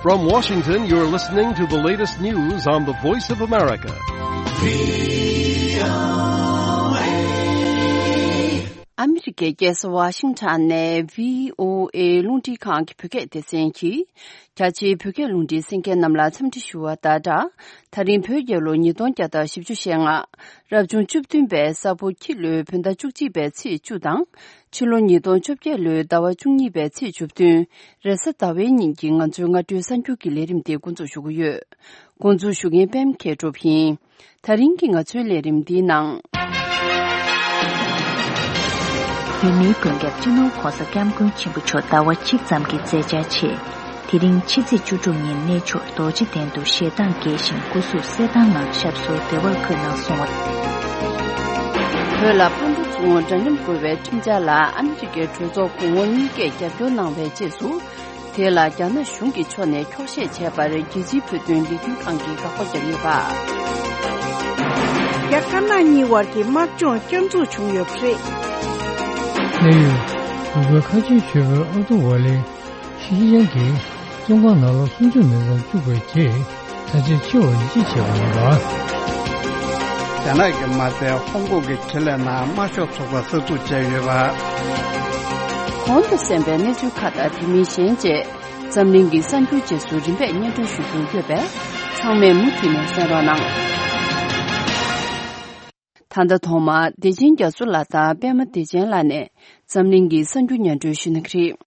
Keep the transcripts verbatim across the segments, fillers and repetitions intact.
From Washington, you're listening to the latest news on the Voice of America. ཨ་མི་རི་ཀའི་རྒྱལ་ས་ཝ་ཤིང་ཊོན་ནས་བྷི་ཨོ་ཨེ་རླུང་འཕྲིན་ཁང་གི་བོད་སྐད་སྡེ་ཚན་གྱིས། རྒྱ་ཆེའི་བོད་སྐད་རླུང་འཕྲིན་གསན་མཁན་རྣམས་ལ་འཚམས་འདྲི་ཞུ་བ་དང་སྦྲགས། ད་རིང་བོད་རྒྱལ་ལོ་ཉིས་སྟོང་བརྒྱ་དང་བཞི་བཅུ་ཞེ་ལྔ། རབ་བྱུང་བཅུ་བདུན་པའི་ས་ཕོ་ཁྱི་ལོའི་བོད་ཟླ་བཅུ་གཅིག་པའི་ཚེས་བཅུ་དང་། ཕྱི་ལོ་ཉིས་སྟོང་བཅོ་བརྒྱད་ལོའི་ཟླ་བ་བཅུ་གཉིས་པའི་ཚེས་བཅུ་བདུན། རེས་གཟའ་ཟླ་བའི་ཉིན་གྱི་ང་ཚོའི་སྔ་དྲོའི་གསར་འགྱུར་གྱི་ལས་རིམ་དེ་འགོ་འཛུགས་ཞུ་གི་ཡོད། འགོ་འཛུགས་ཞུ་མཁན་པད་མ་མཁས་གྲུབ་ཡིན། ད་རིང་གི་ང་ཚོའི་ལས་རིམ་འདིའི་ནང་། བོད་མིའི་མགོན་སྐྱབས་སྤྱི་ནོར་༸གོང་ས་༸སྐྱབས་མགོན་ཆེན་པོ་མཆོག་ཟླ་བ་གཅིག་ཙམ་གྱི་མཛད་འཆར་ཆེད། དེ་རིང་ཕྱི་ཚེས་བཅུ་དྲུག་ཉིན་གནས་མཆོག་རྡོ་རྗེ་གདན་དུ་ཞལ་གདངས་རྒྱས་ཤིང་སྐུ་གཟུགས་གསལ་ཐང་ངང་ཞབས་སོར་བདེ་བར་འཁོད་གནང་སོང་བ། བོད་ལ་ཕར་འགྲོ་ཚུར་འོང་འདྲ་མཉམ་དགོས་པའི་ཁྲིམས་འཆར་ལ་ཨ་མི་རི་ཀའི་གྲོས་ཚོགས་གོང་འོག་གཉིས་ཀས་རྒྱབ་སྐྱོར་གནང་བའི་རྗེས་སུ། དེ་ལ་རྒྱ་ནག་གཞུང་གི་ཕྱོགས་ནས་འཁྱོག་བཤད་བྱས་པར་རྒྱལ་སྤྱིའི་བོད་དོན་ལས་འགུལ་ཁང་གིས་དགག་པ་བརྒྱབ་ཡོད་པ། རྒྱ་དཀར་ནག་གཉིས་བར་གྱི་དམག་སྦྱོང་བསྐྱར་འཛུགས་བྱུང་ཡོད་པ་རེད། གནས་ཡུལ། འུ་གོའི་ཁ་ཆེའི་ཞོལ་པོའི་ཨ་ཏུ་ཝ་ལེ། ཤི་ཅིན་ཕིང་གིས་བཙོན་ཁང་ནང་ལོ་སུམ་ཅུ་མིན་ཙམ་བཅུག་པའི་རྗེས་ད་ཆ་འཆི་བར་ཡིད་ཆེས་བྱས་པ་ཡིན་པ། རྒྱ་ནག་གི་མ་རྩའི་ཧོང་ཀོང་གི་ཁེ་ལས་ནང་དམར་ཤོག་ཚོགས་པ་གསར་འཛུགས་བྱས་ཡོད་པ། གོང་དུ་གསན་པའི་གནས་ཚུལ་ཁག་དང་དེ་མིན་གཞན་བཅས་འཛམ་གླིང་གི་གསར་འགྱུར་རྗེས་སུ་རིམ་པས་སྙན་སྒྲོན་ཞུ་རྒྱུ་ཡོད་པས་ཚང་མས་མུ་མཐུད་ནས་གསན་རོགས་གནང་། ད་ལྟ་ཐོག་མར་བདེ་ཆེན་རྒྱ་མཚོ་ལགས་དང་པད་མ་བདེ་ཆེན་ལགས་ནས་འཛམ་གླིང་གི་གསར་འགྱུར་སྙན་སྒྲོན་ཞུ་གནང་གི་རེད།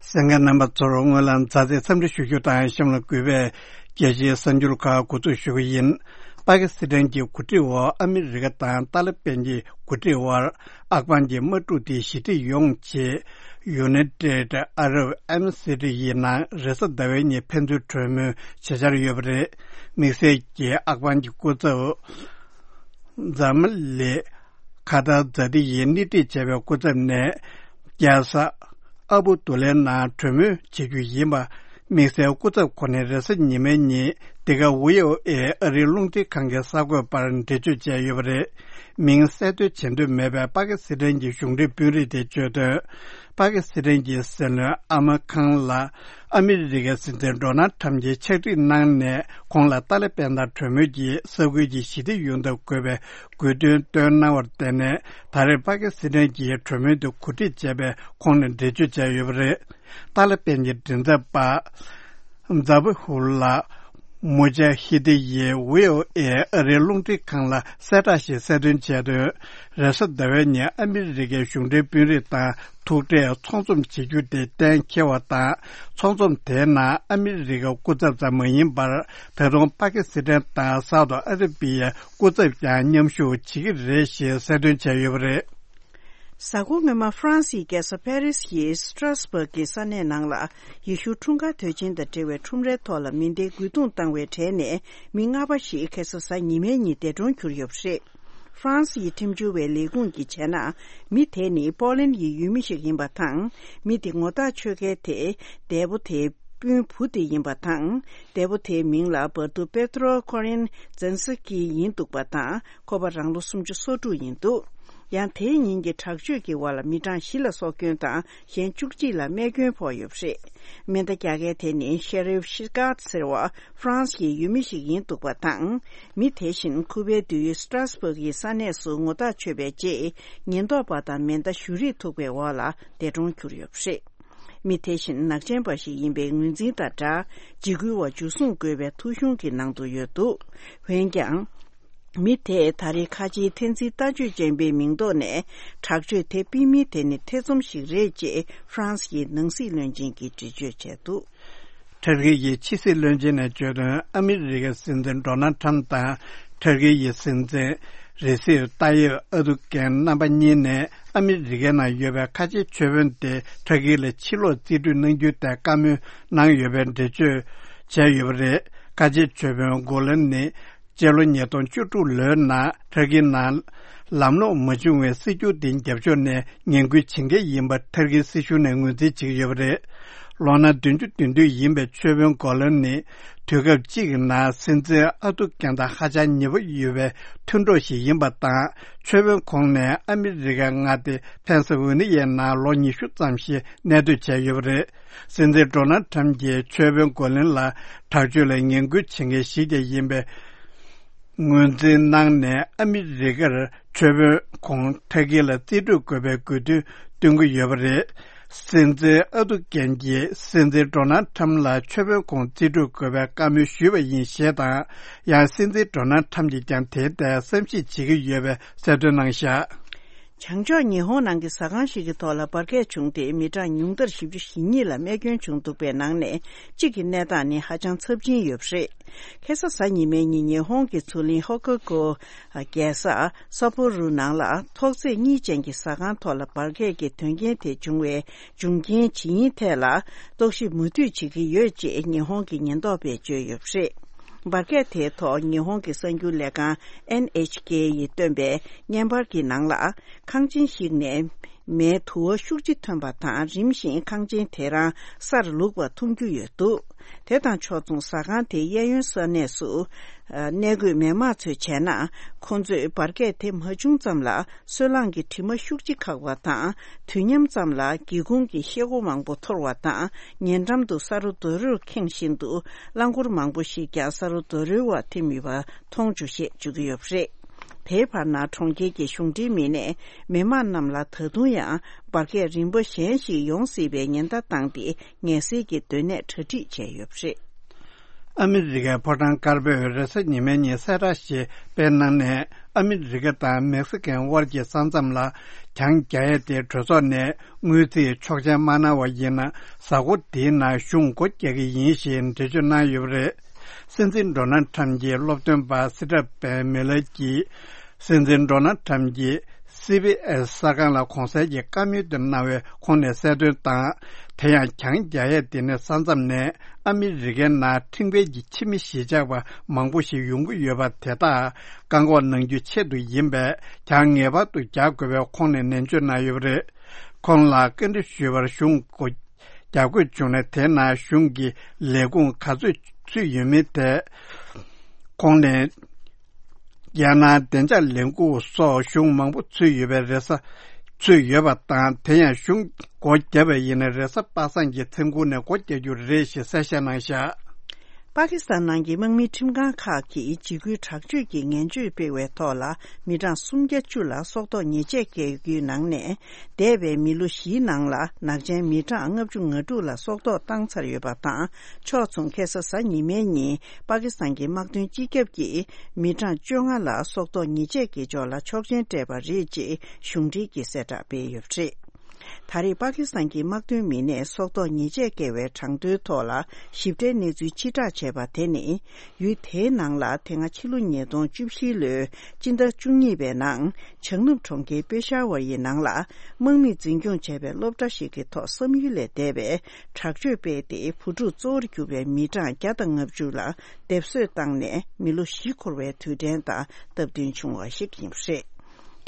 གསན་མཁན་རྣམ་པ་ཚོར་སྔོན་ལ་མཛའ་བརྩེའི་འཚམས་འདྲི་ཞུ་རྒྱུ་དང་གཤམ་ལ་གུས་པས་རྒྱལ་སྤྱིའི་གསར་འགྱུར་ཁག་འགོ་འཛུགས་ཞུ་གི་ཡིན། པ་ཀི་སི་ཐན་གྱི་འགོ་ཁྲིད་འོག་ཨ་མི་རི་ཀ་དང་ཏཱ་ལི་པན་གྱི་འགོ་ཁྲིད་དབར་ཨབ་གྷན་གྱི་དམག་འཁྲུག་དེ་ཞི་འགྲིག་ཡོང་ཆེད་United Arab Emirates ཡི་ནང་རེས་གཟའ་ཟླ་བའི་ཉིན་ཕན་ཚུན་གྲོས་མོལ་བྱེད་འཆར་ཡོད་པ་རེད། དམིགས་བསལ་གྱིས་ཨབ་གྷན་གྱི་སྐུ་ཚབ་ཛ་མ་ལི་ཁ་ཏར་ཛ་ཏི་ཡིས་སྣེ་ཁྲིད་བྱས་པའི་སྐུ་ཚབ་ནས་རྒྱལ་ས་ཨ་བུ་དུ་ལའི་ནང་གྲོས་མོལ་བྱེད་རྒྱུ་ཡིན་པ། དམིགས་བསལ་སྐུ་ཚབ་ཁོ་ནས་རེས་གཟའ་ཉི་མའི་ཉིན་འདི་ག་ཝི་ཨོ་ཨེ་ཨ་རིའི་རླུང་འཕྲིན་ཁང་གི་གསར་འགོད་པར་འགྲེལ་བརྗོད་བྱས་ཡོད་པ་རེད། མིང་གསལ་འདོན་བྱེད་འདོད་མེད་པའི་པ་ཀི་སི་ཐན་གྱི་གཞུང་འབྲེལ་དཔོན་རིགས་དེས་བརྗོད་དོན། པ་ཀི་སི་ཐན་གྱི་སྲིད་བློན་ཨ་མ་ཁང་ལ་ཨ་མི་རི་ཀའི་སྲིད་འཛིན་ཌོ་ནལ་ཁྲམ་གྱིས་ཕྱག་བྲིས་གནང་ནས་ཁོང་ལ་ཏཱ་ལི་པན་དང་གྲོས་མོལ་གྱིས་ས་ཁུལ་གྱི་ཞི་བདེ་ཡོང་ཐབས་དགོས་པའི་དགོས་འདུན་བཏོན་གནང་བར་བརྟེན་ནས་ད་རེས་པ་ཀི་སི་ཐན་གྱིས་གྲོས་མོལ་དུ་གོ་སྒྲིག་བྱས་པའི་ཁོངས་ནས་འགྲེལ་བརྗོད་བྱས་ཡོད་པ་རེད། ཏཱ་ལི་པན་གྱི་མགྲིན་ཚབ་པ་ཛ་བྷི་ཧུ་ལ་མུ་ཇ་ཧི་དི་ཡིས་ཝི་ཨོ་ཨེ་ཨ་རིའི་རླུང་འཕྲིན་ཁང་ལ་གསལ་བསྒྲགས་ཤིག་གསལ་སྟོན་བྱས་དོན། རེས་གཟའ་ཟླ་བའི་ཉིན་ཨ་མི་རི་ཀའི་གཞུང་འབྲེལ་དཔོན་རིགས་དང་ཐུག་འཕྲད་ཚོགས་འཛོམས་བྱེད་རྒྱུ་དེ་གཏན་འཁེལ་བ་དང་། ཚོགས་འཛོམས་དེའི་ནང་ཨ་མི་རི་ཀའི་སྐུ་ཚབ་ཙམ་མ་ཡིན་པར་ད་དུང་པ་ཀི་སི་ཐན་དང་སའུ་ཏི་ཨ་ར་པི་ཡའི་སྐུ་ཚབ་ཀྱང་མཉམ་ཞུགས་བྱེད་ཀྱི་རེད་ཞེས་གསལ་སྟོན་བྱས་ཡོད་པ་རེད། གཟའ་འཁོར་སྔོན་མ་ཧྥ་རན་སིའི་རྒྱལ་ས་ཕ་རི་སི་ཡི་སི་ཏྲ་སི་བྷག་གི་ས་གནས་ནང་ལ་ཡེ་ཤུ་འཁྲུངས་སྐར་དུས་ཆེན་དང་འབྲེལ་བའི་ཁྲོམ་རའི་ཐོག་ལ་མེ་མདའི་རྒོལ་རྡུང་བཏང་བའི་གྲས་ནས་མི་ལྔ་པ་ཞིག་ཁ་སང་གཟའ་ཉི་མའི་ཉིན་འདས་གྲོངས་གྱུར་ཡོད་པ་རེད། ཧྥ་རན་སི་ཡི་ཁྲིམས་བྱོལ་བའི་ལས་ཁུངས་ཀྱིས་བྱས་ན། མི་དེ་ནི་པོ་ལན་ཡི་ཡུལ་མི་ཞིག་ཡིན་པ་དང་། མི་དེ་ངོ་ཐག་ཆོད་མཁན་དེ་འདས་པོ་དེའི་སྤུན་བུ་དེ་ཡིན་པ་དང་། འདས་པོ་དེའི་མིང་ལ་བར་དུ་པེ་ཏྲོ་ཁོ་རིན་ཛན་སི་ཀི་ཡིན་འདུག་པ་དང་། ཁོ་པ་རང་ལོ་སུམ་ཅུ་སོ་དྲུག་ཡིན་འདུག་ཡང་དེའི་ཉིན་གྱི་དྲག་སྤྱོད་ཀྱི་འོག་ལ་མི་གྲངས་བཞི་ལ་སྲོག་སྐྱོན་དང་གཞན་བཅུ་གཅིག་ལ་རྨས་སྐྱོན་ཕོག་ཡོད་པ་རེད། མེ་མདའ་རྒྱག་མཁན་དེ་ནི་ཤེ་རིབ་ཤི་ཀཱད་ཟེར་བ་ཧྥ་རན་སི་ཡི་ཡུལ་མི་ཞིག་ཡིན་འདུག་པ་དང་། མི་དེ་བཞིན་ཁུ་པའི་དུས་ཡུན་སི་ཏྲ་སི་བྷག་གི་ས་གནས་སུ་ངོ་ཐག་ཆོད་པའི་རྗེས་ཉེན་རྟོག་པ་དང་མེ་མདའ་གཞུ་རིས་ཐུག་པའི་འོག་ལ་འདས་གྲོངས་གྱུར་ཡོད་པ་རེད། མི་དེ་བཞིན་ནག་ཅན་པ་ཞིག་ཡིན་པའི་ངོས་འཛིན་དང་སྦྲགས་འཇིགས་སྐུལ་བ་འཇུ་བཟུང་དགོས་པའི་ཐོ་གཞུང་གི་ནང་དུ་ཡོད་འདུག་འོན་ཀྱང་། མི་དེས་ད་རེས་ཁ་ཆེའི་འཐེན་འཛིན་ལྟ་སྤྱོད་ཅན་པའི་མིང་ཐོག་ནས་དྲག་སྤྱོད་དེ་སྤེལ་མིན་དེ་ནི་ཐེ་ཚོམ་ཞིག་རེད་ཅེས་ཧྥ་རན་སི་ཡི་ནང་སྲིད་བློན་ཆེན་གྱིས་འགྲེལ་བརྗོད་བྱས་འདུག་ཊར་ཀི་ཡི་ཕྱི་སྲིད་བློན་ཆེན་ནས་བརྗོད་དོན། ཨ་མི་རི་ཀའི་སྲིད་འཛིན་ཌོ་ནལ་ཁྲམ་དང་ཊར་ཀི་ཡི་སྲིད་འཛིན་རེ་སིབ་ཏཱ་ཡིབ་ཨར་དུ་གྷན་རྣམ་པ་གཉིས་ནས་ཨ་མི་རི་ཀའི་ནང་ཡོད་པའི་ཁ་ཆེའི་ཆོས་དཔོན་དེ་ཊར་ཀི་ལ་ཕྱིར་ལོག་རྩིས་སྤྲོད་གནང་རྒྱུའི་ཐད་བཀའ་མོལ་གནང་ཡོད་པའི་འགྲེལ་བརྗོད་བྱས་ཡོད་པ་རེད། ཁ་ཆེའི་ཆོས་དཔོན་གོ་ལན་ནི། སྤྱི་ལོ་ཉིས་སྟོང་བཅུ་དྲུག་ལོའི་ནང་ཊར་ཀི་ནང་ལམ་ལྷོང་མ་བྱུང་བའི་སྲིད་བྱུས་དེ་རྒྱབ་ཕྱོགས་ནས་ངན་སྐུལ་བྱེད་མཁན་ཡིན་པ་ཊར་ཀིའི་སྲིད་གཞུང་ནས་ངོས་འཛིན་བྱེད་ཀྱི་ཡོད་པ་རེད། ལོ་ན་བདུན་ཅུ་དོན་བདུན་ཡིན་པའི་ཆོས་དཔོན་གོ་ལན་ནི། དུས་སྐབས་གཅིག་གི་ནང་སྲིད་འཛིན་ཨ་ཐུ་རྒན་དང་ཧ་ཅང་ཉེ་པོ་ཡོད་པའི་མཐུན་གྲོགས་ཤིག་ཡིན་པ་དང་། མཆོད་དཔོན་ཁོང་ནས་ཨ་མི་རི་ཀའི་མངའ་སྡེ་ཕེན་སི་ཝེ་ནི་ཡའི་ནང་ལོ་ཉི་ཤུ་ཙམ་ཞིག་གནས་སྡོད་བྱས་ཡོད་པ་རེད། སྲིད་འཛིན་ཌོ་ནལ་ཁྲམ་གྱིས་མཆོད་དཔོན་གོ་ལིན་ལ་དྲག་སྤྱོད་ལ་ངན་སྐུལ་བྱེད་མཁན་ཞིག་ཀྱང་ཡིན་པའི་ངོས་འཛིན་གནང་ནས། ཨ་མི་རི་ཀར་མཆོད་དཔོན་ཁོང་ཕྲ་གིར་ལ་རྩིས་སྤྲོད་དགོས་པའི་དགོས་འདུན་བཏོན་གྱི་ཡོད་པ་རེད། སྲིད་འཛིན་ཨ་ཐུ་རྒན་གྱིས་སྲིད་འཛིན་ཌོ་ནལ་ཁྲམ་ལ་མཆོད་དཔོན་ཁོང་རྩིས་སྤྲོད་དགོས་པའི་བཀའ་མོལ་ཞུས་པ་ཡིན་ཞེས་དང་། ཡང་སྲིད་འཛིན་ཌོ་ནལ་ཁྲམ་གྱིས་ཀྱང་དེའི་ཐད་བསམ་གཞིག་བྱེད་ཀྱི་ཡོད་པའི་གསལ་སྟོན་གནང་བཞག་བྱང་ཕྱོགས་ཉི་ཧོང་ནང་གི་ཟ་ཁང་ཞིག་གི་ཐོག་ལ་འབར་གས་བྱུང་སྟེ། མི་གྲངས་ཉུང་མཐར་བཞི་བཅུ་ཞེ་གཉིས་ལ་རྨས་སྐྱོན་བྱུང་འདུག་པའི་ནང་ནས་གཅིག་གི་གནས་སྟངས་ནི་ཧ་ཅང་ཚབས་ཆེན་ཡོད་པ་རེད། ཁ་སང་གཟའ་ཉི་མའི་ཉིན་ཉི་ཧོང་གི་མཚོ་གླིང་ཧོ་ཀོ་ཀོ་རྒྱལ་ས་སཱ་པོ་རུ་ནང་ལ་ཐོག་བརྩེགས་གཉིས་ཅན་གྱི་ཟ་ཁང་ཐོག་ལ་འབར་གས་ཀྱི་དོན་རྐྱེན་དེ་བྱུང་བའི་འབྱུང་རྐྱེན་ཇི་ཡིན་ཐད་ལ་རྟོག་ཞིབ་མུ་མཐུད་བྱེད་ཀྱི་ཡོད་ཅེས་ཉི་ཧོང་གི་ཉེན་རྟོག་པས་བརྗོད་ཡོད་པ་རེད། འབར་གས་དེའི་ཐོག་ཉི་ཧོང་གི་གསར་འགྱུར་ལས་ཁང་ཨེན་ཨེཆ་ཀེ་ཡིས་བཏོན་པའི་བརྙན་པར་གྱི་ནང་ལ། ཁང་ཆེན་ཞིག་ནས་མེའི་དུ་བ་ཤུགས་ཆེ་ཐོན་པ་དང་། རིམ་བཞིན་ཁང་ཆེན་དེ་རང་སར་ལུག་པ་མཐོང་རྒྱུ་ཡོད་འདུག་དེ་དང་ཕྱོགས་མཚུངས་ཟ་ཁང་དེའི་གཡས་གཡོན་ས་གནས་སུ་གནས་འཁོད་མི་དམངས་ཚོས་བྱས་ན། ཁོང་ཚོས་འབར་གས་དེ་མ་བྱུང་ཙམ་ལ། སོལ་རླངས་ཀྱི་དྲི་མ་ཤུགས་ཆེ་ཁག་པ་དང་། དུས་མཉམ་ཙམ་ལ་སྒེའུ་ཁུང་གི་ཤེལ་སྒོ་མང་པོ་འཐོར་བ་དང་། ཉེ་འགྲམ་དུ་ས་རོ་རྡོ་རོས་ཁེངས་བཞིན་དུ་རླངས་འཁོར་མང་པོ་ཞིག་ཀྱང་ས་རོ་རྡོ་རོའི་འོག་ཐིམ་ཡོད་པ་མཐོང་བྱུང་ཞེས་བརྗོད་ཀྱི་ཡོད་པ་རེད། དེའི་བར་ན་གྲོང་ཁྱེར་གྱི་གཞུང་འབྲེལ་མི་སྣས་མི་མང་རྣམས་ལ་ད་དུང་ཡང་འབར་གས་རིམ་པ་གཞན་ཞིག་ཡོང་སྲིད་པའི་ཉེན་བརྡ་བཏང་སྟེ། ངལ་སེལ་གྱི་སྡོད་གནས་གྲ་སྒྲིག་བྱས་ཡོད་པ་རེད། ཨ་མི་རི་ཀའི་ཕོ་བྲང་དཀར་པོས་རེས་གཟའ་ཉི་མའི་ཉིན་གསལ་བསྒྲགས་ཤིག་སྤེལ་གནང་ནས། ཨ་མི་རི་ཀ་དང་མེག་སི་ཀོའི་དབར་གྱི་ས་མཚམས་ལ་གྱང་རྒྱག་ཡས་དེ་གྲོས་ཚོགས་ནས་དངུལ་རྩིས་ཆོག་མཆན་མ་གནང་བ་ཡིན་ན། གཟའ་འཁོར་འདིའི་ནང་གཞུང་སྒོ་རྒྱག་གི་ཡིན་ཞེས་འགྲེལ་བརྗོད་གནང་ཡོད་པ་རེད། སྲིད་འཛིན་ཌོ་ནལ་ཁྲམ་གྱི་སློབ་སྟོན་པ་སི་ཏྲ་པན་མེ་ལར་གྱིས། སྲིད་འཛིན་ཌོ་ནལ་ཁྲམ་གྱིས་སི་བྷི་ཨེས་གསར་ཁང་ལ་གོང་གསལ་གྱི་བཀའ་མོལ་དེ་གནང་བའི་ཁོངས་ནས་གསལ་སྟོན་དང་། དེ་ཡང་གྱང་རྒྱག་ཡས་དེ་ནི་ས་མཚམས་ནས་ཨ་མི་རི་ཀའི་ནང་ཁྲིམས་འགལ་གྱི་ཕྱི་མི་གཞིས་ཆགས་པ་མང་པོ་ཞིག་ཡོང་གི་ཡོད་པ་དེ་དག་བཀག་འགོག་གནང་རྒྱུའི་ཆེད་དུ་ཡིན་པས། གྱང་ངེས་པར་དུ་རྒྱག་དགོས་པའི་ཁོངས་ནས་ནན་བརྗོད་གནང་ཡོད་པ་རེད། ཁོང་ལ་བཀའ་འདྲི་ཞུས་པར། གཞུང་སྒོ་རྒྱག་དགོས་བྱུང་ན། དེ་ནང་གཞུང་གི་ལས་ཁུངས་ག་ཚོད་ཚུད་ཡོད་མེད་དེ། ཁོང་ནས། རྒྱལ་ནང་བདེ་འཇགས་ལས་ཁུངས་སོགས་གཞུང་མང་པོ་ཚུད་ཡོད་པའི་རེས་གཟའ་ཚུད་ཡོད་པ་དང་། དེ་ཡང་གཞུང་སྒོ་བརྒྱབ་པ་ཡིན་ན། རེས་གཟའ་པ་སངས་ཀྱི་མཚན་གུང་ནས་སྒོ་རྒྱག་རྒྱུ་རེད་ཞེས་གསལ་བཤད་གནང་བཞག་པ་ཀི་སི་ཐན་ནང་གི་དམག་མིའི་ཁྲིམས་ཁང་ཁག་གིས་འཇིགས་སྐུལ་དྲག་སྤྱོད་ཀྱི་ངན་བྱུས་སྤེལ་བའི་ཐོག་ལ། མི་གྲངས་སུམ་བརྒྱ་བཅུ་ལ་སྲོག་ཐོག་ཉེས་ཆད་བཀལ་རྒྱུའི་ནང་ནས། འདས་པའི་མི་ལོ་བཞིའི་ནང་ལ་ནག་ཅན་མི་གྲངས་ལྔ་བཅུ་ང་དྲུག་ལ་སྲོག་ཐོག་བཏང་ཚར་ཡོད་པ་དང་། ཕྱོགས་མཚུངས་ཁ་སང་གཟའ་ཉི་མའི་ཉིན། པ་ཀི་སི་ཐན་གྱི་དམག་དོན་སྤྱི་ཁྱབ་ཀྱིས་མི་གྲངས་བཅོ་ལྔ་ལ་སྲོག་ཐོག་ཉེས་ཆད་བཀལ་ཕྱོགས་ལ་ཆོག་མཆན་སྤྲད་པ་རེད་ཅེས་གཞུང་འབྲེལ་གྱིས་གསལ་བསྒྲགས་སྤེལ་ཡོད་པ་རེད། ད་རེས་པ་ཀི་སི་ཐན་གྱི་དམག་དོན་མི་སྣས་སྲོག་ཐོག་ཉེས་ཆད་བཀལ་བའི་གྲངས་ཐོའི་ཐོག་ལ་ཞིབ་ཕྲའི་གནས་ཚུལ་ཕྱིར་བསྒྲགས་བྱས་པ་དེ་ནི། ཡུལ་དེའི་ནང་ལ་དེ་སྔ་ཕྱི་ལོ་ཉིས་སྟོང་བཅུ་བཞི་ལོའི་སྤྱི་ཟླ་བཅུ་གཉིས་པའི་ནང་། བྱང་ནུབ་གྲོང་ཁྱེར་པེ་ཤ་ཝར་ཡི་ནང་ལ། དམག་མིས་འཛིན་སྐྱོང་བྱས་པའི་སློབ་གྲྭ་ཞིག་གི་ཐོག་བསམ་ཡུལ་ལས་འདས་པའི་དྲག་སྤྱོད་སྤེལ་ཏེ། བུ་ཕྲུག་གཙོ་བོར་གྱུར་པའི་མི་གྲངས་བརྒྱ་དང་ལྔ་བཅུ་ལ་སྡེབ་གསོད་བཏང་ནས། མི་ལོ་བཞི་འཁོར་བའི་དུས་དྲན་དང་སྟབས་བསྟུན་བྱུང་བ་ཞིག་ཡིན་པ་རེད།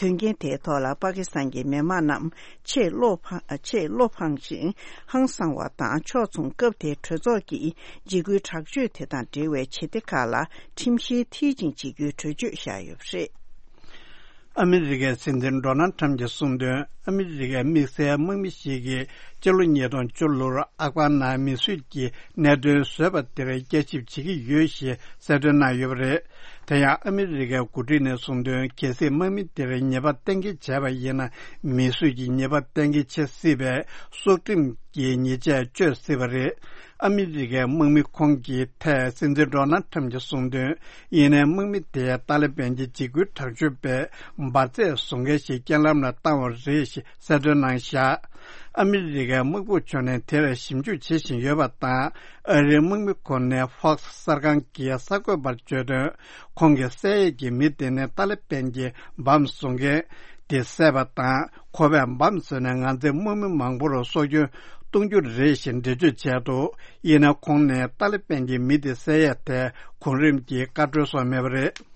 དོན་རྐྱེན་དེའི་ཐོག་ལ་པ་ཀི་སི་ཐན་གྱི་མི་དམངས་རྣམས་ཆེས་བློ་ཕངས། ཆེས་བློ་ཕངས་ཤིང་ཧང་སངས་བ་དང་། ཕྱོགས་མཚུངས་སྐབས་དེའི་གྲོས་ཚོགས་ཀྱིས་འཇིགས་སྐུལ་དྲག་སྤྱོད་དེ་དང་འབྲེལ་བའི་བྱེད་གཏེ་ཁག་ལ་ཁྲིམས་བཤེར་མཐིལ་ཕྱིན་བྱེད་རྒྱུའི་གྲོས་ཆོད་བཞག་ཡོད་པ་རེད། ཨ་མི་རི་ཀའི་སྲིད་འཛིན་ཌོ་ནལ་ཁྲམ་གྱིས་གསུངས་དོན། ཨ་མི་རི་ཀའི་དམིགས་བསལ་དམག་མི་ཞིག་གིས་སྤྱི་ལོ་ཉིས་སྟོང་བཅུ་ལོར་ཨབ་གྷན་ནང་མི་གསོད་ཀྱི་གནད་དོན་བཟོས་པ་དེར་བསྐྱར་ཞིབ་བྱེད་ཀྱི་ཡོད་ཞེས་གསལ་སྟོན་གནང་ཡོད་པ་རེད། དེ་ཡང་ཨ་མི་རི་ཀའི་འགོ་ཁྲིད་ནས་གསུངས་དོན། གལ་སྲིད་དམག་མི་དེར་ཉེས་པ་གཏན་འཁེལ་བྱས་པ་ཡིན་ན། མི་གསོད་ཀྱི་ཉེས་པ་གཏན་འཁེལ་བྱེད་སྲིད་པས། སྲོག་ཁྲིམས་ཀྱི་ཉེས་ཆད་གཅོད་སྲིད་པ་རེད། ཨ་མི་རི་ཀའི་དམག་མི་ཁོང་གི་ཐད་སྲིད་འཛིན་ཌོ་ནལ་ཁྲམ་གྱིས་གསུངས་དོན། ཡིན་ནའི་དམག་མི་དེས་ཏཱ་ལི་བན་གྱི་འཇིགས་སྐུལ་དྲག་སྤྱོད་པས་འབར་རྫས་བཟོ་མཁན་ཞིག་རྐྱེན་ལམ་ལ་བཏང་བ་རེད་ཞེས་གསལ་སྟོན་གནང་བཞག་ཨ་མི་རི་ཀའི་དམག་དཔུང་ཕྱོགས་ནས་དེར་ཞིབ་འཇུག་བྱེད་བཞིན་ཡོད་པ་དང་། ཨ་རིའི་དམག་མི་ཁོ་ནས་ཧྥོག་སི་གསར་ཁང་གི་གསར་འགོད་པར་བརྗོད་དོན། ཁོང་གིས་བསད་ཡས་ཀྱི་མི་དེ་ནི་ཏཱ་ལི་བན་གྱི་འབམ་བཟོ་མཁན་དེ་བསད་པ་དང་། ཁོ་པས་འབམ་བཟོས་ནས་ང་ཚོའི་དམག་མི་མང་པོར་སྲོག་སྐྱོན་གཏོང་རྒྱུ་རེད་ཞེས་འགྲེལ་བརྗོད་བྱས་འདུག་ཡིན་ན་ཁོང་ནས་ཏཱ་ལི་བན་གྱི་མི་དེ་བསད་ཡས་ཐད་གོང་རིམ་གྱི་བཀའ་འཁྲོལ་སོགས་མེད་པ་རེད།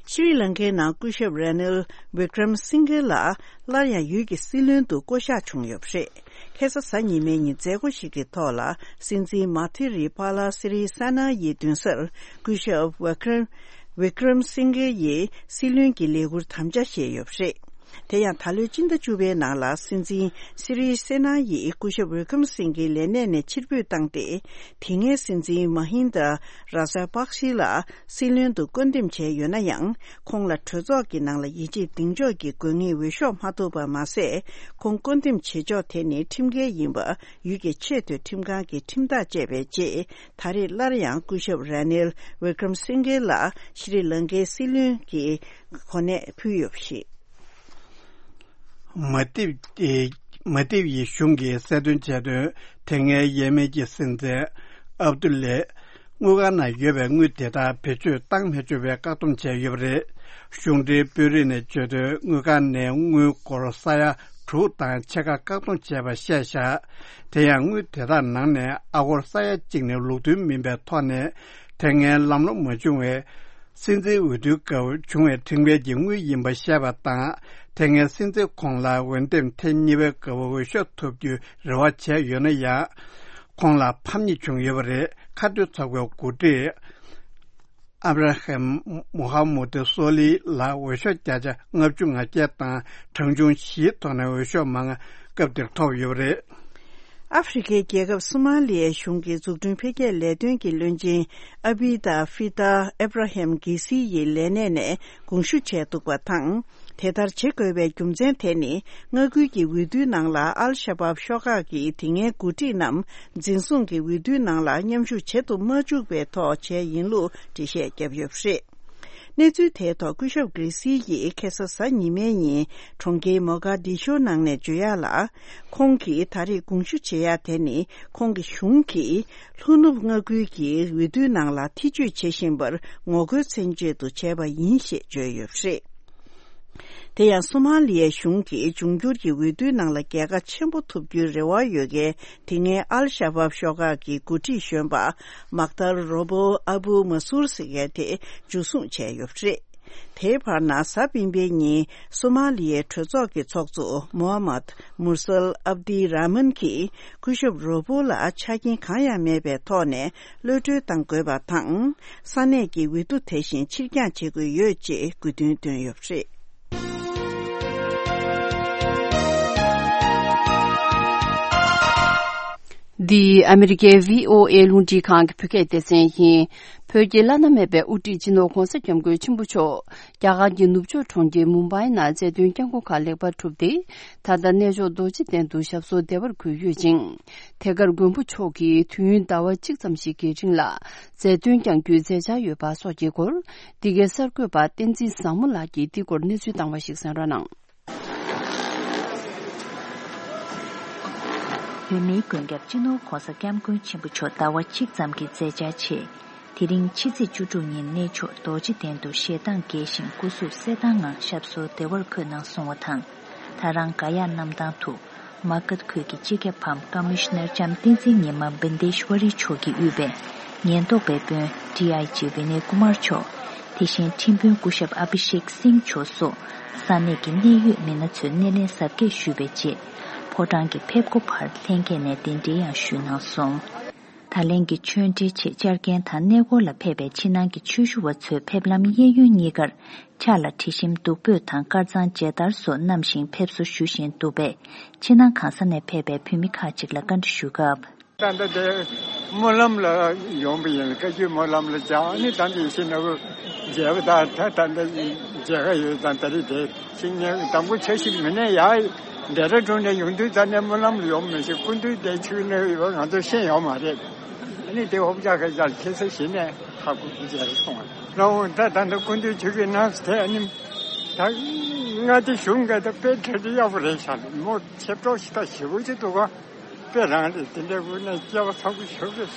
ཤྲི་ལང་ཀའི་ནང་སྐུ་ཞབས་ར་ནིལ་བི་ཀྲམ་སིང་གྷེ་ལགས་སླར་ཡང་ཡུལ་གྱི་སྲིད་བློན་དུ་བསྐོ་གཞག་བྱུང་ཡོད་པ་རེད། ཁ་སང་གཟའ་ཉི་མའི་ཉིན་མཛད་སྒོ་ཞིག་གི་ཐོག་ལ། སྲིད་འཛིན་མཱ་ཐི་རི་པཱ་ལ་སི་རི་སེ་ན་ཡི་མདུན་སར་སྐུ་ཞབས་ཝི་ཀྲམ་ཝི་ཀྲམ་སིང་གེ་ཡི་སྲིད་བློན་གྱི་ལས་འཁུར་དམ་བཅའ་བཞེས་ཡོད་པ་རེད། དེ་ཡང་ད་ལོའི་སྤྱི་ཟླ་བཅུ་པའི་ནང་ལ་སྲིད་འཛིན་སི་རི་སེ་ན་ཡིས་སྐུ་ཞབས་ཝི་ཀྲམ་སིང་གེ་ལས་གནས་ནས་ཕྱིར་འབུད་བཏང་སྟེ། དེ་སྔའི་སྲིད་འཛིན་མ་ཧིན་དཱ་ར་ཇ་པག་ཤི་ལ་སྲིད་བློན་དུ་བསྐོ་འདེམས་བྱས་ཡོད་ན་ཡང་། ཁོང་ལ་གྲོས་ཚོགས་ཀྱི་ནང་ལ་ཡིད་ཆེས་གདེང་འཇོག་གི་དགོས་ངེས་འོས་ཤོག་མ་ཐོབ་པ་མ་ཟད། ཁོང་བསྐོ་འདེམས་བྱེད་ཕྱོགས་དེ་ནི་ཁྲིམས་འགལ་ཡིན་པ་ཡུལ་གྱི་ཆེས་མཐོའི་ཁྲིམས་ཁང་གིས་ཁྲིམས་ཐག་བཅད་པའི་རྗེས། ད་རེས་སླར་ཡང་སྐུ་ཞབས་ར་ནིལ་ཝི་ཀྲམ་སིང་གེ་ལ་ཤྲི་ལང་ཀའི་སྲིད་བློན་གྱི་གོ་གནས་ཕུལ་ཡོད་པ་རེད། མ་ཏིབ་ཨེ། མ་ཏིབ་ཡི་གཞུང་གིས་གསལ་སྟོན་བྱས་དོན། དེ་སྔའི་ཡེ་མེན་གྱི་སྲིད་འཛིན་ཨབ་དུ་ལེ་དངུལ་ཁང་ནང་ཡོད་པའི་དངུལ་དེ་དག་བེད་སྤྱོད་བཏང་མི་ཆོག་པའི་བཀག་སྡོམ་བྱས་ཡོད་པ་རེད། གཞུང་འབྲེལ་དཔོན་རིགས་ནས་བརྗོད་དོན། དངུལ་ཁང་ནས་དངུལ་སྒོར་ས་ཡ་དྲུག་དང་ཕྱེད་ཀ་བཀག་སྡོམ་བྱས་པ་བཤད་བཞག་དེ་ཡང་དངུལ་དེ་དག་ནང་ནས་ཨ་སྒོར་ས་ཡ་གཅིག་ནི་ལུགས་མཐུན་མིན་པའི་ཐོག་ནས། དེ་སྔའི་ལམ་ལྷོང་མ་བྱུང་བའི་སྲིད་འཛིན་འོས་བསྡུའི་སྐབས་བྱུང་བའི་ཁྲིམས་འགལ་གྱི་དངུལ་ཡིན་པ་བཤད་པ་དང་། དེ་སྔའི་སྲིད་འཛིན་ཁོང་ལ་འོས་འདེམས་ཐེངས་གཉིས་པའི་སྐབས་འོས་ཤོག་ཐོབ་རྒྱུའི་རེ་བ་བྱས་ཡོད་ན་ཡང་། ཁོང་ལ་ཕམ་ཉེས་བྱུང་ཡོད་པ་རེད། ཁ་གཏད་ཚོགས་པའི་འགོ་ཁྲིད་ཨབ་ར་ཧམ་མུ་ཧམ་མུ་ཏི་སོ་ལི་ལ་འོས་ཤོག་བརྒྱ་ཆ་ལྔ་བཅུ་ང་བརྒྱད་དང་། གྲངས་ཆུང་བཞིའི་ཐོག་ནས་འོས་ཤོག་མང་སྐབས་དེར་ཐོབ་ཡོད་པ་རེད། ཨ་ཧྥེ་རི་ཁའི་རྒྱལ་ཁབ་སོ་མ་ལི་ཡའི་གཞུང་གི་འཛུགས་སྐྲུན་འཕེལ་རྒྱས་ལས་དོན་གྱི་བློན་ཆེན་ཨ་བྷི་ད་ཧྥི་ད་ཨེབ་ར་ཧེམ་གྷི་སི་ཡི་ལས་གནས་ནས་དགོངས་ཞུ་བྱས་འདུག་པ་དང་། དེ་ལྟར་བྱེད་དགོས་པའི་རྒྱུ་མཚན་དེ་ནི། མངའ་ཁུལ་གྱི་འོས་བསྡུའི་ནང་ལ་ཨལ་ཤ་བབ་ཤོག་ཁག་གི་དེ་སྔའི་འགོ་ཁྲིད་རྣམས་འཛིན་བཟུང་གིས་འོས་བསྡུའི་ནང་ལ་མཉམ་ཞུགས་བྱེད་དུ་མ་བཅུག་པའི་ཐོག་བྱས་ཡིན་ལུགས་འགྲེལ་བཤད་བརྒྱབ་ཡོད་པ་རེད། གནས་ཚུལ་དེའི་ཐོག་སྐུ་ཞབས་གྷི་སི་ཡིས་ཁ་སང་གཟའ་ཉི་མའི་ཉིན་གྲོང་ཁྱེར་མོ་ག་དི་ཤོ་ནང་ནས་བརྗོད་ཡག་ལ། ཁོང་གིས་ད་རེས་དགོངས་ཞུ་བྱེད་ཡག་དེ་ནི་ཁོང་གི་གཞུང་གིས་ལྷོ་ནུབ་མངའ་ཁུལ་གྱི་འོས་བསྡུའི་ནང་ལ་ཐེ་བྱུས་བྱེད་བཞིན་པར་ངོ་རྒོལ་མཚོན་ཆེད་དུ་བྱས་པ་ཡིན་ཞེས་བརྗོད་ཡོད་པ་རེད། དེ་ཡང་སོ་མ་ལི་ཡའི་གཞུང་གིས་འབྱུང་འགྱུར་གྱི་འོས་བསྡུའི་ནང་ལ་རྒྱལ་ཁ་ཆེན་པོ་ཐོབ་རྒྱུའི་རེ་བ་ཡོད་མཁན་དེ་སྔའི་ཨལ་ཤ་བབ་ཤོག་ཁག་གི་འགོ་ཁྲིད་གཞོན་པ་མག་ཏར་རོ་བོ་ཨ་བུ་མ་སུར་ཟེར་མཁན་དེ་འཇུ་བཟུང་བྱས་ཡོད་པ་རེད། དེའི་བར་ན་གཟའ་སྤེན་པའི་ཉིན་སོ་མ་ལི་ཡའི་གྲོས་ཚོགས་ཀྱི་ཚོགས་གཙོ་མོ་ཧ་མད་མུར་སལ་ཨབ་དི་ར་མན་གྱིས་སྐུ་ཞབས་རོ་བོ་ལ་ཆ་རྐྱེན་གང་ཡང་མེད་པའི་ཐོག་ནས། གློད་གྲོལ་གཏང་དགོས་པ་དང་། ས་གནས་ཀྱི་འོས་བསྡུ་དེ་བཞིན་ཕྱིར་འགྱངས་བྱེད་དགོས་ཡོད་ཅེས་དགོས་འདུན་བཏོན་ཡོད་པ་རེད། འདི་ཨ་མི་རི་ཀའི་བྷི་ཨོ་ཨེ་རླུང་འཕྲིན་ཁང་གི་བོད་སྐད་སྡེ་ཚན་ཡིན། བོད་ཀྱི་བླ་ན་མེད་པའི་དབུ་ཁྲིད་སྤྱི་ནོར་༧གོང་ས་༧སྐྱབས་མགོན་ཆེན་པོ་མཆོག་རྒྱ་གར་གྱི་ནུབ་ཕྱོགས་གྲོང་ཁྱེར་མུམ་བྷའི་ནང་མཛད་དོན་བསྐྱངས་སྒོ་ཁག་ལེགས་པར་གྲུབ་སྟེ། ད་ལྟ་གནས་མཆོག་རྡོ་རྗེ་གདན་དུ་ཞབས་སོར་བདེ་བར་འཁོད་ཡོད་ཅིང་། དེ་གར་མགོན་པོ་མཆོག་གིས་དུས་ཡུན་ཟླ་བ་གཅིག་ཙམ་ཞིག་གི་རིང་ལ་མཛད་དོན་བསྐྱང་རྒྱུའི་མཛད་འཆར་ཡོད་པ་སོགས་ཀྱི་སྐོར། འདི་གའི་གསར་འགོད་པ་བསྟན་འཛིན་བཟང་མོ་ལགས་ཀྱིས་འདི་སྐོར་གནས་ཚུལ་བཏང་བ་ཞིག་གསན་རོགས་གནང་། བོད་མིའི་མགོན་སྐྱབས་སྤྱི་ནོར་༧གོང་ས་༧སྐྱབས་མགོན་ཆེན་པོ་མཆོག་ཟླ་བ་གཅིག་ཙམ་གྱི་མཛད་འཆར་ཆེད། དེ་རིང་ཕྱི་ཚེས་བཅུ་དྲུག་ཉིན་གནས་མཆོག་རྡོ་རྗེ་གདན་དུ་ཞལ་གདངས་རྒྱས་ཤིང་སྐུ་གཟུགས་གསལ་ཐང་ངང་ཞབས་སོར་བདེ་བར་འཁོད་གནང་སོང་བ་དང་། ད་རང་ག་ཡ་གནམ་ཐང་དུ་མ་གྷ་དྷ་ཁུལ་གྱི་སྤྱི་ཁྱབ་བམ་ཀ་མི་ཤ་ནར་ལྕམ་བསྟན་འཛིན་ཉི་མ་བིན་དེ་ཤྭ་རི་མཆོག་གིས་དབུས་པའི་ཉེན་རྟོག་པའི་དཔོན་ཌི་ཨའི་ཇི་ཝི་ནེ་ཀུ་མར་མཆོག་དེ་བཞིན་ཁྲིམས་དཔོན་སྐུ་ཞབས་ཨ་བྷི་ཤེག་སིང་མཆོག་སོགས་ས་གནས་ཀྱི་གནད་ཡོད་མི་སྣ་ཚོས་སྣེ་ལེན་གཟབ་རྒྱས་ཞུས་པའི་རྗེས། ཕོ་བྲང་གི་ཕེབས་སྒོ་བར་ལྷན་རྒྱས་ནས་གདན་འདྲེན་ཡང་ཞུས་གནང་སོང་། ད་ལན་གྱི་ཆོས་འབྲེལ་ཆེད་བཅར་མཁན་དང་གནས་སྐོར་ལ་ཕེབས་པའི་ཕྱི་ནང་གི་ཆོས་ཞུ་བ་ཚོས་ཕེབས་ལམ་གཡས་གཡོན་གཉིས་ཀར་ཕྱག་ལ་དྲི་ཞིམ་བདུག་སྤོས་དང་དཀར་གཙང་མཇལ་དར་སོགས་བསྣམས་ཤིང་ཕེབས་བསུ་ཞུ་བཞིན་འདུག་པས། ཕྱི་ནང་གང་ས་ནས་ཕེབས་པའི་བོད་མི་ཁག་ཅིག་ལ་བཀའ་འདྲི་ཞུ་སྐབས། ད་ལྟ་དེ་སྨོན་ལམ་ལ་ཡོང་པ་ཡིན། བཀའ་བརྒྱུད་སྨོན་ལམ་ལ་བཅར་ནི་ད་འདི་ཤི་ན་བུ་མཇལ་བ་དང་ད་ད་འདི་མཇལ་ཁ་ཡོད་དང་ད་རེས་དེ། ཤིང་ནས་དང་པོ་འཆར་གཞི་མི་སྣ་ཡ་ཌེ་ར་ཌུན་ནས་ཡོང་དུས་ད་ནས་སྨོན་ལམ་ལ་ཡོང་མི་ཤེས། སྐུ་མདུན་དེ་ཆུ་ནས་ཡོད་ང་ཚོ་ཤེས་ཡོང་མ་རེད། ཨ་ནི་དེ་ཧོབ་ཅག་ཁ་ཅག་ཁེ་ས་ཞིག་ནས་ཧ་གོ་མཇལ་སོང་བ་རང་ད་ད་ད་སྐུ་མདུན་ཆུ་གི་ནང་དེ་ཨ་ནི་ད་ང་དེ་གཞུང་ག་ད་དཔེ་གྲ་སྒྲིག་ཡག་པོ་རེད་ཤག་མོ་ཆེ་པྲོག་ཤི་ད་ཞེ་པོ་ཅིག་འདུག་ག་དཔེ་རང་རེད། དེ་འདྲའི་སྐུ་ནས་སྐྱེ་བ་ཚང་པོ་ཞོག་རེད།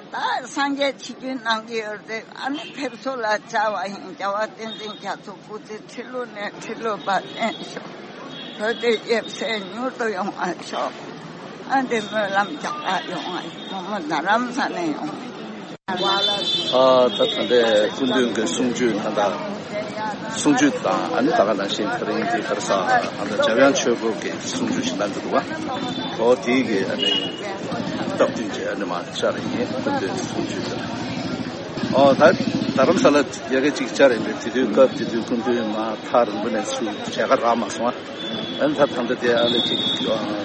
ད་སངས་རྒྱས་ཆིག་བརྒྱུད་གནང་གི་ཡོད་རེད། ཨ་ནི་ཕེབས་བསུ་ལ་བཅར་བ་ཡིན། རྒྱལ་བ་བསྟན་འཛིན་རྒྱ་མཚོ་སྐུ་ཚེ་ཁྲི་ལོ་ནས་ཁྲི་ལོ་བར་བརྟན་ཤོག་བོད་དེ་ཡབ་སྲས་མྱུར་དུ་ཡོང་བ་ཤོག་ཨ་འདི་སྨོན་ལམ་རྒྱག་པ་ཡོང་བ་ཡིན། མོ་མོ་རྡ་རམ་ས་ནས་ཡོང་བ་ཡིན། ཨ་ད་ད་ལྟའི་སྐུ་མདུན་གྱི་གསུང་ཆོས་ད་ལྟ། གསུང་ཆོས་དང་ཨ་ནི་ད་ག་ནང་བཞིན་ད་རིང་འདི་གར་ས་ཨ་ནི་འཇམ་དབྱངས་ཆོས་སྐོར་གྱི་གསུང་ཆོས་ཞིག་གནང་གི་འདུག་བ། ཨོ་དེའི་གི་ཨ་ནི་སྟབས་བསྟུན་གྱི་ཨ་ནི་མ་ཤར་ཡིན་སྐུ་མདུན་གསུང་ཆོས་དེར། ཨོ་ད་རྡ་རམ་ས་ལ་ཡ་གི་ཅིག་བཅར་ཡིན་པས་དེ་དུས་སྐབས་དེ་དུས་སྐུ་མདུན་མ་ཐག་རིང་པོ་ནས་ཚུར་མཇལ་ཁ་རག་མ་སོང་བ། ཨ་ནི་ད་ད་ལྟ་དེ་ཨ་ལེ་ཅིག་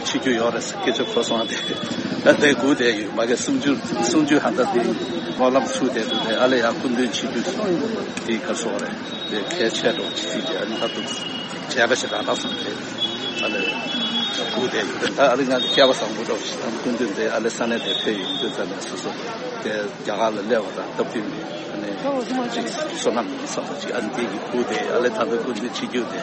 ཕྱི་རྒྱུ་ཡོད་རེད་སྐད་ཆ་གོ་སོང་བ་དེ་ཨ་དེ་སྒུག་བསྡད་ཡོད་མ་གི་གསུང་ཆོས་གསུང་ཆོས་ཧ་ད་དེ་སྨོན་ལམ་ཚུགས་བསྡད་འདུག་དེ་ཨ་ལེ་ཡང་སྐུ་མདུན་ཕྱི་རྒྱུ་དེ་ག་སོང་རེད། དེ་གལ་ཆེ་འགྲོ་ཅི་ཟིག་དེ་ཨ་ནི་ཧ་ཏུ་བྱས་པ་ཞིག་རང་རང་སོང་དེ་ཨ་ལེ་སྒུག་བསྡད་ཡོད། ད་ཨ་ལེ་ང་སྐལ་བ་བཟང་པོ་འགྲོ་ཞིག་དང་སྐུ་མདུན་དེ་ཨ་ལེ་ས་གནས་དེ་ཕེབས་ཡོང་དུས་ཙམ་ནས་སོ་སོ་དེ་རྒྱ་གར་ལ་སླེབས་པ་དང་སྟབས་བསྟུན་ནས་ཨ་ནི་ཅིག་བསོད་ནམས་ཡིན་བསམ་པ་ཅིག་ཨ་ནི་དེ་གི་སྒུག་བསྡད་ཨ་ལེ་ད་ལྟ་སྐུ་མདུན་ཕྱི་རྒྱུ་དེ།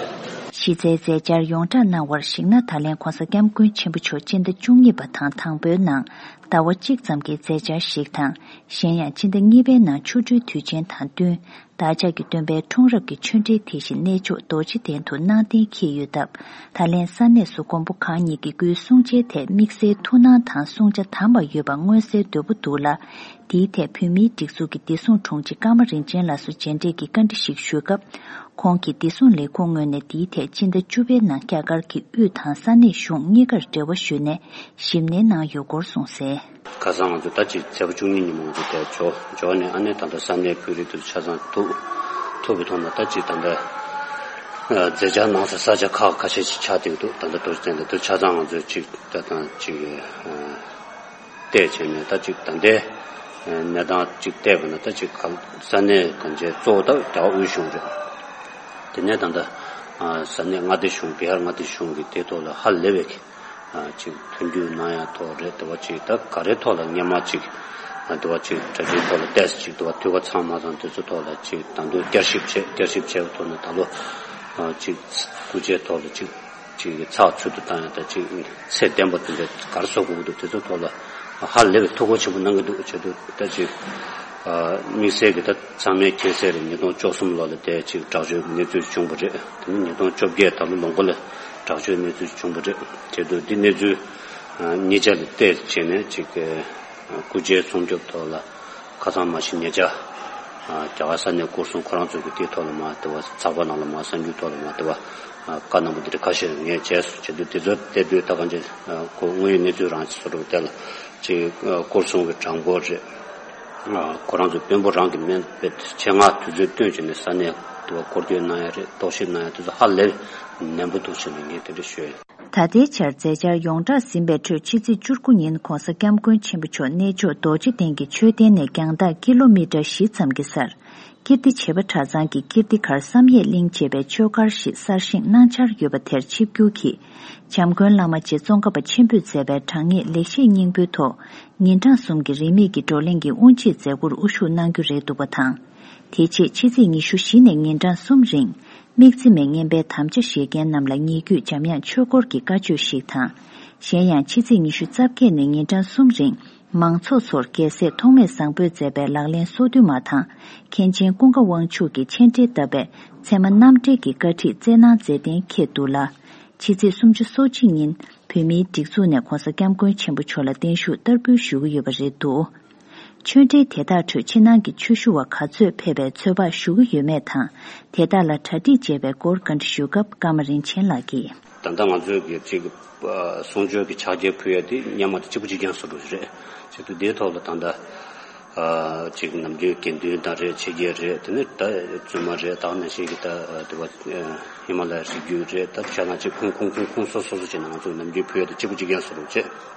གཞི་རྩའི་མཛད་འཆར་ཡོངས་བསྒྲགས་གནང་བར་གཞིགས་ན། ད་ལན་༧གོང་ས་༧སྐྱབས་མགོན་ཆེན་པོ་མཆོག་སྤྱི་ཟླ་བཅུ་གཉིས་པ་དང་དང་པོའི་ནང་ཟླ་བ་གཅིག་ཙམ་གྱི་མཛད་འཆར་ཞིག་དང་། གཞན་ཡང་སྤྱི་ཟླ་གཉིས་པའི་ནང་ཆོ་འཕྲུལ་དུས་ཆེན་དང་བསྟུན། བདག་ཅག་གི་སྟོན་པའི་འཁྲུངས་རབས་ཀྱི་ཆོས་འབྲེལ་དེ་བཞིན་གནས་མཆོག་རྡོ་རྗེ་གདན་དུ་གནང་གཏན་འཁེལ་ཡོད་སྟབས། ད་ལན་ས་གནས་སུ་མགོན་པོ་གང་ཉིད་ཀྱི་སྐུའི་གསུང་ཆེན་ཐད་དམིགས་བསལ་ཐུགས་སྣང་དང་བསྲུང་བྱ་དམ་པ་ཡོད་པ་མངོན་གསལ་དོད་པོ་འདུག་ལ། དེའི་ཐད་བོད་མིའི་སྒྲིག་འཛུགས་ཀྱི་བདེ་སྲུང་དྲུང་ཆེ་ཀརྨ་རིན་ཆེན་ལགས་སུ་མཇལ་འཕྲད་ཀྱིས་བཀའ་འདྲི་ཞིག་ཞུས་སྐབས། ཁོང་གིས་བདེ་སྲུང་ལས་ཁུངས་ངོས་ནས་དེའི་ཐད་སྤྱི་ཟླ་བཅུ་པའི་ནང་རྒྱ་གར་གྱི་དབུས་དང་ས་གནས་གཞུང་གཉིས་ཀར་འབྲེལ་བ་ཞུས་ནས་ཞིབ་ནན་གནང་ཡོད་སྐོར་གསུངས་གསལ། ཁ་སང་ང་ཚོ་ད་ཅིག་ཚེས་པ་བཅུ་གཉིས་ཉིན་མོ་ང་ཚོ་དེར་འབྱོར་འབྱོར་ནས་ཨ་ནེ་ད་ལྟ་ས་གནས་བོད་རིགས་དེ་ཚོ་ཆ་ཚང་ཐུག་ཐུག་གི་ཐོག་ནས་ད་ཅིག་ད་ལྟ་མཛད་འཆར་གནང་ས་ས་ཆ་ཁག་ཁ་ཤས་ཤིག་ཆགས་བསྡད་འདུག་ད་ལྟ་རྡོ་རྗེ་གདན་དེ་དུ་ཆ་ཚང་ང་ཚོས་ཅིག་ད་དང་ཅིག་བལྟས་བྱས་ནས་ད་ཅིག་ད་ལྟའི་གནས་སྟངས་ཅིག་བལྟས་པ་ན་ད་ཅིག་ག་ས་གནས་གང་ཅིའི་གཙོ་བོ་ད་རྒྱ་དབུས་གཞུང་རེད། དེ་ནས་ད་ལྟ་ས་གནས་མངའ་སྡེ་གཞུང་བི་ཧར་མངའ་སྡེ་གཞུང་གི་དེ་ཐོག་ལ་ཧ་ལས་པའི་ཅིག་མཐུན་འགྱུར་གནང་ཡ་ཐོག་རེད། དེ་བ་ཅིག་ད་ག་རེ་ཐོག་ལ་སྔོན་མ་ཅིག་དེ་བ་ཅིག་གྲ་སྒྲིག་ཐོག་ལ་ཏོག་ཙམ་ཅིག་དེ་བ་འཐུས་ཀ་ཚང་མ་དང་དེ་ཚོ་ཐོག་ལ་ཅིག་ད་དུང་བསྐྱར་ཞིབ་བྱས་བསྐྱར་ཞིབ་བྱས་པའི་ཐོག་ནས་ད་ལོ་ཅིག་སྐུ་ཕྱྭའི་ཐོག་ལ་ཅིག་ཅིག་ཚགས་ཚུད་དུ་བཏང་ཡ་ད་ཅིག་ཚད་ལྡན་པ་དེ་འདྲ་ག་རེ་བཟོ་དགོས་ཀྱི་འདུག་དེ་ཚོ་ཐོག་ལ་ཧ་ལས་པའི་ཐུགས་ཁུར་ཆེན་པོ་གནང་གི་འདུག་བྱས་དུས་ད་ཅིག་དམིགས་བསལ་གྱི་ད་ཚང་མས་མཁྱེན་གསལ་རེད། ཉིས་སྟོང་བཅུ་གསུམ་ལོ་ལ་དེ་ཅིག་དྲག་སྤྱོད་གནས་ཚུལ་བྱུང་བ་རེད། དེ་ནས་ཉིས་སྟོང་བཅོ་བརྒྱད་ད་ལོ་ལོ་མགོ་ལ་དྲག་སྤྱོད་གནས་ཚུལ་བྱུང་བ་རེད། བྱས་དུས་འདི་གནས་ཚུལ་གཉིས་ཆ་ལ་བལྟས་བྱས་ནས་ཅིག་སྐུ་ཕྱྭའི་སྲུང་སྐྱོབ་ཐོག་ལ་ཁ་སང་མ་གཞི་ཉེ་ཆར་རྒྱ་གར་ས་གནས་སྐོར་སྲུང་ཁོ་རང་ཚོ་གི་དེའི་ཐོག་ལ་མ་དེ་བ་ཚགས་པར་ནང་ལ་མ་གསར་འགྱུར་ཐོག་ལ་མ་དེ་བ་བཀའ་གནང་བ་འདི་འདྲ་ཁ་ཤས་ངས་བྱས་སོང་། བྱས་དུས་དེ་ཚོ་བལྟས་དུས་ད་གང་ཅི་ཁོ་དངོས་ཡོད་གནས་ཚུལ་རང་ཅིག་བཟོ་འདྲ་བལྟས་ལ་ཅིག་སྐོར་སྲུང་གི་གྲངས་འབོར་རེད། ཁོ་རང་ཚོ་དཔོན་པོ་རང་གི་སྨན་པའི་ཆེད་མངགས་དུས་ཚོད་བཏོན་བྱས་ནས་ས་གནས་དུ་བ་སྐོར་སྐྱོད་གནང་ཡ་རེད། རྟོག་ཞིབ་གནང་ཡ་དེ་ཚོ་ཧ་ལས་ནན་པོ་འདུག་ཟེར་ནས་ངས་དེ་འདྲ་ཤོད། ད་ལྟའི་ཆར་མཛད་འཆར་ཡོངས་གྲགས་ཟིན་པའི་ཁྲོད་ཕྱི་ཚེས་བཅུ་དགུ་ཉིན་༧གོང་ས་༧སྐྱབས་མགོན་ཆེན་པོ་མཆོག་གནས་མཆོག་རྡོ་རྗེ་གདན་གྱི་མཆོད་རྟེན་ནས་རྒྱང་ཐག་ཀི་ལོ་མི་ཊར་བཞི་ཙམ་གྱི་སར། ཀིརྟི་བྱེས་པ་གྲྭ་ཚང་གི་ཀིརྟི་མཁར་བསམ་ཡས་གླིང་ཅེས་པའི་ཆོས་སྒར་ཞིག་གསར་བཞེངས་གནང་འཆར་ཡོད་པ་དེར་ཆིབས་བསྒྱུར་གྱིས། བྱམས་མགོན་བླ་མ་རྗེ་ཙོང་ཁ་པ་ཆེན་པོས་མཛད་པའི་དྲང་ངེས་ལེགས་བཤད་སྙིང་པོའི་ཐོག་ཉིན་གྲངས་གསུམ་གྱི་རིས་མེད་ཀྱི་བགྲོ་གླེང་གི་དབུ་འབྱེད་མཛད་སྒོར་དབུ་བཞུགས་གནང་རྒྱུ་རེད་འདུག་པ་དང་། དེ་རྗེས་ཕྱི་ཚེས་ཉི་ཤུ་བཞི་ནས་ཉིན་གྲངས་གསུམ་རིང་། དམིགས་བརྩེ་མའི་བསྙེན་པའི་དམ་བཅའ་བཞེས་མཁན་རྣམས་ལ་ཉེ་བརྒྱུད་འཇམ་དབྱངས་ཆོས་སྐོར་གྱི་བཀའ་ཆོས་ཤིག་དང་། གཞན་ཡང་ཕྱི་ཚེས་ཉི་ཤུ་རྩ་བརྒྱད་ནས་ཉིན་གྲངས་གསུམ་རིང་མང་ཚོགས་ཚོར་རྒྱལ་སྲས་ཐོགས་མེད་བཟང་པོས་མཛད་པའི་ལག་ལེན་སོ་བདུན་མ་དང་། མཁན་ཆེན་ཀུན་དགའ་དབང་ཕྱུག་གི་མཆན་འགྲེལ་བཏབ་པའི་ཚད་མ་རྣམ་འགྲེལ་གྱི་བཀའ་ཁྲིད་སྩལ་གནང་མཛད་གཏན་འཁེལ་འདུག་ལ། ཕྱི་ཚེས་སུམ་ཅུ་སོ་གཅིག་ཉིན་བོད་མིའི་སྒྲིག་འཛུགས་ནས་༧གོང་ས་༧སྐྱབས་མགོན་ཆེན་པོ་མཆོག་ལ་བརྟན་བཞུགས་བསྟར་འབུལ་ཞུ་གི་ཡོད་པ་རེད་འདུག་ཆོས་འབྲེལ་དེ་དག་ཁྲོད་ཕྱི་ནང་གི་ཆོས་ཞུ་བ་ག་ཚོད་ཕེབས་པའི་ཚོད་དཔག་ཞུ་གི་ཡོད་མེད་དང་། དེ་དག་ལ་གྲ་སྒྲིག་བྱས་པའི་སྐོར་བཀའ་འདྲི་ཞུས་སྐབས་ཀརྨ་རིན་ཆེན་ལགས་ཀྱིས། ད་ལྟ་ང་ཚོས་ཀྱི་ཅིག་གསུང་ཆོས་ཀྱི་ཕྱག་འཁྱེར་ཕུལ་ཡ་དེ་སྔོན་མ་དང་གཅིག་པ་གཅིག་རྐྱང་བཟོ་འདྲ་རེད། བྱས་དུས་དེའི་ཐོག་ལ་ད་ལྟ་ཅིག་ནམ་རྒྱུན་དགེ་འདུན་དང་རེད། ཆོས་རྒྱལ་རེད། དེ་ནས་ད་བཙུན་མ་རེད། ད་ནང་བཞིན་གྱི་ད་དེ་བ་ཧི་མ་ལ་ཡའི་རི་རྒྱུད་རེད། ད་ཆ་ཚང་ཅིག་ཁུངས་ཁུངས་ཁུངས་ཁུངས་སོ་སོ་སོ་སོ་བྱས་ནས་ང་ཚོས་ནམ་རྒྱུན་ཕུལ་ཡ་དེ་གཅིག་པ་གཅིག་རྐྱང་བཟོ་འདྲ་བྱས།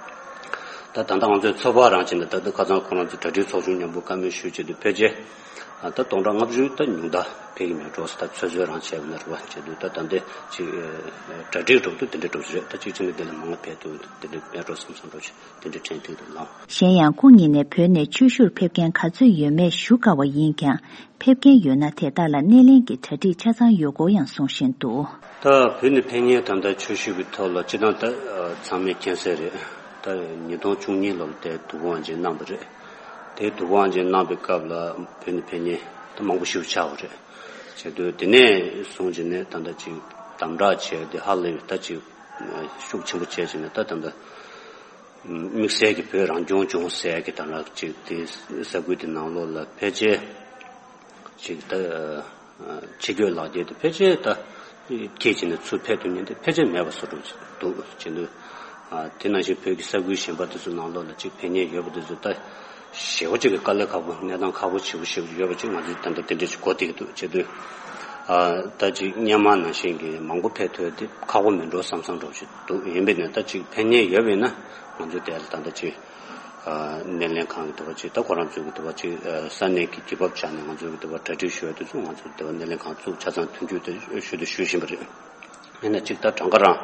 ད་ད་ལྟ་ང་ཚོའི་ཚོད་དཔག་རང་བྱས་ན་ད་ལྟ་ཁ་སང་ཁོ་རང་ཚོ་གྲ་སྒྲིག་ཚོགས་ཆུང་མཉམ་པོ་བཀའ་མོལ་ཞུས་བྱས་དུས་ཕལ་ཆེར་ད་སྟོང་ཕྲག་ལྔ་བཅུ་ད་ཉུང་མཐའ་ཕེབས་ཀྱི་མེད་འགྲོ་ཟེར། ད་ཚོད་ཚོད་རང་བྱས་པ་ན་རེད་བ། བྱས་དུས་ད་ད་ལྟའི་ཅིག་གྲ་སྒྲིག་འགྲོ་དུས་དེ་འདྲ་འགྲོ་གི་རེད། ད་གཅིག་ཕྱིན་ན་དེ་ལས་མང་བ་ཕེབས་ཐུབ་དེ་འདྲ་མེད་འགྲོ་བསམ་བསམ་འགྲོ་བྱས་དེ་འདྲ་དྲན་ཐེངས་དུ་ལངས། གཞན་ཡང་སྐུ་ཉིད་ནས་བོད་ནས་ཆོས་ཞུར་ཕེབས་མཁན་ག་ཚོད་ཡོད་མེད་ཞུ་དཀའ་བ་ཡིན་ཀྱང་། ཕེབས་མཁན་ཡོད་ན་དེ་དག་ལ་སྣེ་ལེན་གྱི་གྲ་སྒྲིག་ཆ་ཚང་ཡོད་སྐོར་ཡང་གསུང་བཞིན་འདུག་ད་བོད་ནས་ཕེབས་མཁན་ད་ལྟ་ཆོས་ཞུ་གི་ཐོག་ལ་སྤྱིར་བཏང་ད་ཚང་མས་མཁྱེན་གསལ་རེད། ད་ཉིས་སྟོང་བཅུ་གཉིས་ལོར་དེ་དུས་འཁོར་དབང་ཆེན་གནང་བ་རེད། དེ་དུས་འཁོར་དབང་ཆེན་གནང་བའི་སྐབས་ལ་བོད་ནས་ཕེབས་མཁན་ད་མང་པོ་ཞིག་ཆགས་པ་རེད། བྱས་དུས་དེ་ནས་བཟུང་བྱས་ནས་ད་ལྟ་ཅིག་དམ་དྲག་བྱས་ཏེ་ཧ་ལས་པའི་ད་ཅིག་ཤུགས་ཆེན་པོ་བྱས་བྱས་ནས་ད་ད་ལྟ་དམིགས་བསལ་གྱི་བོད་རང་སྐྱོང་ལྗོངས་ཟེར་གྱི་ད་ལྟ་ཅིག་དེ་ས་ཁུལ་དེ་ནང་ལོགས་ལ་ཕལ་ཆེར་ཅིག་ད་ ཕྱི་སྐྱོད་ལག་འཁྱེར་དེ་ཕལ་ཆེར་ད་ཁྱེད་ཀྱིས་ནི་ཚུར་ཕེབས་ཐུབ་མཁན་དེ་ཕལ་ཆེར་མེད་པ་བཟོ་འདྲ་ཅིག་འདུག་བྱེད་འདུག་ཨ། དེ་ནང་བཞིན་བོད་ཀྱི་ས་ཁུལ་གཞན་པ་དེ་ཚོ་ནང་ལོགས་ལ་ཅིག་ཕེབས་མཁན་ཡོད་པ་དེ་ཚོ་ད་ཞེ་པོ་ཅིག་གི་དཀའ་ལས་ཁག་པོ། གནས་སྟངས་ཁག་པོ་ཞེ་པོ་ཞེ་པོ་ཡོད་པ་ཅིག་ང་ཚོས་ད་ལྟ་དེ་འདྲ་ཞིག་གོ་བསྡད་ཀྱི་འདུག་བྱེད་དུས། ཨ། ད་ཅིག་སྔོན་མ་ནང་བཞིན་གྱི་མང་པོ་ཕེབས་ཐུབ་དེ་ཁག་པོ་མིན་འགྲོ་བསམ་བསམ་འདྲ་ཞིག་འདུག་ཡིན་པས་ན་ད་ཅིག་ཕེབས་མཁན་ཡོད་པས་ན་ང་ཚོས་དེ་ལ་ད་ལྟ་ཅིག་ཨ། སྣེ་ལེན་ཁང་གི་དེ་བ་ཅིག་ད་ཁོ་རང་ཚོའི་གི་དེ་བ་ཅིག་ཨ། ས་གནས་ཀྱི་རྒྱུ་བབ་ཆ་ནས་ང་ཚོའི་གི་དེ་བ་གྲ་སྒྲིག་ཞུ་ཡ་དེ་ཚོ་ང་ཚོ་དེ་བ་སྣེ་ལེན་ཁང་བཙུགས་ཆ་ཚང་མཐུན་འགྱུར་དེ་ཞུ་དུ་ཞུ་བཞིན་པ་རེད། ཡིན་ན་ཅིག་ད་གྲངས་ཀ་རང་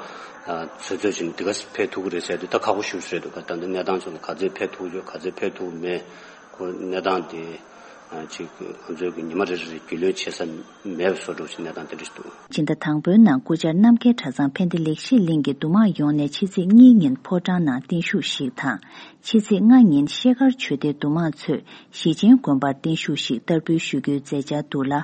ཨ། ཚོད་ཚོད་ཅིག་འདི་ག་ཕེབས་ཐུབ་ཀྱི་རེད་ཟེར་དུས་ད་ཁག་པོ་ཞེ་པོ་རེད་འདུག་ད་ལྟ་གནས་སྟངས་ཚོ་ལ་ག་ཚོད་ཕེབས་ཐུབ་ཡོད། ག་ཚོད་ཕེབས་ཐུབ་མེད། ཁོ་གནས་སྟངས་དེ་ཨ། ཅིག་ང་ཚོའི་གི་ཉི་མ་རེ་རེ་རྒྱུས་ལོན་བྱེད་ས་མེད་པ་བཟོ་འདྲ་ཞིག་གནས་སྟངས་དེ་འདྲ་ཞིག་འདུག་སྤྱི་ཟླ་དང་པོའི་ནང་སྐུ་བཅར་རྣམ་རྒྱལ་གྲྭ་ཚང་ཕན་བདེ་ལེགས་བཤད་གླིང་གི་འདུ་དམངས་ཡོངས་ནས་ཕྱི་ཚེས་གཉིས་ཉིན་ཕོ་བྲང་ནང་བརྟན་བཞུགས་ཤིག་དང་། ཕྱི་ཚེས་ལྔ་ཉིན་ཤེལ་དཀར་ཆོས་སྡེའི་འདུ་དམངས་ཚོས་ཞེ་ཆེན་དགོན་པར་བརྟན་བཞུགས་ཤིག་བསྟར་འབུལ་ཞུ་རྒྱུའི་མཛད་འཆར་འདུག་ལ།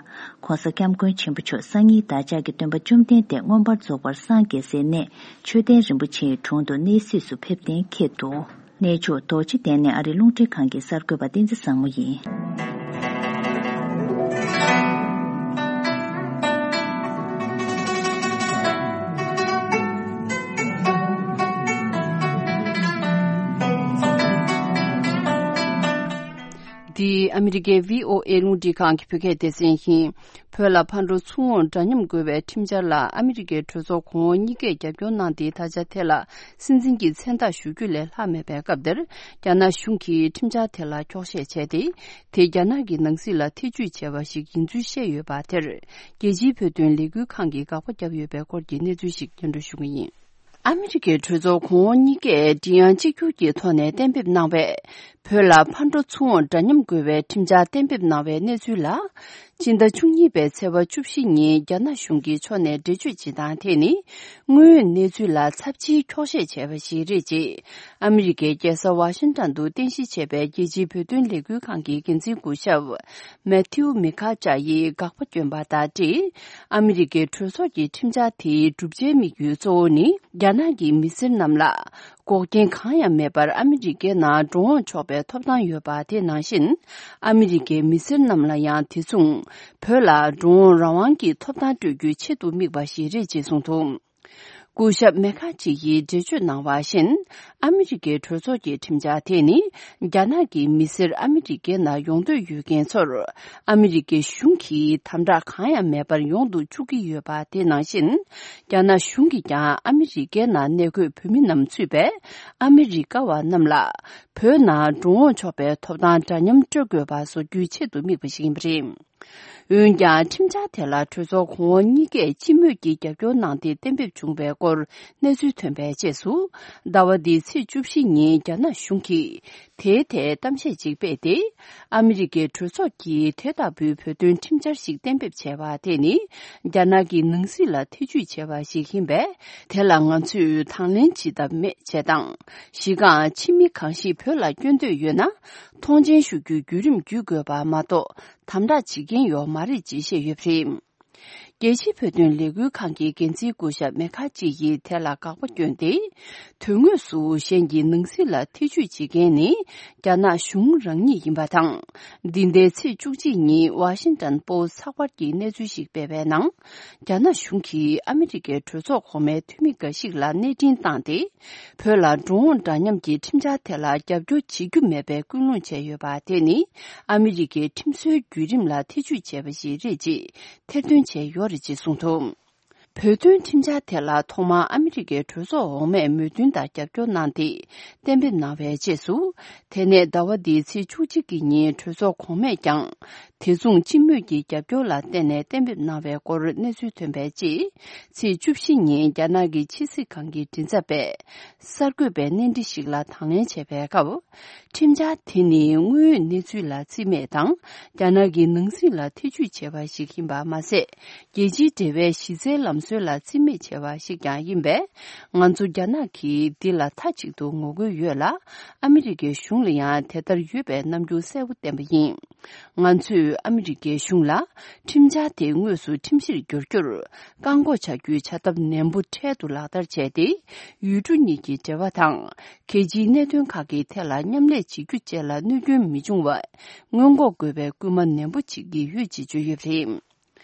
ྋགོང་ས་ྋསྐྱབས་མགོན་ཆེན་པོ་མཆོག་སང་ཉིན་བདག་ཅག་གི་སྟོན་པ་བཅོམ་ལྡན་འདས་མངོན་པར་རྫོགས་པར་སངས་རྒྱས་སའི་གནས་མཆོད་རྟེན་རིན་པོ་ཆེའི་དྲུང་དུ་གནས་གཟིགས་སུ་ཕེབས་གཏན་འཁེལ་འདུག་གནས་མཆོག་རྡོ་རྗེ་གདན་ནས་ཨ་རི་རླུང་འཕྲིན་ཁང་གི་གསར་འགོད་པ་བསྟན་འཛིན་བཟང་མོ་ཡིན། འདི་ཨ་མི་རི་ཀའི་བྷི་ཨོ་ཨེ་རླུང་འཕྲིན་ཁང་གི་བོད་སྐད་སྡེ་ཚན་ཡིན། བོད་ལ་ཕར་འགྲོ་ཚུར་འོང་འདྲ་མཉམ་དགོས་པའི་ཁྲིམས་འཆར་ལ་ཨ་མི་རི་ཀའི་གྲོས་ཚོགས་གོང་འོག་གཉིས་ཀས་རྒྱབ་སྐྱོར་གནང་སྟེ་ད་ཆ་དེ་ལ་སྲིད་འཛིན་གྱི་མཚན་རྟགས་ཞུ་རྒྱུ་ལས་ལྷག་མེད་པའི་སྐབས་འདིར། རྒྱ་ནག་གཞུང་གིས་ཁྲིམས་འཆར་དེ་ལ་འཁྱོག་བཤད་བྱས་ཏེ། དེ་རྒྱ་ནག་གི་ནང་སྲིད་ལ་ཐེ་ཇུས་བྱས་པ་ཞིག་ཡིན་ཚུལ་བཤད་ཡོད་པ་དེར། རྒྱལ་སྤྱིའི་བོད་དོན་ལས་འགུལ་ཁང་གིས་དགག་པ་བརྒྱབ་ཡོད་པའི་སྐོར་གྱི་གནས་ཚུལ་ཞིག་སྙན་སྒྲོན་ཞུ་གི་ཡིན། ཨ་མི་རི་ཀའི་གྲོས་ཚོགས་གོང་འོག་གཉིས་ཀས་མགྲིན་དབྱངས་གཅིག་གྱུར་གྱི་ཐོག་ནས་གཏན་འབེབས་གནང་བའི། བོད་ལ་ཕར་འགྲོ་ཚུར་འོང་འདྲ་མཉམ་དགོས་པའི་ཁྲིམས་འཆར་གཏན་འབེབས་གནང་བའི་གནས་ཚུལ་ལ། སྤྱི་ཟླ་བཅུ་གཉིས་པའི་ཚེས་པ་བཅུ་བཞི་ཉིན་རྒྱ་ནག་གཞུང་གི་ཕྱོགས་ནས་འགྲེལ་བརྗོད་བྱེད་སྟངས་དེ་ནི། དངོས་ཡོད་གནས་ཚུལ་ལ་ཚབས་ཆེའི་འཁྱོག་བཤད་བྱས་པ་ཞིག་རེད་ཅེས། ཨ་མི་རི་ཀའི་རྒྱལ་ས་ཝ་ཤིང་ཊོན་དུ་རྟེན་གཞི་བྱས་པའི་རྒྱལ་སྤྱིའི་བོད་དོན་ལས་འགུལ་ཁང་གི་འགན་འཛིན་སྐུ་ཞབས། མེ་ཐིའུ་མི་ཁ་ཅཱ་ཡིས་དགག་པ་བསྐྱོན་པ་དང་འབྲེལ། ཨ་མི་རི་ཀའི་གྲོས་ཚོགས་ཀྱི་ཁྲིམས་འཆར་དེའི་བསྒྲུབ་བྱའི་དམིགས་ཡུལ་གཙོ་བོ་ནི། རྒྱ་ནག་གི་མི་སེར་རྣམས་ལ། འགོག་རྐྱེན་གང་ཡང་མེད་པར་ཨ་མི་རི་ཀའི་ནང་འགྲོ་འོང་ཆོག་པའི་ཐོབ་ཐང་ཡོད་པ་དེ་ནང་བཞིན། ཨ་མི་རི་ཀའི་མི་སེར་རྣམས་ལ་ཡང་དེ་མཚུངས། བོད་ལ་འགྲོ་འོང་རང་དབང་གི་ཐོབ་ཐང་སྤྲོད་རྒྱུའི་ཆེད་དུ་དམིགས་པ་ཞིག་རེད་ཅེས་གསུངས་འདུག་སྐུ་ཞབས་མེ་ཁ་ཅི་ཡིས་འགྲེལ་བརྗོད་གནང་བ་བཞིན། ཨ་མི་རི་ཀའི་གྲོས་ཚོགས་ཀྱི་ཁྲིམས་འཆར་དེ་ནི། རྒྱ་ནག་གི་མི་སེར་ཨ་མི་རི་ཀའི་ནང་ཡོང་འདོད་ཡོད་མཁན་ཚོར། ཨ་མི་རི་ཀའི་གཞུང་གིས་དམ་དྲག་གང་ཡང་མེད་པར་ཡོང་དུ་བཅུག་གི་ཡོད་པ་དེ་ནང་བཞིན། རྒྱ་ནག་གཞུང་གིས་ཀྱང་ཨ་མི་རི་ཀའི་ནང་གནས་འཁོད་བོད་མི་རྣམས་ཚུད་པའི་ཨ་མི་རི་ཀ་བ་རྣམས་ལ། བོད་ནང་འགྲོ་འོང་ཆོག་པའི་ཐོབ་ཐང་འདྲ་མཉམ་སྤྲོད་དགོས་པ་བཟོ་རྒྱུའི་ཆེད་དུ་དམིགས་པ་ཞིག་ཡིན་པ་རེད། འོན་ཀྱང་ཁྲིམས་འཆར་དེ་ལ་གྲོས་ཚོགས་གོང་འོག་གཉིས་ཀས་སྤྱི་མོས་ཀྱིས་རྒྱབ་སྐྱོར་གནང་སྟེ་གཏན་འབེབས་བྱུང་བའི་སྐོར་གནས་ཚུལ་ཐོན་པའི་རྗེས་སུ། ཟླ་བ་འདིའི་ཚེས་བཅུ་བཞི་ཉིན་རྒྱ་ནག་གཞུང་གིས་དེའི་ཐད་གཏམ་བཤད་ཅིག་སྤེལ་ཏེ། ཨ་མི་རི་ཀའི་གྲོས་ཚོགས་ཀྱིས་དེ་ལྟ་བུའི་བོད་དོན་ཁྲིམས་འཆར་ཞིག་གཏན་འབེབས་བྱས་པ་དེ་ནི། རྒྱ་ནག་གི་ནང་སྲིད་ལ་ཐེ་ཇུས་བྱས་པ་ཞིག་ཡིན་པས། དེ་ལ་ང་ཚོས་དང་ལེན་བྱེད་ཐབས་མེད་ཅེས་དང་། གཞི་རྐང་ཕྱི་མི་གང་ཞིག་བོད་ལ་བསྐྱོད་འདོད་ཡོད་ན། མཐོང་མཆན་ཞུ་རྒྱུའི་བརྒྱུད་རིམ་བརྒྱུད་དགོས་པ་མ་གཏོགས། དམ་དྲག་བྱེད་མཁན་ཡོད་མ་རེད་ཅེས་བཤད་ཡོད་པ་རེད། རྒྱལ་སྤྱིའི་བོད་དོན་ལས་འགུལ་ཁང་གི་འགན་འཛིན་སྐུ་ཞབས་མེ་ཁ་ཅི་ཡིས་དེ་ལ་དགག་པ་བསྐྱོན་ཏེ། དོན་དངོས་སུ་གཞན་གྱི་ནང་སྲིད་ལ་ཐེ་ཇུས་བྱེད་མཁན་ནི། རྒྱ་ནག་གཞུང་རང་ཉིད་ཡིན་པ་དང་། འདི་ཟླའི་ཚེས་བཅུ་གཅིག་ཉིན་ཝ་ཤིང་ཏོན་པོ་སི་ཚགས་པར་གྱིས་གནས་ཚུལ་ཞིག་སྤེལ་བའི་ནང་། རྒྱ་ནག་གཞུང་གིས་ཨ་མི་རི་ཀའི་གྲོས་ཚོགས་གོང་མའི་འཐུས་མི་འགའ་ཞིག་ལ་གནས་འཕྲིན་བཏང་སྟེ། བོད་ལ་འགྲོ་འོང་འདྲ་མཉམ་གྱི་ཁྲིམས་འཆར་དེ་ལ་རྒྱབ་སྐྱོར་བྱེད་རྒྱུ་མེད་པའི་སྐུལ་སློང་བྱས་ཡོད་པ་དེ་ནི། ཨ་མི་རི་ཀའི་ཁྲིམས་སྲོལ་བརྒྱུད་རིམ་ལ་ཐེ་ཇུས་བྱས་པ་ཞིག་རེད་ཅེས་ཐེར་འདོན་བྱས་ཡོད་རེད་ཅེས་གསུངས་འདུག་བོད་དོན་ཁྲིམས་འཆར་དེ་ལ་ཐོག་མར་ཨ་མི་རི་ཀའི་གྲོས་ཚོགས་འོག་མས་མོས་མཐུན་དང་རྒྱབ་སྐྱོར་གནང་སྟེ་གཏན་འབེབས་གནང་བའི་རྗེས་སུ། དེ་ནས་ཟླ་བ་འདིའི་ཚེས་བཅུ་གཅིག་གི་ཉིན་གྲོས་ཚོགས་གོང་མས་ཀྱང་། དེ་མཚུངས་སྤྱི་མོས་ཀྱི་རྒྱབ་སྐྱོར་ལ་བརྟེན་ནས་གཏན་འབེབས་གནང་བའི་སྐོར་གནས་ཚུལ་ཐོན་པའི་རྗེས། ཚེས་བཅུ་བཞི་ཉིན་རྒྱ་ནག་གི་ཕྱི་སྲིད་ཁང་གི་མགྲིན་ཚབ་པས། གསར་འགོད་པའི་གནས་འདྲི་ཞིག་ལ་དང་ལེན་བྱས་པའི་སྐབས། ཁྲིམས་འཆར་དེ་ནི་དངོས་ཡོད་གནས་ཚུལ་ལ་རྩིས་མེད་དང་། རྒྱ་ནག་གི་ནང་སྲིད་ལ་ཐེ་ཇུས་བྱས་པ་ཞིག་ཡིན་པ་མ་ཟད། རྒྱལ་སྤྱིའི་འབྲེལ་བའི་གཞི་རྩའི་ལམ་སྲོལ་ལ་རྩིས་མེད་བྱས་པ་ཞིག་ཀྱང་ཡིན་པས། ང་ཚོ་རྒྱ་ནག་གིས་འདི་ལ་མཐའ་གཅིག་ཏུ་ངོ་རྒོལ་ཡོད་ལ། ཨ་མི་རི་ཀའི་གཞུང་ལ་ཡང་དེ་ལྟར་ཡོད་པའི་རྣམ་འགྱུར་གསལ་པོ་བསྟན་པ་ཡིན། ང་ཚོས་ཨ་མི་རི་ཀའི་གཞུང་ལ་ཁྲིམས་འཆར་དེ་དངོས་སུ་ཁྲིམས་གཞིར་འགྱུར་རྒྱུར་བཀག་འགོག་བྱ་རྒྱུའི་བྱ་ཐབས་ནན་པོ་འཕྲལ་དུ་ལག་བསྟར་བྱས་ཏེ། ཡུལ་གྲུ་གཉིས་ཀྱི་འབྲེལ་བ་དང་། གལ་ཆེའི་གནད་དོན་ཁག་གི་ཐད་ལ་མཉམ་ལས་བྱེད་རྒྱུ་བཅས་ལ་གནོད་སྐྱོན་མི་འབྱུང་བར་སྔོན་འགོག་དགོས་པའི་སྐུལ་མ་ནན་པོ་བྱེད་ཀྱི་ཡོད་ཅེས་བརྗོད་ཡོད་པ་རེད།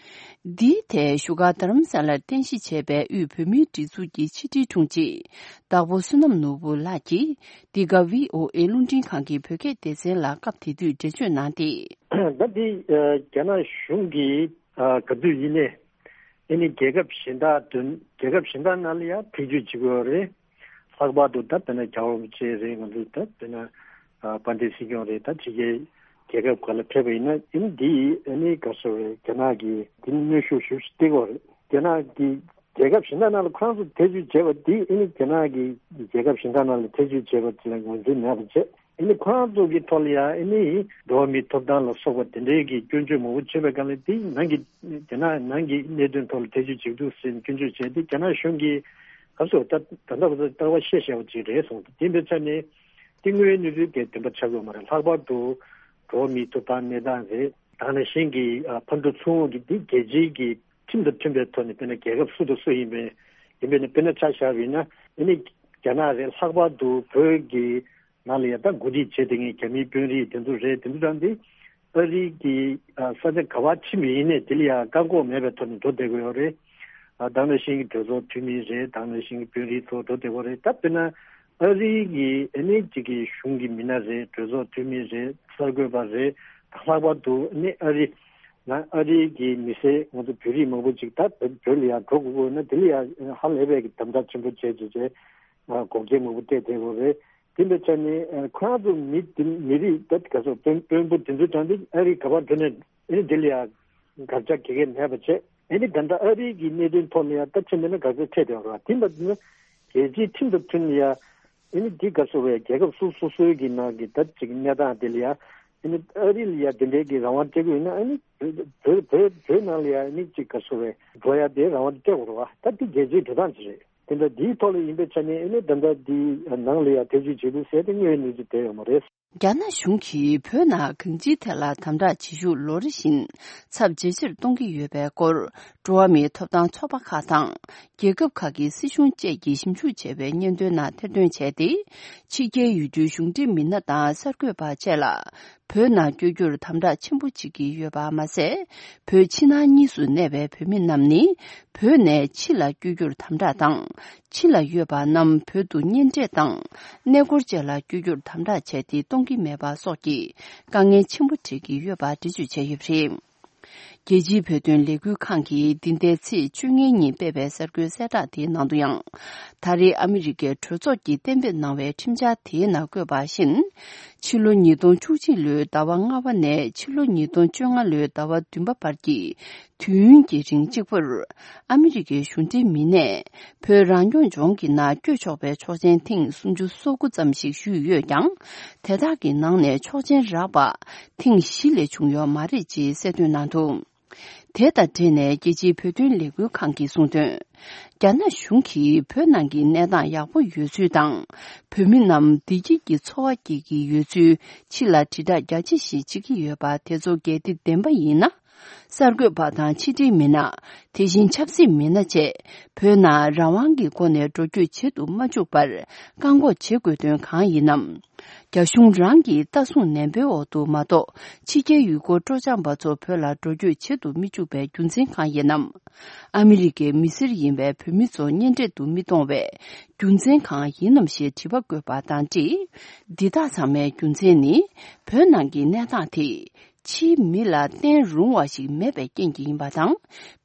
འདིའི་ཐད་བཞུགས་སྒར་རྡ་རམ་ས་ལར་རྟེན་གཞི་བྱས་པའི་དབུས་བོད་མིའི་སྒྲིག་འཛུགས་ཀྱི་ཕྱི་དྲིལ་དྲུང་ཆེ་བདག་པོ་བསོད་ནམས་ནོར་བུ་ལགས་ཀྱིས་འདི་ག་བྷི་ཨོ་ཨེ་རླུང་འཕྲིན་ཁང་གི་བོད་སྐད་སྡེ་ཚན་ལ་སྐབས་དེ་དུས་འགྲེལ་བརྗོད་གནང་སྟེ། ད་འདི་རྒྱ་ནག་གཞུང་གིས་ག་དུས་ཡིན་ནའི་ཨ་ནི་རྒྱལ་ཁབ་གཞན་དག་དོན་རྒྱལ་ཁབ་གཞན་དག་ནང་ལ་ཡང་ཐེ་བྱུས་བྱེད་ཀྱི་ཡོད་རེད། ལྷག་པར་དུ་ད་དཔེར་ན་རྒྱལ་བ་རིན་པོ་ཆེ་རེད། ང་ཚོ་ད་དཔེར་ན་ཨ་དཔལ་ལྡན་སྲིད་སྐྱོང་རེད། ད་ཕྱི་རྒྱལ་རྒྱལ་ཁབ་ཁག་ལ་ཕེབས་པ་ཡིན་ན་ཨ་ནི་འདི་ཨ་ནི་ག་རེ་ཟེར་རེད། རྒྱ་ནག་གིས་འདི་ནི་གནོན་ཤུགས་ཞེ་པོ་ཅིག་སྟེར་གྱི་ཡོད་རེད། རྒྱ་ནག་གིས་རྒྱལ་ཁབ་གཞན་དག་ནང་ལ་ཁོ་རང་ཚོ་ཐེ་བྱུས་བྱས་པ་འདི་ཨ་ནི་རྒྱ་ནག་གིས་རྒྱལ་ཁབ་གཞན་དག་ནང་ལ་ཐེ་བྱུས་བྱས་པ་དེ་ལ་ངོས་འཛིན་མེད་པ་བྱས། ཨ་ནི་ཁོ་རང་ཚོ་གི་ཐོག་ལ་ཡང་ཨ་ནི་འགྲོ་བ་མིའི་ཐོབ་ཐང་ལ་སོགས་པ་དེ་འདྲའི་གི་སྐྱོན་བརྗོད་མང་པོ་བྱས་པའི་སྒང་ལ་དེ་ནང་གི་རྒྱ་ནག་ནང་གི་གནད་དོན་ཐོག་ལ་ཐེ་བྱུས་བྱེད་འདུག་ཟེར་ནས་སྐྱོན་བརྗོད་བྱས་ཏེ་རྒྱ་ནག་གཞུང་གིས་ག་ཚོད་ད་ད་ལྟ་བར་དུ་ལྟ་བ་བཤད་བཞག་པ་ཅིག་རེད་གསུངས་ཏེ། དེ་འདྲ་ཆ་ནས་དེ་དངོས་ཡོད་གནས་ཚུལ་དེ་བདེན་པ་ཆགས་ཀྱི་ཡོད་མ་རེད། ལྷག་པར་དུ་འགྲོ་བ་མིའི་ཐོབ་ཐང་གནས་སྟངས་རེད། དེ་ནང་བཞིན་གྱི་ཨ་ཕར་འགྲོ་ཚུར་འོང་གི་འདི་རྒྱལ་སྤྱིའི་གི་ཁྲིམས་དང་མཐུན་པའི་ཐོག་ནས་དཔེར་ན་རྒྱལ་ཁབ་སུ་དང་སུ་ཡིན་པའི་ཡིན་པའི་ནི་དཔེར་ན་ཆ་བཞག་པ་ཡིན་ན་ཨ་ནི་རྒྱ་ནག་རེད། ལྷག་པར་དུ་བོད་ཀྱི་ནང་ལ་ཡང་ད་འགོ་ཁྲིད་བྱེད་བསྡད་མཁན་རྒྱ་མིའི་དཔོན་རིགས་དེ་ཚོ་རེད། དེ་ཚོ་རང་དེ་ཨ་རི་གི་ཨ་ས་ཆ་ག་པར་ཕྱིན་པ་ཡིན་ནའི་དེ་ལ་ཡང་བཀག་འགོག་མེད་པའི་ཐོག་ནས་འགྲོ་བསྡད་ཀྱི་ཡོད་རེད། ཨ་དེ་ནང་བཞིན་གྱི་གྲོས་ཚོགས་འཐུས་མི་རེད། དེ་ནང་བཞིན་གྱི་དཔོན་རིགས་ཚོ་འགྲོ་བསྡད་ཀྱི་ཡོད་རེད། ད་དཔེར་ན་ཨ་རི་གི་ཨ་ནི་གཅིག་གི་གཞུང་གི་མི་སྣ་རེད། གྲོས་ཚོགས་འཐུས་མི་རེད། གསར་འགོད་པ་རེད། ད་ལྷག་པར་དུ་ཨ་ནི་ཨ་རི་ང་ཨ་རི་གི་མི་སེར་ང་ཚོ་བོད་རིགས་མང་པོ་ཅིག་ད་བོད་ལ་ཡང་འགྲོ་དགོས་ཀྱི་ཡོད་ན་དེ་ལ་ཡང་ཧ་ལས་པའི་གི་དམ་དྲག་ཆེན་པོ་བྱས་བྱས་བྱས་ཨ་འགོག་རྐྱེན་མང་པོ་སྤྲད་བསྡད་ཡོད་རེད། དེ་འདྲ་ཆ་ནས་ཨ་ཁོ་རང་ཚོ་མི་དེ་མི་རིགས་ད་ག་ཚོད་དཔོན་དཔོན་པོ་དེ་ཚོ་དྲངས་ཏེ་ཨ་རི་ག་པར་འགྲོ་ནས་ཨ་ནི་དེ་ལ་ཡང་དགག་བྱ་ག་གེ་མེད་པ་བྱས། ཨ་ནི་ད་ལྟ་ཨ་རི་གི་གནད་དོན་ཐོག་ནས་ཡང་ད་ཕྱིན་པ་ན་དགག་བྱ་འཕྲད་བསྡད་ཡོད་རེད་བ། དེ་འདྲ་ན་རྒྱལ་སྤྱིའི་ཁྲིམས་དང་མཐུན་ཡ། ཨ་ནི་འདི་ག་ཚོད་རེད། རྒྱལ་ཁབ་སོ་སོ་སོའི་གི་ནང་གི་ད་ཅིག་གནས་སྟངས་དེ་ལ་ཡ། ཨ་ནི་ཨ་རི་ལ་ཡ་དེ་འདྲའི་གི་རང་དབང་སྤྲད་ཀྱི་ཡོད་ན་ཨ་ནི་བོད་བོད་བོད་ནང་ལ་ཡ་ཨ་ནི་ཅིག་ག་ཚོད་རེད། འགྲོ་ཡ་དེ་རང་དབང་སྤྲད་དགོས་རེད་བ། ད་འདི་རྒྱལ་སྤྱིའི་འགྲོ་སྟངས་ཅིག་རེད། དེ་འདྲ་འདིའི་ཐོག་ལ་ཡིན་པའི་ཆ་ནས་ཨ་ནི་ད་ལྟ་འདི་ནང་ལ་ཡ་ཐེ་བྱུས་བྱེད་འདུག་ཟེར་ཏེ་དངོས་ཡོད་གནས་ཚུལ་དེ་ཡོད་མ་རེད། རྒྱ་ནག་གཞུང་གིས་བོད་ནང་གང་ཅིའི་ཐད་ལ་དམ་དྲག་བྱེད་ཤུགས་ལོ་རེ་བཞིན་ཚབས་ཇེ་ཆེར་གཏོང་གི་ཡོད་པའི་སྐོར་འགྲོ་བ་མིའི་ཐོབ་ཐང་ཚོགས་པ་ཁག་དང་རྒྱལ་ཁབ་ཁག་གི་སྲིད་གཞུང་བཅས་ཀྱིས་ཞིབ་འཇུག་བྱས་པའི་སྙན་ཐོའི་ནང་ཐེར་འདོན་བྱས་ཏེ། ཕྱི་རྒྱལ་ཡུལ་གྲུའི་གཞུང་འབྲེལ་མི་སྣ་དང་གསར་འགོད་པ་བཅས་ལ་བོད་ནང་བསྐྱོད་རྒྱུར་དམ་དྲག་ཆེན་པོ་བྱེད་ཀྱི་ཡོད་པ་མ་ཟད། བོད་ཕྱི་ནང་གཉིས་སུ་གནས་པའི་བོད་མི་རྣམས་ནི་བོད་ནས་ཕྱི་ལ་བསྐྱོད་རྒྱུར་དམ་དྲག་དང་། ཕྱི་ལ་ཡོད་པ་རྣམས་བོད་དུ་གཉེན་འཕྲད་དང་། གནས་སྐོར་བཅས་ལ་བསྐྱོད་རྒྱུར་དམ་དྲག་བྱས་ཏེ་གཏོང་གི་མེད་པ་སོགས་ཀྱི་དཀའ་ངལ་ཆེན་པོ་འཕྲད་ཀྱི་ཡོད་པ་འགྲེལ་བརྗོད་བྱས་ཡོད་པ་རེད། རྒྱལ་སྤྱིའི་བོད་དོན་ལས་འགུལ་ཁང་གིས་འདི་ཟླའི་ཚེས་བཅོ་ལྔའི་ཉིན་སྤེལ་བའི་གསར་འགོད་གསལ་བསྒྲགས་དེའི་ནང་དུ་ཡང་། ད་རེས་ཨ་མི་རི་ཀའི་གྲོས་ཚོགས་ཀྱིས་གཏན་འབེབས་གནང་བའི་ཁྲིམས་འཆར་དེའི་ནང་བཀོད་པ་བཞིན། ཕྱི་ལོ་ཉིས་སྟོང་བཅུ་གཅིག་ལོའི་ཟླ་བ་ལྔ་པ་ནས་ཕྱི་ལོ་ཉིས་སྟོང་བཅོ་ལྔ་ལོའི་ཟླ་བ་བདུན་པ་བར་གྱི་དུས་ཡུན་གྱི་རིང་གཅིག་པུར་ཨ་མི་རི་ཀའི་གཞུང་འབྲེལ་མི་སྣས་བོད་རང་སྐྱོང་ལྗོངས་ཀྱི་ནང་བསྐྱོད་ཆོག་པའི་ཆོག་མཆན་ཐེངས་སུམ་ཅུ་སོ་དགུ་ཙམ་ཞིག་ཞུས་ཡོད་ཀྱང་། དེ་དག་གི་ནང་ནས་ཆོག་མཆན་རག་པ་ཐེངས་བཞི་ལས་བྱུང་ཡོད་མ་རེད་ཅེས་གསལ་སྟོན་གནང་འདུག་དེ་དང་འབྲེལ་ནས་རྒྱལ་སྤྱིའི་བོད་དོན་ལས་འགུལ་ཁང་གིས་གསུངས་དོན། རྒྱ་ནག་གཞུང་གིས་བོད་ནང་གི་གནས་སྟངས་ཡག་པོ་ཡོད་ཚུལ་དང་། བོད་མི་རྣམས་བདེ་སྐྱིད་ཀྱི་འཚོ་བ་སྐྱེལ་གྱི་ཡོད་ཚུལ་ཕྱི་ལ་དྲིལ་བསྒྲགས་རྒྱ་ཆེ་ཞིག་བྱེད་ཀྱི་ཡོད་པ་དེ་ཚོ་གལ་ཏེ་བདེན་པ་ཡིན་ན། གསར་འགོད་པ་དང་ཕྱི་དྲིལ་མི་སྣ། དེ་བཞིན་ཆབ་སྲིད་མི་སྣ་བཅས་བོད་ནང་རང་དབང་གི་སྒོ་ནས་འགྲོ་སྐྱོད་བྱེད་དུ་མ་བཅུག་པར་བཀག་འགོག་བྱེད་དགོས་དོན་གང་ཡིན་ནམ། རྒྱ་གཞུང་རང་གིས་ལྟ་སྲུང་ནན་པོའི་འོག་ཏུ་མ་གཏོགས་ཕྱི་རྒྱལ་ཡུལ་སྐོར་སྤྲོ་འཆམ་པ་ཚོ་བོད་ལ་འགྲོ་སྐྱོད་བྱེད་དུ་མི་བཅུག་པའི་རྒྱུ་མཚན་གང་ཡིན་ནམ། ཨ་མི་རི་ཀའི་མི་སེར་ཡིན་པའི་བོད་མི་ཚོ་གཉེན་འཕྲད་དུ་མི་གཏོང་བའི་རྒྱུ་མཚན་གང་ཡིན་ནམ་ཞེས་དྲི་བ་བཀོད་པ་དང་འབྲེལ། འདི་དག་ཚང་མའི་རྒྱུ་མཚན་ནི་བོད་ནང་གི་གནས་སྟངས་དེ་ཕྱིའི་མི་ལ་བརྟེན་རུང་བ་ཞིག་མེད་པའི་རྐྱེན་གྱིས་ཡིན་པ་དང་།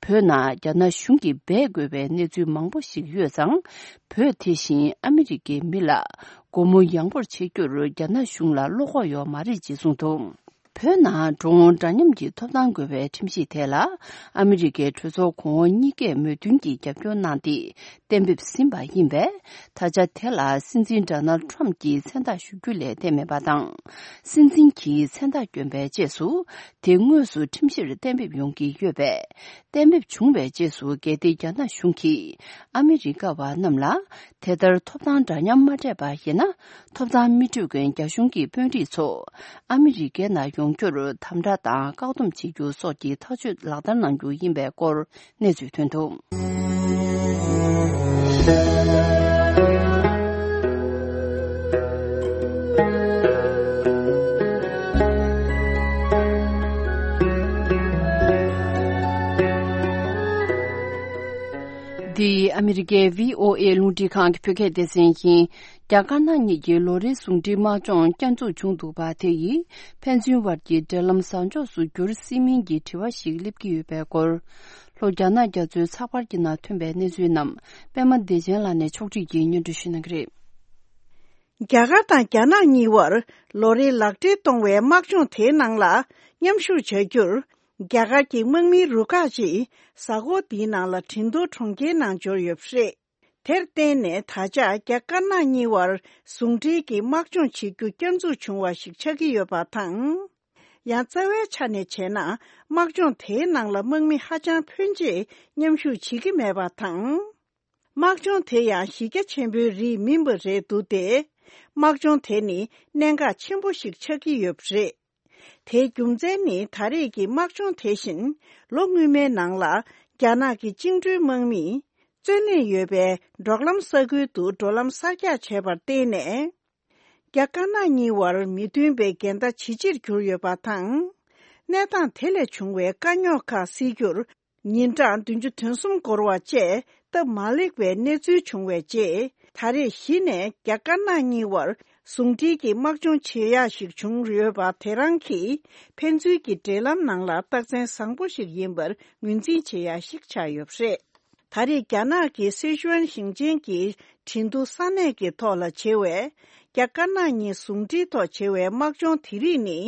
བོད་ནང་རྒྱ་ནག་གཞུང་གིས་འབད་དགོས་པའི་གནས་ཚུལ་མང་པོ་ཞིག་ཡོད་ཙང་། བོད་དེ་བཞིན་ཨ་མི་རི་ཀའི་མི་ལ་སྒོ་མོ་ཡངས་པོར་ཕྱེ་རྒྱུར་རྒྱ་ནག་གཞུང་ལ་བློ་ཁོག་ཡོད་མ་རེད་ཅེས་གསུངས་འདུག་བོད་ནང་འགྲོ་འོང་འདྲ་མཉམ་གྱི་ཐོབ་ཐང་དགོས་པའི་ཁྲིམས་གཞི་དེ་ལ་ཨ་མི་རི་ཀའི་གྲོས་ཚོགས་གོང་འོག་གཉིས་ཀས་མོས་མཐུན་གྱིས་རྒྱབ་སྐྱོར་གནང་སྟེ་གཏན་འབེབས་ཟིན་པ་ཡིན་པས། ད་ཆ་དེ་ལ་སྲིད་འཛིན་ཌོ་ནལ་ཊམ་གྱིས་མཚན་རྟགས་ཞུ་རྒྱུ་ལས་བསྡད་མེད་པ་དང་། སྲིད་འཛིན་གྱིས་མཚན་རྟགས་བསྐྱོན་པའི་རྗེས་སུ་དེ་དངོས་སུ་ཁྲིམས་གཞིར་གཏན་འབེབས་ཡོང་གི་ཡོད་པས། གཏན་འབེབས་བྱུང་བའི་རྗེས་སུ་གལ་ཏེ་རྒྱ་ནག་གཞུང་གིས་ཨ་མི་རི་ཀ་བ་རྣམས་ལ་དེ་ལྟར་ཐོབ་ཐང་འདྲ་མཉམ་མ་སྤྲད་པ་ཡིན་ན། ཐོབ་ཐང་མི་སྤྲོད་མཁན་རྒྱ་གཞུང་གི་དཔོན་རིགས་ཚོ་ཨ་མི་རི་ཀའི་ནང་ཡོང་རྒྱུར་དམ་དྲག་དང་བཀག་སྡོམ་བྱེད་རྒྱུ་སོགས་ཀྱི་ཐག་གཅོད་ལག་བསྟར་གནང་རྒྱུ་ཡིན་པའི་སྐོར་གནས་ཚུལ་ཐོན་འདུག་ཀའི་བྷི་ཨོ་ཨེ་རླུང་འཕྲིན་ཁང་གི་བོད་སྐད་སྡེ་ཚན་ཡིན། རྒྱ་དཀར་ནག་གཉིས་ཀྱི་ལོ་རེའི་ཟུང་འབྲེལ་དམག་སྦྱོང་བསྐྱར་འཛུགས་བྱུང་འདུག་པ། དེ་ཡིས་ཕན་ཚུན་བར་གྱི་འབྲེལ་ལམ་བཟང་ཕྱོགས་སུ་འགྱུར་སྲིད་མིན་གྱི་དྲི་བ་ཞིག་སླེབས་ཀྱི་ཡོད་པའི་སྐོར། ལྷོ་རྒྱ་ནག་རྒྱ་མཚོའི་ཚགས་པར་གྱི་ནང་ཐོན་པའི་གནས་ཚུལ་རྣམས་པད་མ་བདེ་ཆེན་ལགས་ནས་ཕྱོགས་སྒྲིག་གིས་སྙན་སྒྲོན་ཞུ་གནང་གི་རེད། རྒྱ་གར་དང་རྒྱ་ནག་གཉིས་བར་ལོ་རེའི་ལག་འབྲེལ་གཏོང་བའི་དམག་སྦྱོང་དེའི་ནང་ལ་མཉམ་ཞུགས་བྱ་རྒྱུར། རྒྱ་གར་གྱི་དམག་མིའི་རུ་ཁག་ཅིག་གཟའ་འཁོར་འདིའི་ནང་ལ་ཁྲིན་ཏུའུ་གྲོང་ཁྱེར་ནང་འབྱོར་ཡོད་པ་རེད། དེར་བརྟེན་ནས་ད་ཆ་རྒྱ་དཀར་ནག་གཉིས་བར་ཟུང་འབྲེལ་གྱི་དམག་སྦྱོང་བྱེད་རྒྱུ་བསྐྱར་འཛུགས་བྱུང་བ་ཞིག་ཆགས་ཀྱི་ཡོད་པ་དང་། ཡང་རྩ་བའི་ཆ་ནས་བྱས་ན། དམག་སྦྱོང་དེའི་ནང་ལ་དམག་མི་ཧ་ཅང་ཕོན་ཆེ་མཉམ་ཞུགས་བྱེད་ཀྱི་མེད་པ་དང་། དམག་སྦྱོང་དེ་ཡང་གཞི་རྒྱ་ཆེན་པོའི་རིགས་མིན་པ་རེད་འདུག་སྟེ། དམག་སྦྱོང་དེ་ནི་གནད་འགག་ཆེན་པོ་ཞིག་ཆགས་ཀྱི་ཡོད་པ་རེད། དེའི་རྒྱུ་མཚན་ནི་ད་རེས་ཀྱི་དམག་སྦྱོང་དེ་བཞིན་ལོ་སྔོན་མའི་ནང་ལ་རྒྱ་ནག་གི་བཅིངས་འགྲོལ་དམག་མིས་བཙོན་ལེན་ཡོད་པའི་འབྲོག་ལམ་ས་ཁུལ་དུ་འགྲོ་ལམ་གསར་རྒྱག་བྱས་པར་བརྟེན་ནས། རྒྱ་དཀར་ནག་གཉིས་བར་མི་མཐུན་པའི་འགལ་ཟླ་ཇེ་ཆེར་གྱུར་ཡོད་པ་དང་། གནས་སྟངས་དེ་ལས་བྱུང་བའི་དཀའ་རྙོག་ཁག་སེལ་རྒྱུར། ཉིན་གྲངས་བདུན་ཅུ་དོན་གསུམ་འགོར་བ་བཅས་སྟབས་མ་ལེགས་པའི་གནས་ཚུལ་བྱུང་བའི་རྗེས། ད་རེས་གཞི་ནས་རྒྱ་དཀར་ནག་གཉིས་བར་ཟུང་འབྲེལ་གྱི་དམག་སྦྱོང་བྱེད་ཡག་ཞིག་བྱུང་ཡོད་པ་དེ་རང་གིས་ཕན་ཚུན་གྱི་འབྲེལ་ལམ་ནང་ལ་རྟགས་མཚན་བཟང་པོ་ཞིག་ཡིན་པར་ངོས་འཛིན་བྱེད་ཡག་ཞིག་ཆགས་ཡོད་པ་རེད། ད་རེས་རྒྱ་ནག་གི་སི་ཅུའན་ཞིང་ཆེན་གྱི་ཁྲིན་ཏུའུ་ས་གནས་ཀྱི་ཐོག་ལ་བྱེད་པའི་རྒྱ་དཀར་ནག་གཉིས་ཟུང་འབྲེལ་ཐོག་བྱེད་པའི་དམག་སྦྱོང་དེ་རིགས་ནི།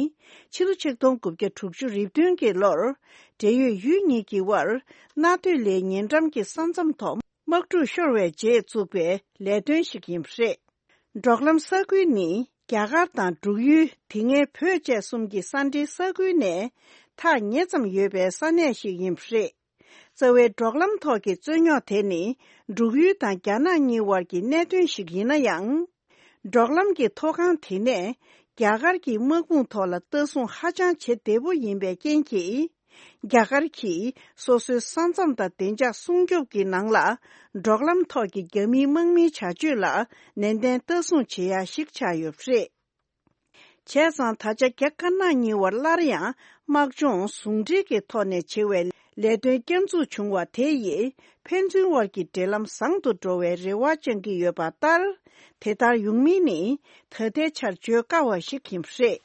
ཕྱི་ལོ་ཆིག་སྟོང་དགུ་བརྒྱ་དྲུག་ཅུ་རེ་བདུན་གྱི་ལོར། འབྲེལ་ཡོད་ཡུལ་གཉིས་ཀྱི་དབར་གནའ་སྟོད་ལའི་ཉེ་འགྲམ་གྱི་ས་མཚམས་ཐོག་དམག་འཁྲུག་ཤོར་བའི་རྗེས་བཙུགས་པའི་ལས་དོན་ཞིག་ཡིན་པ་རེད། འབྲོག་ལམ་ས་ཁུལ་ནི་རྒྱ་གར་དང་འབྲུག་ཡུལ། དེ་སྔའི་བོད་བཅས་གསུམ་གྱི་ས་འབྲེལ་ས་ཁུལ་ནས་ཐག་ཉེ་ཙམ་ཡོད་པའི་ས་གནས་ཤིག་ཡིན་པ་རེད། རྩ་བའི་འབྲོག་ལམ་ཐོག་གི་རྩོད་རྙོག་དེ་ནི་འབྲུག་ཡུལ་དང་རྒྱ་ནག་གཉིས་དབར་གྱི་གནད་དོན་ཞིག་ཡིན་ན་ཡང་། འབྲོག་ལམ་གྱི་མཐོ་སྒང་དེ་ནས་རྒྱ་གར་གྱི་དམག་དཔུང་ཐོག་ལ་ལྟ་སྲུང་ཧ་ཅང་བྱེད་བདེ་པོ་ཡིན་པའི་རྐྱེན་གྱིས། རྒྱ་གར་གྱིས་སོ་སོའི་ས་མཚམས་དང་བདེ་འཇགས་སྲུང་སྐྱོབ་ཀྱི་ནང་ལ། འབྲོག་ལམ་ཐོག་གི་རྒྱ་མིའི་དམག་མིའི་བྱ་སྤྱོད་ལ་ནན་ཏན་ལྟ་སྲུང་བྱེད་ཡ་ཞིག་ཆགས་ཡོད་པ་རེད། བྱས་ཙང་ད་ཆ་རྒྱ་དཀར་ནག་གཉིས་བར་སླར་ཡང་དམག་སྦྱོང་ཟུང་འབྲེལ་གྱི་ཐོག་ནས་བྱེད་པའི་ལས་དོན་བསྐྱར་འཛུགས་བྱུང་བ་དེ་ཡིས་ཕན་ཚུན་དབར་གྱི་འབྲེལ་ལམ་བཟང་དུ་འགྲོ་བའི་རེ་བ་བཅང་གི་ཡོད་པ་ལྟར། དེ་ལྟར་ཡོང་མིན་ནི་ད་ལྟའི་ཆར་བརྗོད་དཀའ་བ་ཞིག་ཡིན་པ་རེད།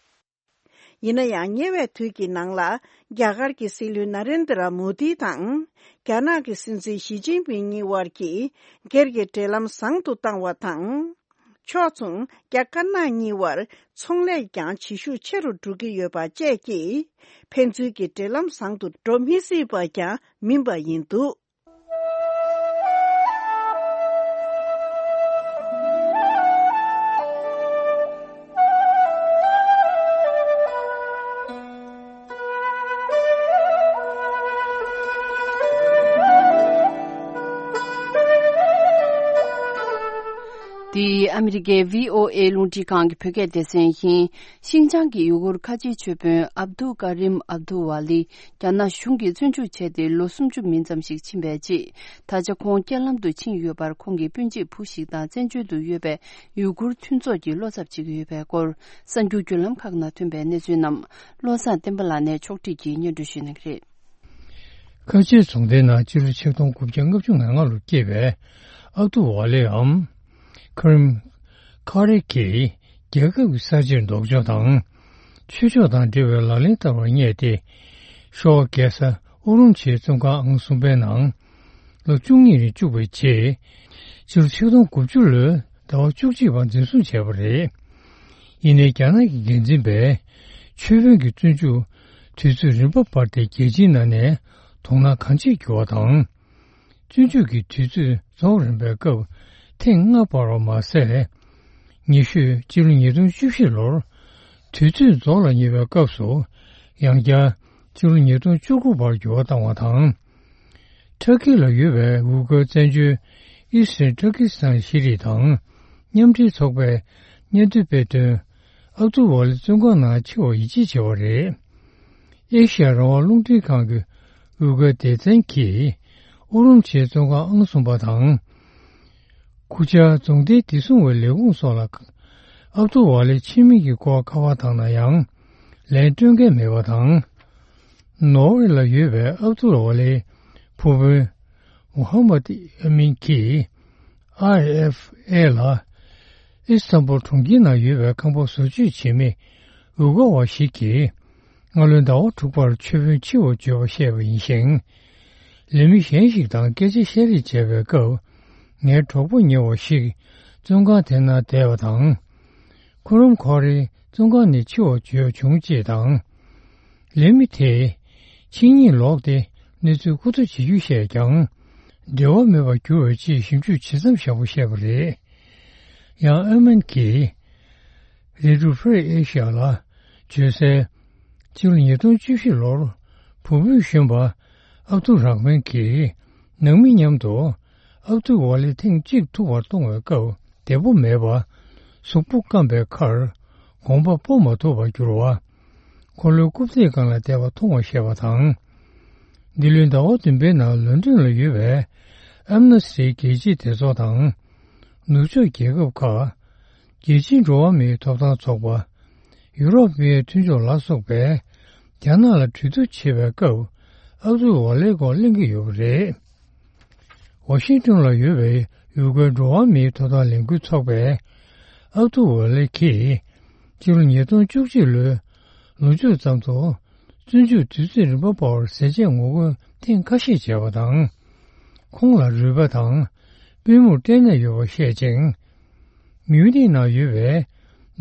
ཡིན་ན་ཡང་ཉེ་བའི་དུས་ཀྱི་ནང་ལ་རྒྱ་གར་གྱི་སྲིད་བློན་ན་རེན་དྲ་མོ་དི་དང་རྒྱ་ནག་གི་སྲིད་འཛིན་ཞི་ཅིན་ཕིང་གཉིས་བར་གྱི་སྒེར་གྱི་འབྲེལ་ལམ་བཟང་དུ་བཏང་བ་དང་། ཕྱོགས་མཚུངས་རྒྱ་དཀར་ནག་གཉིས་བར་ཚོང་ལས་ཀྱང་བྱེད་ཤུགས་ཆེ་རུ་འགྲོ་གི་ཡོད་པ་བཅས་ཀྱིས་ཕན་ཚུན་གྱི་འབྲེལ་ལམ་བཟང་དུ་འགྲོ་མི་སྲིད་པ་ཀྱང་མིན་པ་ཡིན་འདུག། འདི་ཨ་མི་རི་ཀའི་བྷི་ཨོ་ཨེ་རླུང་འཕྲིན་ཁང་གི་བོད་སྐད་སྡེ་ཚན་ཡིན། ཤིན་ཅང་གི་ཡུ་གུར་ཁ་ཆེའི་ཆོས་དཔོན་ཨབ་དུ་ཀ་རིམ་ཨབ་དུ་ཝ་ལི་རྒྱ་ནག་གཞུང་གིས་བཙོན་འཇུག་བྱས་ཏེ་ལོ་སུམ་ཅུ་མིན་ཙམ་ཞིག་ཕྱིན་པའི་རྗེས། ད་ཆ་ཁོང་རྐྱེན་ལམ་དུ་ཕྱིན་ཡོད་པར། ཁོང་གི་སྤུན་མཆེད་བུ་ཞིག་དང་བཙན་བྱོལ་དུ་ཡོད་པའི་ཡུ་གུར་མཐུན་ཚོགས་ཀྱིས་བློ་འཚབ་བྱེད་ཀྱི་ཡོད་པའི་སྐོར། གསར་འགྱུར་བརྒྱུད་ལམ་ཁག་ནང་ཐོན་པའི་གནས་ཚུལ་རྣམས་བློ་བཟང་བསྟན་པ་ལགས་ནས་ཕྱོགས་སྒྲིག་གིས་སྙན་སྒྲོན་ཞུ་གནང་གི་རེད། ཁ་ཆེ་རྫོང་སྡེའི་ནང་ཕྱི་ལོ་ཆིག་སྟོང་དགུ་བརྒྱ་ལྔ་བཅུ་ང་ལྔ་ལོར་སྐྱེས་པའི་ཨབ་ཏུ་ཝ་ལེའམ་ཁ་རིམ་ཁ་རེ་གིས་རྒྱལ་ཁབ་ཀྱི་གསར་བརྗེར་ལྡོག་ཕྱོགས་དང་། ཆོས་ཕྱོགས་དང་འབྲེལ་བའི་ལག་ལེན་བསྟར་བར་བསྙད་དེ། ཤོ་ཝ་རྒྱལ་ས་ཨུ་རུམ་ཆིའི་བཙོན་ཁང་ཨང་གསུམ་པའི་ནང་ལོ་བཅུ་གཉིས་རིང་བཅུག་པའི་རྗེས། ཕྱི་ལོ་ཆིག་སྟོང་དགུ་བཅུ་ལོའི་ཟླ་བ་བཅུ་གཅིག་པར་འཛིན་བཟུང་བྱས་པ་རེད། ཡིན་ནའི་རྒྱ་ནག་གི་འགན་འཛིན་པས་ཆོས་དཔོན་གྱི་བཙོན་འཇུག་དུས་ཚོད་རིམ་པ་སྤར་ཏེ་རྒྱལ་སྤྱིའི་ནང་ནས་དོ་སྣང་གང་ཆེར་གྱུར་བ་དང་། བཙོན་འཇུག་གི་དུས་ཚོད་རྫོགས་རན་པའི་སྐབས་ཐེངས་ལྔ་སྤར་བ་མ་ཟད། ཉེ་ཤོས་ཕྱི་ལོ་ཉིས་སྟོང་བཅུ་བཞི་ལོར་དུས་ཚོད་རྫོགས་ལ་ཉེ་བའི་སྐབས་སུ་ཡང་བསྐྱར་ཕྱི་ལོ་ཉིས་སྟོང་བཅུ་དགུ་བར་འགྱུར་བ་བཏང་བ་དང་། ཊར་ཀི་ལ་ཡོད་པའི་ཝུ་གར་བཙན་བྱོལ་ཨི་སི་ཊར་ཊར་ཀི་སི་ཐན་ཤེས་རིག་དང་མཉམ་འབྲེལ་ཚོགས་པས་སྙན་ཐོ་སྤེལ་དོན། ཨབ་ཏུ་ཝ་ལི་བཙོན་ཁང་ནང་འཆི་བར་ཡིད་ཆེས་བྱས་པ་རེད། ཨེ་ཤ་ཡ་རང་དབང་རླུང་འཕྲིན་ཁང་གི་ཝུ་གར་སྡེ་ཚན་གྱིས་ཨུ་རུམ་ཆིའི་བཙོན་ཁང་ཨང་གསུམ་པ་དང་། ཁུ་ཆ་རྫོང་སྡེའི་བདེ་སྲུང་བའི་ལས་ཁུངས་སོགས་ལ་ཨབ་ཏུ་ཝ་ལེའི་ཁྱིམ་མི་གི་སྐོར་ཁ་པར་བཏང་ན་ཡང་ལན་སྤྲོད་མཁན་མེད་པ་དང་། ནོར་ཝེ་ལ་ཡོད་པའི་ཨབ་ཏུ་ཝ་ལེའི་ཕུ་བོ་མུ་ཧམ་མད་ཨ་མིན་གྱིས་ ཨར་ཨེཕ་ཨེ་ལ། ཨི་སི་ཐན་བུལ་གྲོང་ཁྱེར་ནང་ཡོད་པའི་ཁང་པ་བཟོ་བཅོས་བྱེད་མི་ཝི་གོ་བ་ཞིག་གིས། སྔ་ལོའི་ཟླ་བ་དྲུག་པར་ཆོས་དཔོན་འཆི་བར་བརྗོད་པ་བཤད་པ་ཡིན་ཞིང་། ལས་མི་གཞན་ཞིག་དང་སྐད་ཆ་བཤད་རེས་བྱས་པའི་སྐབས། ངའི་གྲོགས་པོ་ཉེ་བ་ཞིག་བཙོན་ཁང་དེ་ན་བསྡད་པ་དང་། ཁོ་རང་ཁོ་རང་བཙོན་ཁང་ནས་འཆི་བར་བརྗོད་བྱུང་ཅེས་དང་། ལས་མི་དེས་ཕྱི་ཉིན་ལོག་སྟེ་གནས་ཚུལ་མཁོ་སྤྲོད་བྱེད་རྒྱུ་བཤད་ཀྱང་། འབྲེལ་བ་མེད་པར་གྱུར་བའི་ཆེད་ཞིབ་འཇུག་བྱེད་མཚམས་བཞག་པ་བཤད་པ་རེད། ཡང་ཨ་མན་གྱིས་Little Free Asia་ལ་བརྗོད་གསལ། ཕྱི་ལོ་ཉིས་སྟོང་བཅུ་བཞི་ལོར་བུ་སྤུན་གཞོན་པ་ཨབ་ཏུ་ར་མན་གྱིས་ནང་མི་མཉམ་དུ་ཨབ་ཏུ་ཝ་ལི་ཐེངས་གཅིག་ཐུག་པར་གཏོང་བའི་སྐབས་བདེ་པོ་མེད་པ། གཟུགས་པོ་སྐམ་པའི་ཁར་གོམ་པ་སྤོ་མ་ཐུབ་པར་གྱུར་བ། འཁོར་ལོའི་རྐུབ་སྟེགས་སྒང་ལ་བསྡད་པ་མཐོང་བ་ཤེས་པ་དང་། འདི་ལོའི་ཟླ་བ་བདུན་པའི་ནང་ལོན་ཌོན་ལ་ཡོད་པའི་ཨམ་ནེ་སི་ཊི་རྒྱལ་སྤྱིའི་སྡེ་ཚོགས་དང་། ནུབ་ཕྱོགས་རྒྱལ་ཁབ་ཁག་རྒྱལ་སྤྱིའི་འགྲོ་བ་མིའི་ཐོབ་ཐང་ཚོགས་པ། ཡུ་རོབ་མིའི་མཐུན་ཕྱོགས་ལ་སོགས་པས་རྒྱ་ནག་ལ་གྲོས་བསྡུར་བྱེད་པའི་སྐབས་ཨབ་ཏུ་ཝ་ལེའི་སྐོར་གླེང་གི་ཡོད་པ་རེད། ཝ་ཤིང་ཏོན་ལ་ཡོད་པའི་ཡུ་གུར་འགྲོ་བ་མིའི་ཐོབ་ཐང་ལས་འགུལ་ཚོགས་པས་ཨབ་ཏུ་ཝ་ལེ་གིས་ཕྱི་ལོ་ཉིས་སྟོང་བཅུ་གཅིག་ལོའི་ལོ་མཇུག་ཙམ་དུ་བཙོན་འཇུག་དུས་ཚོད་རིམ་པ་སྤར་བར་ཟས་བཅད་ངོ་རྒོལ་ཐེངས་ཁ་ཤས་བྱས་པ་དང་། ཁོང་ལ་རུས་པ་དང་པུས་མོར་སྐྲན་ནད་ཡོད་པ་བཤད་ཅིང་། མིའུ་ནིག་ནང་ཡོད་པའི་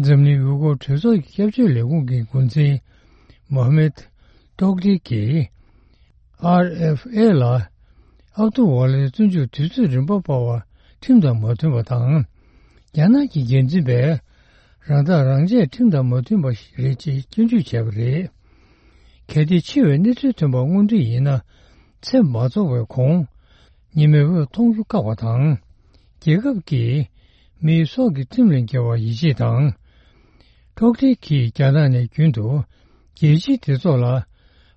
འཛམ་གླིང་ཡུལ་སྐོར་གྲོས་ཚོགས་ཀྱི་སྐྱབས་བཅོལ་ལས་ཁུངས་ཀྱི་འགོ་འཛིན་མོ་ཧ་མེད་ཏོག་ཏི་གིས། ཨར་ཨེཕ་ཨེ་ལ། ཨབ་ཏུ་ཝ་ལེའི་བཙོན་འཇུག་དུས་ཚོད་རིམ་པ་སྤར་བ་ཁྲིམས་དང་མ་མཐུན་པ་དང་། རྒྱ་ནག་གི་འགན་འཛིན་པས་རང་ཐག་རང་བཅད་ཁྲིམས་དང་མ་མཐུན་པ་ཞིག་རེད་ཅེས་སྐྱོན་བརྗོད་བྱས་པ་རེད། གལ་ཏེ་འཆི་བའི་གནས་ཚུལ་ཐོན་པ་དངོས་འབྲེལ་ཡིན་ན། ཚེ་མ་རྫོགས་པའི་གོང་ཉི་མའི་འོད་མཐོང་རྒྱུ་བཀག་པ་དང་། རྒྱལ་ཁབ་ཀྱིས་མིའི་སྲོག་གི་ཁྲིམས་ལས་འགལ་བར་ཡིད་ཆེས་དང་། ཀྲོག་ཏི་གིས་རྒྱ་ནག་ནས་རྒྱུན་དུ་རྒྱལ་སྤྱིའི་སྡེ་ཚོགས་ལ་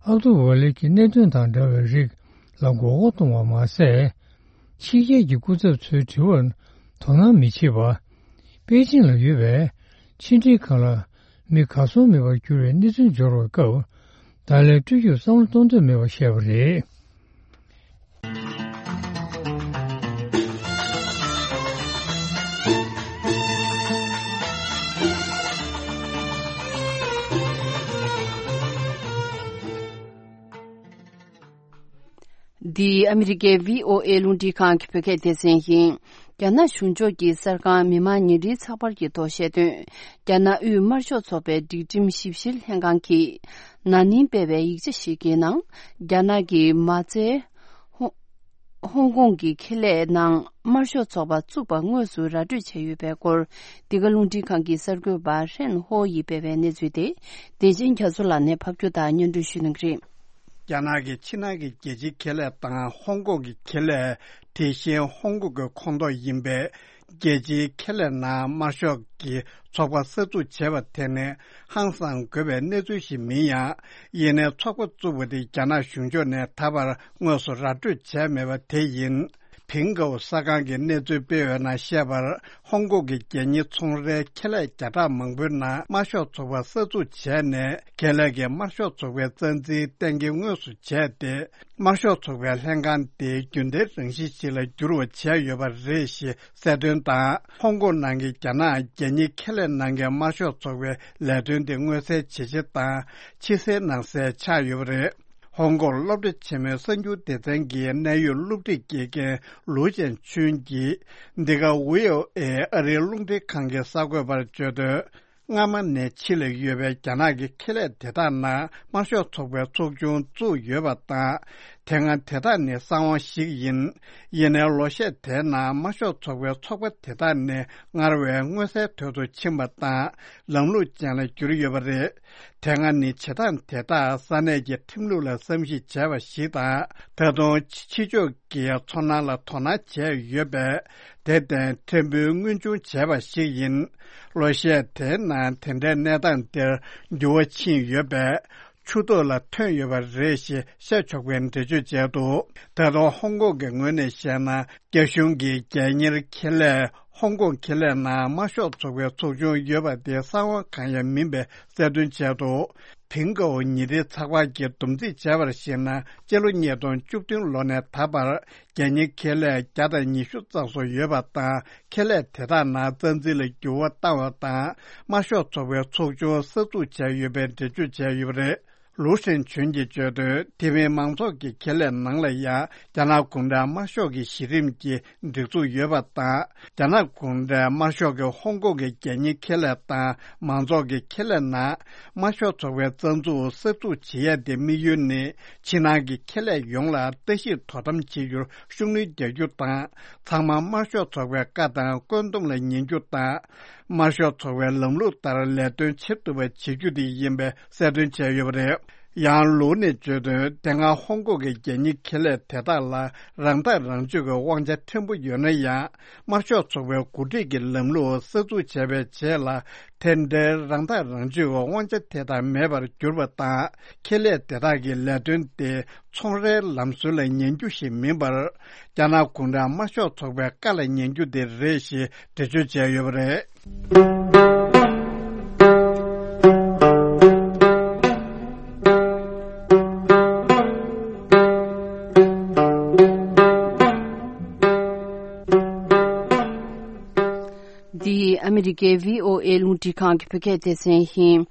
ཨབ་ཏུ་ཝ་ལེ་གི་གནད་དོན་དང་འདྲ་བའི་རིགས་ལ་མགོ་སྐོར་གཏོང་བ་མ་ཟད། ཕྱི་རྒྱལ་གྱི་སྐུ་ཚབ་ཚོའི་དྲི་བར་དོ་སྣང་མི་བྱེད་པ། པེ་ཅིང་ལ་ཡོད་པའི་ཕྱི་འབྲེལ་ཁང་ལ་མི་གར་སོང་མེད་པར་གྱུར་བའི་གནས་ཚུལ་འབྱོར་བའི་སྐབས། ད་ལན་སྤྲོད་རྒྱུར་བསམ་བློ་གཏོང་འདོད་མེད་པ་བཤད་པ་རེད། འདི་ཨ་མི་རི་ཀའི་བྷི་ཨོ་ཨེ་རླུང་འཕྲིན་ཁང་གི་བོད་སྐད་སྡེ་ཚན་ཡིན། རྒྱ་ནག་གཞུང་ཕྱོགས་ཀྱིས་གསར་ཁང་མི་དམངས་ཉིན་རེའི་ཚགས་པར་གྱི་ཐོག་བཤད་དོན། རྒྱ་ནག་དབུས་དམར་ཤོག་ཚོགས་པའི་སྒྲིག་ཁྲིམས་ཞིབ་བཤེར་ལྷན་ཁང་གིས་ན་ནིང་སྤེལ་བའི་ཡིག་ཆ་ཞིག་གི་ནང་། རྒྱ་ནག་གི་མ་རྩའི་ཧོ་ཧོང་ཀོང་གི་ཁེ་ལས་ནང་དམར་ཤོག་ཚོགས་པ་བཙུགས་པ་དངོས་སུ་ར་སྤྲོད་བྱས་ཡོད་པའི་སྐོར། འདི་ག་རླུང་འཕྲིན་ཁང་གི་གསར་འགོད་པ་ཧྲེན་ཧོ་ཡིས་སྤེལ་བའི་གནས་ཚུལ་དེ། བདེ་ཆེན་རྒྱ་མཚོ་ལགས་ནས་ཕབ་སྒྱུར་དང་སྙན་སྒྲོན་ཞུ་གནང་གི་རེད། རྒྱ་ནག་གི་ཕྱི་ནང་གི་རྒྱལ་སྤྱིའི་ཁེ་ལས་དང་ཧོང་ཀོང་གི་ཁེ་ལས། དེ་བཞིན་ཧོང་ཀོང་གི་ཁོངས་གཏོགས་ཡིན་པའི་རྒྱལ་སྤྱིའི་ཁེ་ལས་ནང་དམར་ཤོག་གི་ཚོགས་པ་གསར་འཛུགས་བྱས་པ་དེ་ནི་ཧང་སང་དགོས་པའི་གནས་ཚུལ་ཞིག་མིན་ཡང་། ཡིན་ནའི་ཚོགས་པ་བཙུགས་པ་དེ་རྒྱ་ནག་གཞུང་ཕྱོགས་ནས་ད་བར་དངོས་སུ་ར་སྤྲོད་བྱས་མེད་པ་དེ་ཡིན། ཕིང་ཀའོ་གསར་ཁང་གིས་གནས་ཚུལ་སྤེལ་བའི་ནང་བཤད་པར། ཧོང་ཀོང་གི་རྒྱལ་གཉེར་ཚོང་རའི་ཁེ་ལས་བརྒྱ་ཕྲག་མང་པོའི་ནང་དམར་ཤོག་ཚོགས་པ་གསར་འཛུགས་བྱས་ནས། ཁེ་ལས་ཀྱིས་དམར་ཤོག་ཚོགས་པའི་རྩ་འཛིན་གཏན་འཁེལ་དངོས་སུ་བྱས་ཏེ། དམར་ཤོག་ཚོགས་པའི་ལྷན་ཁང་དེ་རྒྱུན་ལྡན་རང་བཞིན་ཞིག་ལ་འགྱུར་བ་བྱས་ཡོད་པ་རེད་ཞེས་གསལ་སྟོན་དང་། ཧོང་ཀོང་ནང་གི་རྒྱ་ནག་རྒྱལ་གཉེར་ཁེ་ལས་ནང་གི་དམར་ཤོག་ཚོགས་པའི་ལས་དོན་དེ་མངོན་གསལ་ཇེ་ཆེ་དང་ཕྱི་གསལ་ནང་གསལ་ཆགས་ཡོད་པ་རེད། ཧོང་ཀོང་སློབ་གྲྭ་ཆེན་མོའི་གསར་འགྱུར་སྡེ་ཚན་གྱི་གནད་ཡོད་སློབ་ཁྲིད་དགེ་རྒན་ལུའུ་ཅན་ཆུན་གྱིས། འདི་ག་ཝི་ཨོ་ཨེ་ཨ་རིའི་རླུང་འཕྲིན་ཁང་གི་གསར་འགོད་པར་བརྗོད་དོན། སྔ་མ་ནས་ཕྱི་ལ་ཡོད་པའི་རྒྱ་ནག་གི་ཁེ་ལས་དེ་དག་ནང་དམར་ཤོག་ཚོགས་པའི་ཚོགས་ཆུང་བཙུགས་ཡོད་པ་དང་། དེ་སྔ་དེ་དག་ནི་གསང་བ་ཞིག་ཡིན། ཡིན་ནའི་ལོ་ཤས་དེའི་ནང་དམར་ཤོག་ཚོགས་པའི་ཚོགས་པ་དེ་དག་ནི་སྔར་བས་མངོན་གསལ་དོད་དུ་ཕྱིན་པ་དང་། ལམ་ལུགས་ཅན་ལ་གྱུར་ཡོད་པ་རེད། དེ་སྔ་ནི་བྱེད་སྟངས་དེ་དག་ས་གནས་ཀྱི་ཁྲིམས་ལུགས་ལ་བསམ་གཞིག་བྱས་པ་ཞིག་དང་། ད་དུང་ཕྱི་ཕྱོགས་ཀྱི་ཚོར་སྣང་ལ་དོ་སྣང་བྱས་ཡོད་པས། དེར་བརྟེན་ཕྲན་བུ་མངོན་ཆུང་བྱས་པ་ཞིག་ཡིན། ལོ་ཤས་དེའི་ནང་དེ་འདྲའི་གནས་སྟངས་འདིར་འགྱུར་བ་ཕྱིན་ཡོད་པས། ཆུ་ཐོག་ལ་ཐོན་ཡོད་པ་རེད་ཞེས་བཤད་ཆོག་པའི་འགྲེལ་བརྗོད་བྱས་འདུག་ད་དུང་ཧོང་ཀོང་གི་ངོས་ནས་བཤད་ན། རྒྱ་གཞུང་གིས་རྒྱལ་གཉེར་ཁེ་ལས་ ཧོང་ཀོང་ཁེ་ལས་ནང་དམར་ཤོག་ཚོགས་པའི་ཚོགས་ཆུང་ཡོད་པ་དེ་གསང་བ་གང་ཡང་མིན་པའི་གསལ་སྟོན་བྱས་འདུག། ཕིང་ཀའོ་ཉི་ཟླའི་ཚགས་པར་གྱིས་བསྡོམས་རྩིས་བྱས་པར་གཞིགས་ན། སྤྱི་ལོ་ཉིས་སྟོང་བཅུ་བདུན་ལོ་ནས་ད་བར་རྒྱལ་གཉེར་ཁེ་ལས་བརྒྱ་དང་ཉི་ཤུ་རྩ་གསུམ་ཡོད་པ་དང་། ཁེ་ལས་དེ་དག་ནང་རྩ་འཛིན་ལ་འགྱུར་བ་བཏང་བ་དང་། དམར་ཤོག་ཚོགས་པའི་ཚོགས་ཆུང་གསར་འཛུགས་བྱས་ཡོད་པའི་འགྲེལ་བརྗོད་བྱས་ཡོད་པ་རེད། ལུའུ་ཧྲེང་ཆོན་གྱིས་བརྗོད་དོན། དེ་མིན་མང་ཚོགས་ཀྱི་ཁེ་ལས་ནང་ལ་ཡང་རྒྱ་ནག་གུང་ཁྲན་དམར་ཤོག་གི་གཞི་རིམ་གྱི་སྒྲིག་འཛུགས་ཡོད་པ་དང་། རྒྱ་ནག་གུང་ཁྲན་དམར་ཤོག་གིས་ཧོང་ཀོང་གི་རྒྱལ་གཉེར་ཁེ་ལས་དང་མང་ཚོགས་ཀྱི་ཁེ་ལས་ནང་དམར་ཤོག་ཚོགས་པའི་རྩ་འཛུགས་གསར་འཛུགས་བྱེད་ཡ་དེ་དམིགས་ཡུལ་ནི། ཕྱི་ནང་གི་ཁེ་ལས་ཡོངས་ལ་ལྟ་ཞིབ་དོ་དམ་བྱེད་རྒྱུར་ཤུགས་སྣོན་རྒྱག་རྒྱུ་དང་། ཚང་མ་དམར་ཤོག་ཚོགས་པའི་བཀའ་དང་བཀོད་འདོམས་ལ་ཉན་རྒྱུ་དང་། དམར་ཤོག་ཚོགས་པའི་ལམ་ལུགས་ལྟར་ལས་དོན་བྱེད་ཐུབ་པ་བྱེད་རྒྱུ་དེ་ཡིན་པའི་གསལ་སྟོན་བྱས་ཡོད་པ་རེད། ཡང་ལུའུ་ནས་བརྗོད་དོན། དེ་སྔ་ཧོང་ཀོང་གི་རྒྱལ་གཉེར་ཁེ་ལས་དེ་དག་ལ་རང་ཐག་རང་གཅོད་ཀྱི་དབང་ཆ་ཕྲན་བུ་ཡོད་ན་ཡང་། དམར་ཤོག་ཚོགས་པའི་འགོ་ཁྲིད་ཀྱི་ལམ་ལུགས་གསར་འཛུགས་བྱས་པའི་རྗེས་ལ། དེ་འདྲའི་རང་ཐག་རང་གཅོད་ཀྱི་དབང་ཆ་དེ་དག་མེད་པར་གྱུར་པ་དང་། ཁེ་ལས་དེ་དག་གི་ལས་དོན་དེ་ཚོང་རའི་ལམ་སྲོལ་ལ་ཉན་རྒྱུ་ཞིག་མིན་པར། རྒྱ་ནག་གུང་ཁྲན་དམར་ཤོག་ཚོགས་པའི་བཀའ་ལ་ཉན་རྒྱུ་དེ་རེད་ཞེས་འགྲེལ་བརྗོད་བྱས་ཡོད་པ་རེད། འདི་ཨ་མི་རི་ཀའི་བྷི་ཨོ་ཨེ་རླུང་འཕྲིན་ཁང་གི་བོད་སྐད་སྡེ་ཚན་ཡིན།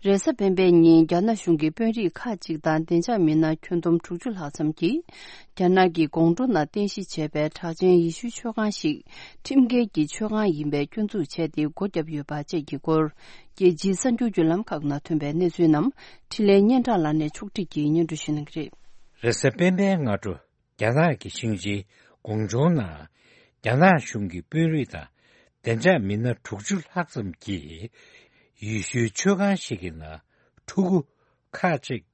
རེས་གཟའ་སྤེན་པའི་ཉིན་རྒྱ་ནག་གཞུང་གི་དཔོན་རིགས་ཁག་ཅིག་དང་བདེ་འཇགས་མི་སྣ་ཁྱོན་བསྡོམས་དྲུག་ཅུ་ལྷག་ཙམ་གྱིས། རྒྱ་ནག་གི་ཀོང་ཀྲོའུ་ནང་རྟེན་གཞི་བྱས་པའི་གྲགས་ཅན་ཡེ་ཤུའི་མཆོད་ཁང་ཞིག་ཁྲིམས་འགལ་གྱི་མཆོད་ཁང་ཡིན་པའི་སྐྱོན་འཛུགས་བྱས་ཏེ་སྒོ་བརྒྱབ་ཡོད་པ་བཅས་ཀྱི་སྐོར། རྒྱལ་སྤྱིའི་གསར་འགྱུར་བརྒྱུད་ལམ་ཁག་ནང་ཐོན་པའི་གནས་ཚུལ་རྣམས་འཕྲིན་ལས་སྙན་གྲགས་ལགས་ནས་ཕྱོགས་སྒྲིག་གིས་སྙན་སྒྲོན་ཞུ་གནང་གི་རེད། རེས་གཟའ་སྤེན་པའི་སྔ་དྲོ། རྒྱ་ནག་གི་ཞིང་ཆེན་ཀོང་ཀྲོའུ་ནང་རྒྱ་ནག་གཞུང་གི་དཔོན་རིགས་དང་བདེ་འཇགས་མི་སྣ་དྲུག་ཅུ་ལྷག་ཙམ་གྱིས་ཡེ་ཤུའི་མཆོད་ཁང་ཞིག་གི་ནང་ཕྲུ་གུ་ཁག་ཅིག་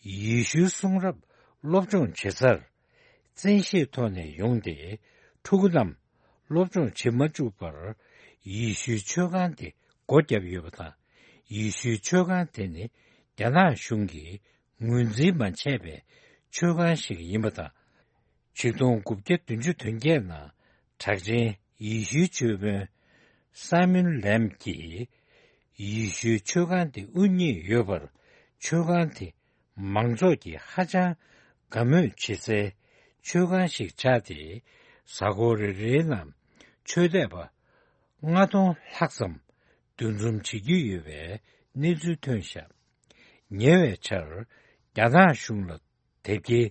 ཡེ་ཤུའི་གསུང་རབ་སློབ་སྦྱོང་བྱེད་སར་བཙན་ཤེད་ཐོག་ནས་ཡོང་སྟེ། ཕྲུ་གུ་རྣམས་སློབ་སྦྱོང་བྱེད་མ་བཅུག་པར་ཡེ་ཤུའི་མཆོད་ཁང་དེ་སྒོ་བརྒྱབ་ཡོད་པ་དང་། ཡེ་ཤུའི་མཆོད་ཁང་དེ་ནི་རྒྱ་ནག་གཞུང་གིས་ངོས་འཛིན་མ་བྱས་པའི་མཆོད་ཁང་ཞིག་ཡིན་པ་དང་། ཆིག་སྟོང་དགུ་བརྒྱ་བདུན་ཅུ་དོན་བརྒྱད་ནང་གྲགས་ཅན་ཡེ་ཤུའི་ཆོས་དཔོན་སཱ་མུན་ལེམ་གྱིས་ཡེ་ཤུའི་མཆོད་ཁང་དེ་དབུ་བརྙེས་ཡོད་པར། མཆོད་ཁང་དེ་མང་ཚོགས་ཀྱིས་ཧ་ཅང་དགའ་མོས་བྱེད་སའི་མཆོད་ཁང་ཞིག་ཆགས་ཏེ། གཟའ་འཁོར་རེ་རེའི་ནང་ཆོས་དད་པ་ལྔ་སྟོང་ལྷག་ཙམ་འདུ་འཛོམས་བྱེད་ཀྱི་ཡོད་པའི་གནས་ཚུལ་ཐོན་བཞག། ཉེ་བའི་ཆར་རྒྱ་ནག་གཞུང་ལ་དེབ་སྐྱེལ་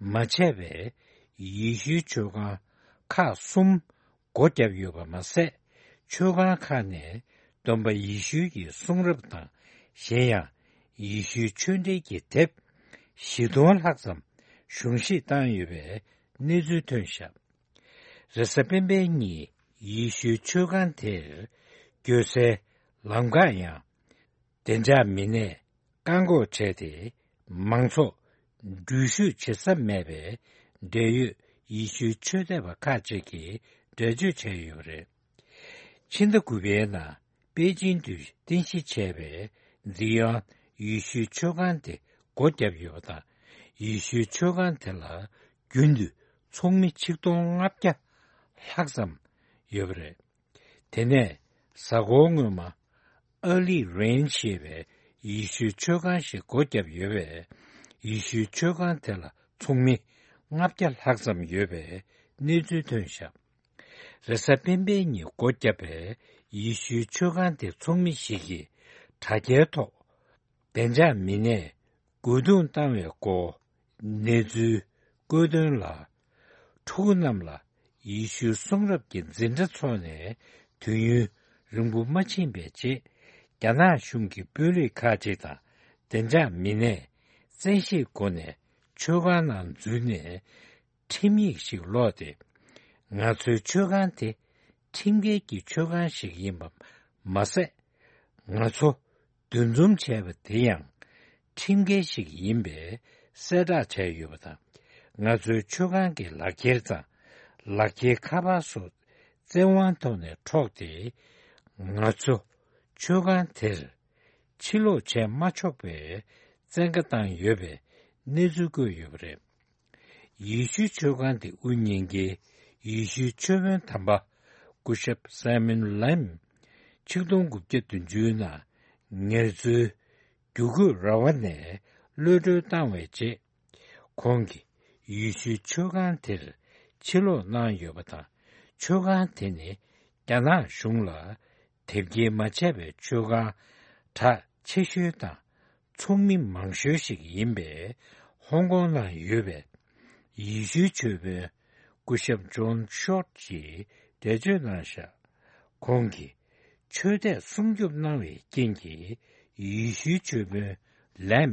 མ་བྱས་པའི་ཡེ་ཤུའི་མཆོད་ཁང་ཁག་གསུམ་སྒོ་བརྒྱབ་ཡོད་པ་མ་ཟད། མཆོད་ཁང་ཁག་ནས་སྟོན་པ་ཡེ་ཤུ་ཡི་གསུང་རབ་དང་། གཞན་ཡང་ཡེ་ཤུའི་ཆོས་འབྲེལ་གྱི་དེབ་བཞི་སྟོང་ལྷག་ཙམ་གཞུང་བཞེས་བཏང་ཡོད་པའི་གནས་ཚུལ་ཐོན་བཞག། རེས་གཟའ་སྤེན་པའི་ཉིན་ཡེ་ཤུའི་མཆོད་ཁང་དེར་སྐྱོད་སའི་ལམ་ཁ་ཡང་། བདེ་འཇགས་མི་སྣས་བཀག་འགོག་བྱས་ཏེ། མང་ཚོགས་འགྲུལ་བཞུད་བྱེད་ས་མེད་པའི་འབྲེལ་ཡོད་ཡེ་ཤུའི་ཆོས་དད་པ་ཁག་ཅིག་གིས་འགྲེལ་བརྗོད་བྱས་ཡོད་པ་རེད། ཕྱི་ཟླ་དགུ་པའི་ནང་པེ་ཅིན་དུ་རྟེན་གཞི་བྱས་པའི་ཛི་ཡོན་ཡེ་ཤུའི་མཆོད་ཁང་དེ་སྒོ་བརྒྱབ་ཡོད་པ་དང་། ཡེ་ཤུའི་མཆོད་ཁང་དེ་ལ་རྒྱུན་དུ་ཚོགས་མི་ཆིག་སྟོང་ལྔ་བརྒྱ་ལྷག་ཙམ་ཡོད་པ་རེད། དེ་ནས་གཟའ་འཁོར་སྔོན་མ། ཨར་ལི་རེན་ཞེས་པའི་ཡེ་ཤུའི་མཆོད་ཁང་ཞིག་སྒོ་བརྒྱབ་ཡོད་པས། ཡེ་ཤུའི་མཆོད་ཁང་དེ་ལ་ཚོགས་མི་ལྔ་བརྒྱ་ལྷག་ཙམ་ཡོད་པའི་གནས་ཚུལ་ཐོན་བཞག། རེས་གཟའ་སྤེན་པའི་ཉིན་སྒོ་བརྒྱབ་པའི་ཡེ་ཤུའི་མཆོད་ཁང་དེ་ཚོགས་མི་ཞིག་གིས་དྲ་རྒྱའི་ཐོག་བདེ་འཇགས་མི་སྣས་རྒོལ་རྡུང་བཏང་བའི་སྐོར་གནས་ཚུལ་བཀོད་དོན་ལ། ཕྲུ་གུ་རྣམས་ལ་ཡེ་ཤུའི་གསུང་རབ་ཀྱི་འཛིན་གྲྭ་འཚོགས་ནས་དུས་ཡུན་རིང་པོ་མ་ཕྱིན་པའི་རྗེས། རྒྱ་ནག་གཞུང་གི་དཔོན་རིགས་ཁག་ཅིག་དང་བདེ་འཇགས་མི་སྣས་བཙན་ཤེད་སྒོ་ནས་མཆོད་ཁང་ནང་འཛུལ་ནས། ཁྲིམས་ཡིག་ཞིག་ཀློག་སྟེ། ང་ཚོའི་མཆོད་ཁང་དེ་ཁྲིམས་འགལ་གྱི་མཆོད་ཁང་ཞིག་ཡིན་པ་མ་ཟད། ང་ཚོ་འདུ་འཛོམས་བྱས་པ་དེ་ཡང་ཁྲིམས་འགལ་ཞིག་ཡིན་པའི་གསལ་བསྒྲགས་བྱས་ཡོད་པ་དང་། ང་ཚོའི་མཆོད་ཁང་གི་ལག་འཁྱེར་དང་ལག་འཁྱེར་ཁ་པར་སོགས་བཙན་དབང་ཐོག་ནས་འཕྲོག་སྟེ། ང་ཚོ་མཆོད་ཁང་དེར་ཕྱིར་ལོག་བྱས་མ་ཆོག་པའི་བཙན་བཀའ་བཏང་ཡོད་པའི་གནས་ཚུལ་བཀོད་ཡོད་པ་རེད། ཡེ་ཤུའི་མཆོད་ཁང་དེ་དབུ་བརྙེས་མཁན་ཡེ་ཤུའི་ཆོས་དཔོན་དམ་པ་ སྐུ་ཞབས་སའི་མོན་ལེམ་ཆིག་སྟོང་དགུ་བརྒྱ་བདུན་ཅུ་ནང་ངལ་རྩོལ་བསྒྱུར་བཀོད་ར་བ་ནས་གློད་གྲོལ་བཏང་བའི་རྗེས། ཁོང་གིས་ཡེ་ཤུའི་མཆོད་ཁང་དེར་ཕྱིར་ལོག་གནང་ཡོད་པ་དང་། མཆོད་ཁང་དེ་ནི་རྒྱ་ནག་གཞུང་ལ་དེབ་སྐྱེལ་མ་བྱས་པའི་མཆོད་ཁང་གྲགས་ཆེ་ཤོས་དང་། ཚོགས་མི་མང་ཤོས་ཤིག་ཡིན་པའི་ཧོང་ཀོང་ནང་ཡོད་པའི་ཡེ་ཤུའི་ཆོས་དཔོན་སྐུ་ཞབས་ཇོན་ཤོར་གྱིས་འགྲེལ་བརྗོད་གནང་བཞག་ཁོང་གིས་ཆོས་དད་སྲུང་སྐྱོབ་གནང་བའི་རྐྱེན་གྱིས། ཡེ་ཤུའི་ཆོས་དཔོན་ལེམ་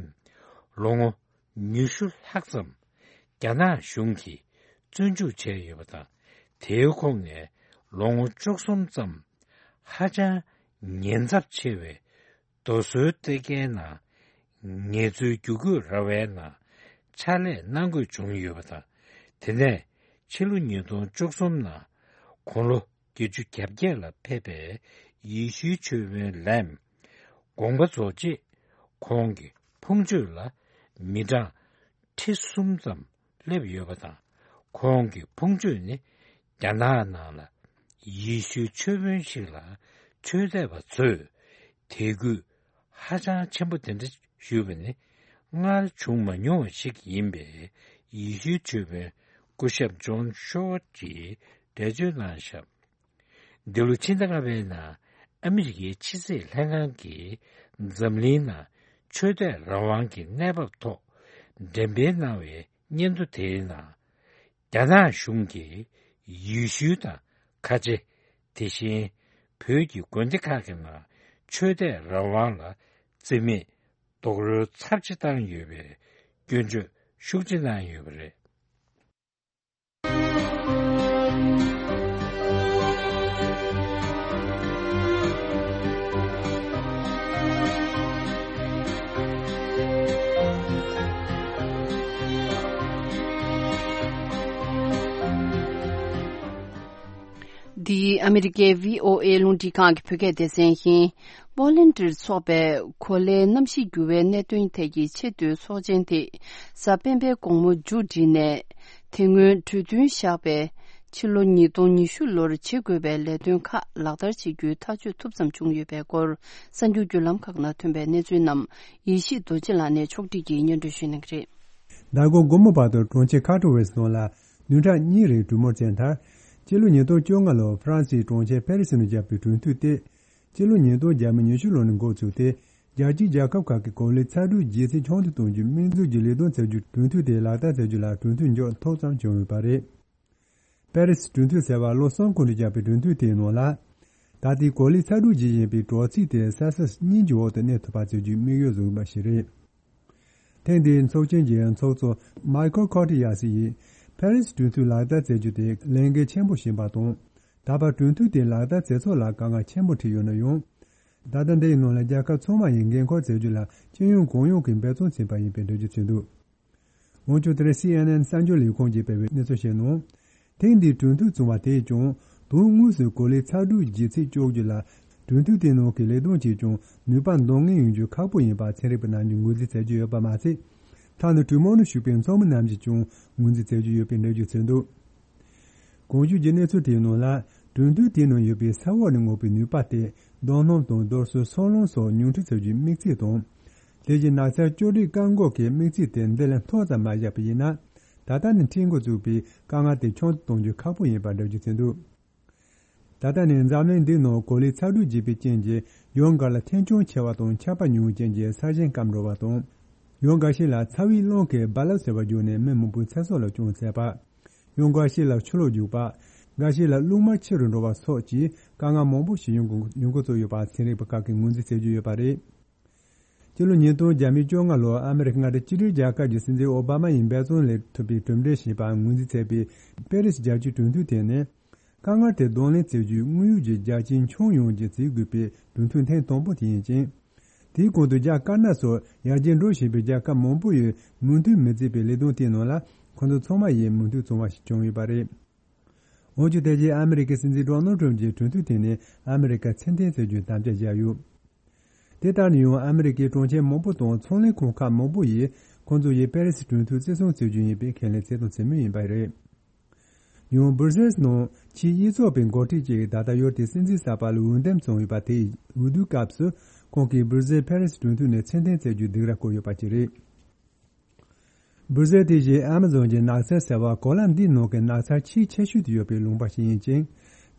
ལོ་ངོ་ཉི་ཤུ་ལྷག་ཙམ་རྒྱ་ནག་གཞུང་གིས་བཙོན་འཇུག་བྱས་ཡོད་པ་དང་། དེའི་ཁོངས་ནས་ལོ་ངོ་བཅུ་གསུམ་ཙམ་ཧ་ཅང་ཉེན་ཚབས་ཆེ་བའི་རྡོ་སོལ་སྟེར་མཁན་ནང་ངལ་རྩོལ་བསྒྱུར་བཀོད་ར་བའི་ནང་ཕྱག་ལས་གནང་དགོས་བྱུང་ཡོད་པ་དང་། དེ་ནས་ཕྱི་ལོ་ཉིས་སྟོང་བཅུ་གསུམ་ནང་དགུང་ལོ་བརྒྱད་ཅུ་གྱ་བརྒྱད་ལ་ཕེབས་པའི་ཡེ་ཤུའི་ཆོས་དཔོན་ལེམ་དགོངས་པ་རྫོགས་རྗེས། ཁོང་གི་ཕུང་མཆོད་ལ་མི་གྲངས་ཁྲི་གསུམ་ཙམ་སླེབས་ཡོད་པ་དང་། ཁོང་གི་ཕུང་མཆོད་ནི་རྒྱ་ནག་ནང་ལ་ཡེ་ཤུའི་ཆོས་དཔོན་ཞིག་ལ་ཆོས་དད་པ་ཚོས་དད་གུས་ཧ་ཅང་ཆེན་པོ་དེ་འདྲ་ཞུས་པ་ནི་སྔར་བྱུང་མ་མྱོང་བ་ཞིག་ཡིན་པས། ཡེ་ཤུའི་ཆོས་དཔོན་སྐུ་ཞབས་ཇོན་ཤོར་གྱིས་འགྲེལ་བརྗོད་གནང་བཞག་འདི་ལོ་ཕྱི་ཟླ་ལྔ་པའི་ནང་ཨ་མི་རི་ཀའི་ཕྱི་སྲིད་ལྷན་ཁང་གིས་འཛམ་གླིང་ནང་ཆོས་དད་རང་དབང་གི་གནས་བབ་ཐོག་འགྲེམས་སྤེལ་གནང་བའི་སྙན་ཐོ་དེའི་ནང་། རྒྱ་ནག་གཞུང་གིས་ཡེ་ཤུ་དང་ཁ་ཆེ། དེ་བཞིན་བོད་ཀྱི་དགོན་སྡེ་ཁག་གི་ནང་ཆོས་དད་རང་དབང་ལ་རྩིས་མེད་རྡོག་རོལ་ཚབས་ཆེ་བཏང་ཡོད་པའི་སྐྱོན་བརྗོད་ཤུགས་ཆེ་གནང་ཡོད་པ་རེད། འདི་ཨ་མི་རི་ཀའི་བྷི་ཨོ་ཨེ་རླུང་འཕྲིན་ཁང་གི་བོད་སྐད་སྡེ་ཚན་ཡིན། པོ་ལན་ཌིར་འཚོགས་པའི་གོ་ལའི་གནམ་གཤིས་འགྱུར་བའི་གནད་དོན་ཐད་ཀྱི་ཆེས་མཐོའི་ཚོགས་ཆེན་དེ་གཟའ་སྤེན་པའི་དགོང་མོ་མཇུག་བསྒྲིལ་ནས། དེ་སྔོན་གྲོས་མཐུན་བཞག་པའི་ཕྱི་ལོ་ཉིས་སྟོང་ཉི་ཤུ་ལོར་བྱེད་དགོས་པའི་ལས་དོན་ཁག་ལག་བསྟར་བྱེད་རྒྱུའི་ཐག་གཅོད་ཐུབ་ཙམ་བྱུང་ཡོད་པའི་སྐོར། གསར་འགྱུར་བརྒྱུད་ལམ་ཁག་ནང་ཐོན་པའི་གནས་ཚུལ་རྣམས་ཡེ་ཤེས་རྡོ་རྗེ་ལགས་ནས་ཕྱོགས་སྒྲིག་གིས་སྙན་སྒྲོན་ཞུ་གནང་གི་རེད། ཟླ་གོང་དགོང་མོ་བར་དུ་གྲོང་ཁྱེར་ཁ་ཏོ་ཝེ་སི་ནང་ལ་བདུན་ཕྲག་གཉིས་རིང་གྲོས་མོལ་བྱས་མཐར། སྤྱི་ལོ་ཉིས་སྟོང་བཅོ་ལྔ་ལོར་ཧྥ་རན་སིའི་གྲོང་ཁྱེར་ཕེ་རི་སི་ནང་བཞག་པའི་གྲོས་མཐུན་དེ། སྤྱི་ལོ་ཉིས་སྟོང་བརྒྱ་མེད་ཉི་ཤུ་ལོ་ནས་འགོ་བཙུགས་ཏེ། རྒྱལ་སྤྱིའི་རྒྱལ་ཁབ་ཁག་གི་གོ་ལའི་ཚ་དྲོད་ལྗིད་ཚད་ཆུང་དུ་གཏོང་རྒྱུའི་དམིགས་འཛུགས་ཀྱི་ལས་དོན་བྱ་རྒྱུའི་གྲོས་མཐུན་དེ་ལག་བསྟར་བྱ་རྒྱུ་ལ་གྲོས་མཐུན་འཇོག་ཐུབ་ཙམ་བྱུང་ཡོད་པ་རེད། པེ་རི་སི་གྲོས་མཐུན་ཟེར་བ་ལོ་གསུམ་གོང་དུ་བཞག་པའི་གྲོས་མཐུན་དེའི་ནང་ལ། ད་ལྟའི་གོ་ལའི་ཚ་དྲོད་ཇི་བཞིན་པའི་དྲོ་ཚིགས་དེ་སེལ་སི་ཡས་གཉིས་ཀྱི་འོག་ཏུ་གནས་ཐུབ་པ་བྱེད་རྒྱུའི་དམིགས་ཡུལ་བཟུང་ཡོད་པ་ཞིག་རེད། ཐེངས་འདིའི་ཚོགས་ཆེན་གྱི་ཚོགས་གཙོ་མའི་ཁལ་ཁོ་ཏི་ཡ་སི་ཡིས་ཕེ་རི་སི་གྲོས་མཐུན་ལག་བསྟར་མཛད་རྒྱུ་དེ་ལས་འགན་ཆེན་པོ་ཞིག་ཡིན་པ་དང་། ད་བར་གྲོས་མཐུན་དེ་ལག་བསྟར་མཛད་ཚུལ་ལ་དཀའ་ངལ་ཆེན་པོ་འཕྲད་ཡོད་ན་ཡང་། ད་ལྟ་འདིའི་ནང་ལ་རྒྱལ་ཁབ་ཚང་མ་ཡིས་འགན་འཁུར་མཛད་རྒྱུ་ལ་སྤྱི་ཡོངས་གང་ཡོང་གིས་འབད་བརྩོན་བྱས་པ་ཡིན་པའི་འགྲེལ་བརྗོད་བྱས་འདུག་འོན་ཀྱང་དེ་རིང་སི་ཨེན་ཨེན་གསར་འགྱུར་ལས་ཁུངས་ཀྱིས་སྤེལ་བའི་གནས་ཚུལ་ཞིག་ནང་། ཐེངས་འདིའི་གྲོས་མཐུན་བྱུང་བ་དེས་ཀྱང་དོན་དངོས་སུ་གོ་ལའི་ཚ་དྲོད་ལྗིད་ཚད་གཅོག་རྒྱུ་ལ་གྲོས་མཐུན་དེའི་ནང་གི་ལས་དོན་གྱིས་ཀྱང་ནུས་པ་འདོན་ངེས་ཡོང་རྒྱུ་ཁག་པོ་ཡིན་པ་ཚན་རིག་པ་རྣམས་ཀྱིས་ངོས་འཛིན་བྱེད་ཀྱི་ཡོད་པ་མ་ཟད། ཐ་ན་གྲོས་མོལ་ནང་ཞུགས་པའི་ཚོགས་མི་རྣམས་ཀྱིས་ཀྱང་ངོས་འཛིན་བྱེད་ཀྱི་ཡོད་པའི་འགྲེལ་བརྗོད་བྱས་འདུག་གོང་ཞུས་ཀྱི་གནས་ཚུལ་དེའི་ནང་ལ། གྲོས་མཐུན་དེའི་ནང་ཡོད་པའི་ས་འོག་ནས་མངགས་པའི་ནུས་པ་དེ། རྡོ་སྣུམ་དང་རྡོ་སོལ་སོལ་རླངས་སོགས་ཉུང་འཕྲི་བྱ་རྒྱུའི་དམིགས་ཚད་དང་། དེ་བཞིན་ནགས་ཚལ་གཅོད་འབྲེག་བཀག་འགོག་གི་དམིགས་ཚད་དེ་འདི་ལས་མཐོ་ཙམ་མ་བཞག་པ་ཡིན་ན། ད་ལྟ་ནས་འཕྲད་འགོ་བཙུགས་པའི་དཀའ་ངལ་དེ་ཆུང་དུ་གཏོང་རྒྱུ་ཁག་པོ་ཡིན་པར་འགྲེལ་བརྗོད་བྱས་འདུག་ད་ལྟ་ནས་འཛམ་གླིང་འདིའི་ནང་གོ་ལའི་ཚ་དྲོད་རྒྱས་པའི་རྐྱེན་གྱིས་ཡུལ་འགའ་ལ་ཐན་སྐྱོན་ཆེ་བ་དང་ཆར་པ་ཉུང་བའི་རྐྱེན་གྱིས་ས་ཞིང་སྐམ་འགྲོ་བ་དང་། ཡུལ་འགའ་ཞིག་ལ་ཚ་བའི་རླུང་གིས་རྦ་རླབས་ཟེར་བ་བརྒྱུགས་ནས་མི་མང་པོའི་ཚེ་སྲོག་ལ་སྐྱོན་བཙལ་བ། ཡུལ་འགའ་ཞིག་ལ་ཆུ་ལོག་རྒྱུག་པ། འགའ་ཞིག་ལ་རླུང་དམར་ཆེ་རུ་འགྲོ་བ་སོགས་ཀྱིས་དཀའ་ངལ་མང་པོ་ཞིག་ཡོང་གི་ཡོང་གི་ཚུལ་ཡོད་པ་ཚན་རིག་པ་ཁག་གིས་ངོས་འཛིན་བྱེད་ཀྱི་ཡོད་པ་རེད། སྤྱི་ལོ་ཉིས་སྟོང་བརྒྱ་མེད་བཅོ་ལྔ་ལོར་ཨ་མི་རི་ཀ་མངའ་སྡེ་གཅིག་སྒྲིལ་རྒྱལ་ཁབ་ཀྱི་སྲིད་འཛིན་ཨོ་བྷ་མ་ཡིས་འབད་བརྩོན་ལས་ཐུབ་པའི་གྲུབ་འབྲས་ཞེས་པ་ངོས་འཛིན་མཛད་པའི་པེ་རི་སི་རྒྱལ་སྤྱིའི་གྲོས་མཐུན་དེ་ནི། དཀའ་ངལ་དེ་གདོང་ལེན་བྱེད་རྒྱུའི་དངོས་ཡོད་ཀྱི་རྒྱ་ཆེའི་ཁྱོན་ཡོངས་ཀྱི་བྱེད་དགོས་པའི་གྲོས་མཐུན་ཐེངས་དང་པོ་དེ་ཡིན་ཅིང་། དེའི་གོང་དུ་རྒྱ་དཀར་ནག་སོགས་ཡར་རྒྱས་འགྲོ་བཞིན་པའི་རྒྱལ་ཁབ་མང་པོ་ཡིས་མོས་མཐུན་མི་བྱེད་པའི་ལས་དོན་དེའི་ནང་ལ་ཁོ་ཚོ་ཚང་མ་ཡིས་མོས་མཐུན་བྱུང་བ་ཞིག་བྱུང་ཡོད་པ་རེད། འོན་ཀྱང་དེ་རྗེས་ཨ་མི་རི་ཀའི་སྲིད་འཛིན་ཌོ་ནལ་ཊམ་གྱིས་གྲོས་མཐུན་དེ་ནི་ཨ་མི་རི་ཀར་ཚད་ལྡན་ཟེར་རྒྱུའི་དམ་བཅའ་བཞག་ཡོད། དེ་ལྟར་ན་ཡང་ཨ་མི་རི་ཀའི་གྲོང་ཁྱེར་མང་པོ་དང་ཚོང་ལས་ཁང་ཁག་མང་པོ་ཡིས་ཁོང་ཚོ་ཡིས་པེ་རི་སི་གྲོས་མཐུན་བརྩི་སྲུང་བྱེད་རྒྱུ་ཡིན་པའི་ཁས་ལེན་བྱས་དང་བྱེད་མུས་ཡིན་པ་རེད། ཡང་སྦུར་ཟེལ་ནང་ཕྱིའི་དབྱེ་ཚོགས་པའི་འགོ་ཁྲིད་ཅིག་ད་ལྟ་ཡུལ་དེའི་སྲིད་འཛིན་གསར་པ་ལ་འོས་འདེམས་བྱུང་ཡོད་པ་དེའི་འོས་བསྡུའི་སྐབས་སུ་ཁོང་གིས་སྦུར་ཟེལ་ཕེ་རེ་སི་གྲོས་མཐུན་ནས་ཕྱིར་འཐེན་བྱེད་རྒྱུའི་སྡིགས་ར་བསྐུལ་ཡོད་པ་ཞིག་རེད། སྦུར་ཟེལ་དེ་བཞིན་ཨ་མ་ཛོན་གྱི་ནགས་ཚལ་ཟེར་བ་གོ་ལ་འདིའི་ནང་གི་ནགས་ཚལ་ཆེས་ཆེ་ཤོས་དུ་ཡོད་པའི་ལུང་པ་ཞིག་ཡིན་ཅིང་།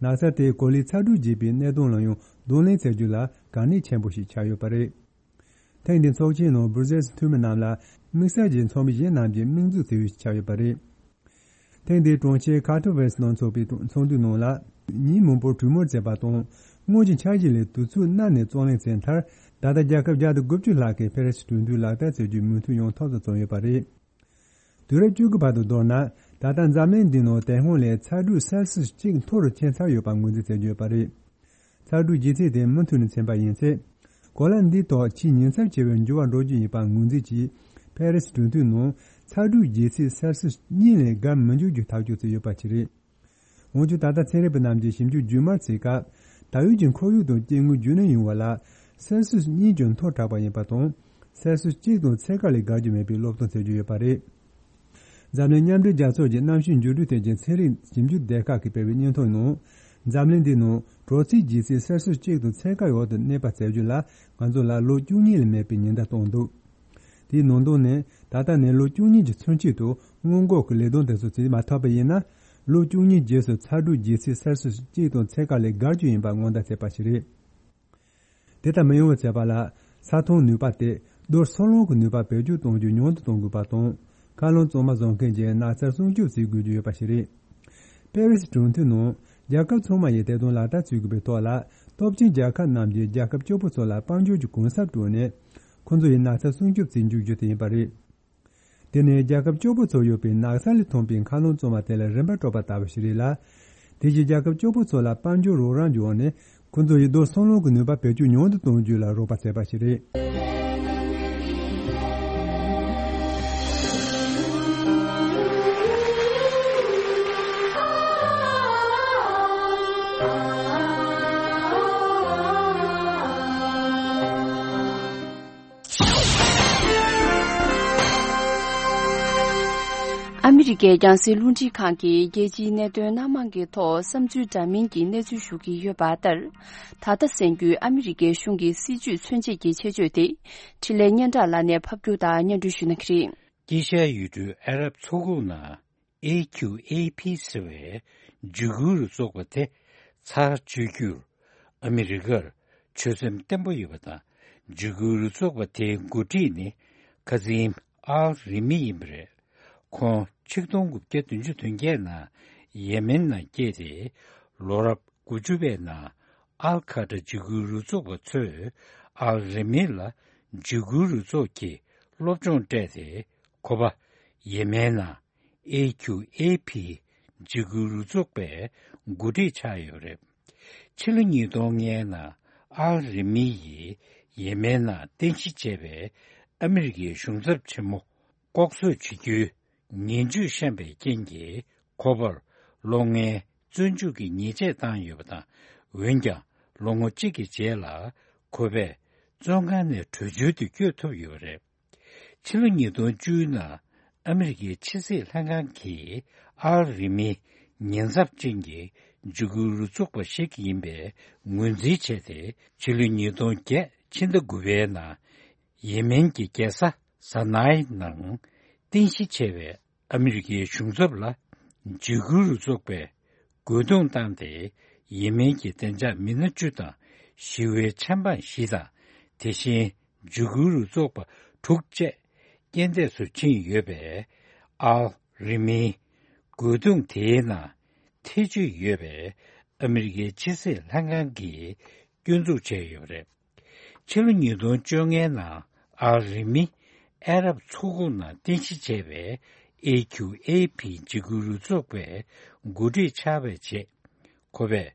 ནགས་ཚལ་དེས་གོ་ལའི་ཚ་དྲོད་རྒྱས་པའི་གནད་དོན་ལ་ཡང་གདོང་ལེན་བྱ་རྒྱུ་ལ་གལ་གནད་ཆེན་པོ་ཞིག་ཆགས་ཡོད་པ་རེད། ཐེངས་འདིའི་ཚོགས་ཆེན་ནང་སྦུར་ཟེལ་གྱི་འཐུས་མི་རྣམས་ལ་དམིགས་བསལ་གྱི་ཚོགས་མི་གཞན་རྣམས་ཀྱིས་མིག་འཛུགས་བྱེད་ཡུལ་ཞིག་ཆགས་ཡོད་པ་རེད། ཐེངས་འདིའི་གྲོང་ཁྱེར་ཁ་ཐོ་ཝེ་སི་ནང་འཚོགས་པའི་ཚོགས་འདུའི་ནང་ལ། ཉིན་མང་པོར་གྲོས་མོལ་མཛད་པ་དང་། སྔོན་གྱི་འཆར་གཞི་ལས་དུས་ཚོད་གནའ་ནས་རྩོད་གླེང་བྱས་མཐར། ད་ལྟ་རྒྱལ་ཁབ་བརྒྱ་དང་དགུ་བཅུ་ལྷག་གིས་ཕེ་རེ་སི་གྲོས་མཐུན་ལག་བསྟར་བྱ་རྒྱུའི་མོས་མཐུན་ཡོང་ཐབས་སུ་བརྩོན་ཡོད་པ་རེད། དུས་རབས་བཅུ་དགུ་བར་དུ་མདོར་ན། ད་ལྟ་འཛམ་གླིང་འདིའི་ནང་དེ་སྔོན་ལས་ཚ་དྲོད་སེལ་སིས་གཅིག་མཐོ་རུ་ཕྱིན་ཚར་ཡོད་པ་ངོས་འཛིན་བྱེད་ཀྱི་ཡོད་པ་རེད། ཚ་དྲོད་ལྗིད་ཚད་དེ་མུ་མཐུད་ནས་ཚིམ་པ་ཡིན་ཚེ། གོ་ལ་འདིའི་ཐོག་ཆེས་ཉེན་ཚབས་ཆེ་བའི་འགྱུར་བ་འགྲོ་རྒྱུ་ཡིན་པ་ངོས་འཛིན་གྱིས། ཕེ་རེ་སི་གྲོས་མཐུན་ནང་ཚ་དྲོད་ལྗིད་ཚད་སེལ་སིས་གཉིས་ལས་བརྒལ་མི་འཇུག་རྒྱུ་ཐག་གཅོད་བྱས་ཡོད་པ་ཞིག་རེད། འོན་ཀྱང་ད་ལྟ་ཚན་རིག་པ་རྣམས་ཀྱིས་ཞིབ་འཇུག་རྒྱུན་མར་བྱེད་སྐབས། ད་ཡོད་ཀྱི་ཁོར་ཡུག་དང་སྐྱེ་དངོས་རྒྱུན་གནས་ཡོང་བ་ལ། སེལ་སིས་གཉིས་ཀྱང་མཐོ་དྲགས་པ་ཡིན་པ་དང་། སེལ་སིས་གཅིག་དང་ཚད་བཀག་ལས་བརྒལ་རྒྱུ་མེད་པའི་སློབ་སྟོན་བྱེད་ཀྱི་ཡོད་པ་རེད། འཛམ་གླིང་མཉམ་འབྲེལ་རྒྱལ་ཚོགས་ཀྱི་གནམ་གཤིས་འགྱུར་འགྲོས་ཐད་ཀྱི་ཚན་རིག་ཞིབ་འཇུག་སྡེ་ཁག་གིས་སྤེལ་བའི་སྙན་ཐོ་ནང་། འཛམ་གླིང་འདིའི་ནང་དྲོ་ཚིགས་ལྗིད་ཚད་སེལ་སིས་གཅིག་དང་ཚད་བཀག་འོག་ཏུ་གནས་པ་བཙལ་རྒྱུ་ལ། ང་ཚོ་ལ་ལོ་བཅུ་གཉིས་ལས་མེད་པའི་ཉེན་བརྡ་བཏང་འདུག་དེའི་ནང་དོན་ནི། ད་ལྟ་ནས་ལོ་བཅུ་གཉིས་ཀྱི་ཚུན་ཆད་དུ་སྔོན་འགོག་གི་ལས་དོན་དེ་ཚོ་བྱེད་མ་ཐུབ་པ་ཡིན་ན། ལོ་བཅུ་གཉིས་རྗེས་སུ་ཚ་དྲོད་ལྗིད་ཚད་སེལ་སིས་གཅིག་དང་ཚད་བཀག་ལས་བརྒལ་རྒྱུ་ཡིན་པ་སྔོན་བརྡ་བྱས་པ་ཞིག་རེད། དེ་ལྟར་མི་ཡོང་བར་བྱེད་པ་ལ། ས་མཐོང་ནུས་པ་དེ་རྡོ་སོལ་རླུང་གི་ནུས་པ་བེད་སྤྱོད་གཏོང་རྒྱུ་ཉུང་དུ་གཏོང་དགོས་པ་དང་། མཁའ་རླུང་གཙང་མ་བཟོ་མཁན་གྱི་ནགས་ཚལ་སྲུང་སྐྱོབ་བྱེད་དགོས་ཀྱི་ཡོད་པ་ཞིག་རེད། པེ་རི་སི་གྲོས་མཐུན་ནང་རྒྱལ་ཁབ་ཚང་མ་ཡིས་དེ་དོན་ལག་བསྟར་བྱེད་དགོས་པའི་ཐོག་ལ། སྟོབས་ཆེན་རྒྱལ་ཁབ་རྣམས་ཀྱིས་རྒྱལ་ཁབ་སྐྱོ་པོ་ཚོ་ལ་དཔལ་འབྱོར་གྱི་གུན་གསབ་སྤྲོད་ནས། ཁོང་ཚོ་ཡི་ནགས་ཚལ་སྲུང་སྐྱོབ་བྱེད་འཇུག་རྒྱུ་དེ་ཡིན་པ་རེད། དེ་ནི་རྒྱལ་ཁབ་སྐྱོ་པོ་ཚོ་ཡོད་པའི་ནགས་ས་ལས་ཐོན་པའི་མཁའ་རླུང་གཙང་མ་དེ་ལ་རིན་པ་སྤྲོད་པ་ལྟ་བུ་ཞིག་རེད་ལ། དེ་བཞིན་རྒྱལ་ཁབ་སྐྱོ་པོ་ཚོ་ལ་དཔལ་འབྱོར་རོགས་རམ་བྱས་ནས། ཁོང་ཚོ་ཡི་རྡོ་སོལ་རླུང་གི་ནུས་པ་བེད་སྤྱོད་ཉུང་དུ་གཏོང་རྒྱུ་ལ་རོགས་པ་བྱས་པ་ཞིག་རེད། ཨ་མི་རི་ཀའི་རྒྱང་སྲིང་རླུང་འཕྲིན་ཁང་གིས་རྒྱལ་སྤྱིའི་གནད་དོན་སྣ་མང་གི་ཐོག་བསམ་ཚུལ་འདྲ་མིན་གྱི་གནས་ཚུལ་ཞུ་གི་ཡོད་པ་ལྟར། ད་ལྟ་གསན་རྒྱུའི་ཨ་མི་རི་ཀའི་གཞུང་གི་སྲིད་ཇུས་མཚོན་བྱེད་ཀྱི་ཆེད་བརྗོད་དེ། འཕྲིན་ལས་སྙན་གྲགས་ལགས་ནས་ཕབ་སྒྱུར་དང་སྙན་སྒྲོན་ཞུ་གནང་གི་རེད། དཀྱིལ་ཤར་ཡུལ་གྲུའི་ཨ་རབ་མཚོ་ཁུག་ནང་ཨེ་ཁྱུ་ཨེ་ཕི་ཟེར་བའི་འཇིགས་སྐུལ་རུ་ཚོགས་པ་དེ་ཚར་གཅོད་རྒྱུར་ཨ་མི་རི་ཀར་ཆོད་སེམས་བརྟན་པོ་ཡོད་པ་དང་། འཇིགས་སྐུལ་རུ་ཚོགས་པ་དེའི་འགོ་ཁྲིད་ནི་ཁ་ཛིམ་ཨལ་རི་མི་ཡིན་པ་རེད། ཁོང་ཆིག་སྟོང་དགུ་བརྒྱ་བདུན་ཅུ་དོན་བརྒྱད་ནང་ཡེ་མེན་ནང་སྐྱེས་ཏེ། ལོ་རབས་དགུ་བཅུ་པའི་ནང་ཨལ་ཁ་ཏྲ་འཇིགས་སྐུལ་རུ་ཚོགས་པ་ཚོས་ཨལ་རི་མི་ལ་འཇིགས་སྐུལ་རུ་ཚོགས་ཀྱི་སློབ་སྦྱོང་སྤྲད་དེ། ཁོ་པ་ཡེ་མེན་ནང་ཨེ་ཁྱུ་ཨེ་ཕི་འཇིགས་སྐུལ་རུ་ཚོགས་པའི་འགོ་ཁྲིད་ཆགས་ཡོད་རེད། ཕྱི་ལོ་ཉིས་སྟོང་ལྔའི་ནང་ཨལ་རི་མི་ཡིས་ཡེ་མེན་ནང་རྟེན་གཞི་བྱས་པའི་ཨ་མི་རི་ཀའི་གཞུང་ཚབ་ཆེན་མོ་ལྐོག་གསོད་བྱེད་རྒྱུའི་ངན་ཇུས་བཤམས་པའི་རྐྱེན་གྱིས། ཁོ་པར་ལོ་ལྔའི་བཙོན་འཇུག་གི་ཉེས་ཆད་བཏང་ཡོད་པ་དང་། འོན་ཀྱང་ལོ་ངོ་གཅིག་གི་རྗེས་ལ་ཁོ་པས་བཙོན་ཁང་ནས་བྲོས་བྱོལ་དུ་བསྐྱོད་ཐུབ་ཡོད་པ་རེད། ཕྱི་ལོ་ཉིས་སྟོང་བཅུ་ནང་ཨ་མི་རི་ཀའི་ཕྱི་སྲིད་ལྷན་ཁང་གིས་ཨལ་རི་མི་ཉེན་ཚབས་ཅན་གྱི་འཇིགས་སྐུལ་རུ་ཚོགས་པ་ཞིག་ཡིན་པའི་ངོས་འཛིན་བྱས་ཏེ། ཕྱི་ལོ་ཉིས་སྟོང་བརྒྱད་ཕྱི་ཟླ་དགུ་པའི་ནང་ཡེ་མེན་གྱི་རྒྱལ་ས་ས་ནའི་ནང་རྟེན་གཞི་བྱས་པའི་ཨ་མི་རི་ཀའི་གཞུང་ཚབ་ལ་འཇིགས་སྐུལ་རུ་ཚོགས་པས་རྒོལ་རྡུང་བཏང་སྟེ། ཡེ་མེན་གྱི་བདེ་འཇགས་མི་སྣ་བཅུ་དང་། ཞི་བའི་ཆབ་འབངས་བཞི་དང་། དེ་བཞིན་འཇིགས་སྐུལ་རུ་ཚོགས་པ་དྲུག་བཅས་རྐྱེན་འདས་སུ་ཕྱིན་ཡོད་པས། ཨལ་རི་མིའི་རྒོལ་རྡུང་དེའི་ནང་ཐེ་བྱུས་ཡོད་པའི་ཨ་མི་རི་ཀའི་ཕྱི་སྲིད་ལྷན་ཁང་གིས་སྐྱོན་འཛུགས་བྱས་ཡོད་པ་རེད། ཕྱི་ལོ་ཉིས་སྟོང་བཅོ་ལྔའི་ནང་ཨལ་རི་མི་ཨ་རབ་མཚོ་ཁུག་ནང་རྟེན་གཞི་བྱས་པའི་ཨེ་ཁྱུ་ཨེ་ཕི་འཇིགས་སྐུལ་རུ་ཚོགས་པའི་འགོ་ཁྲིད་ཆགས་པའི་རྗེས། ཁོ་པས་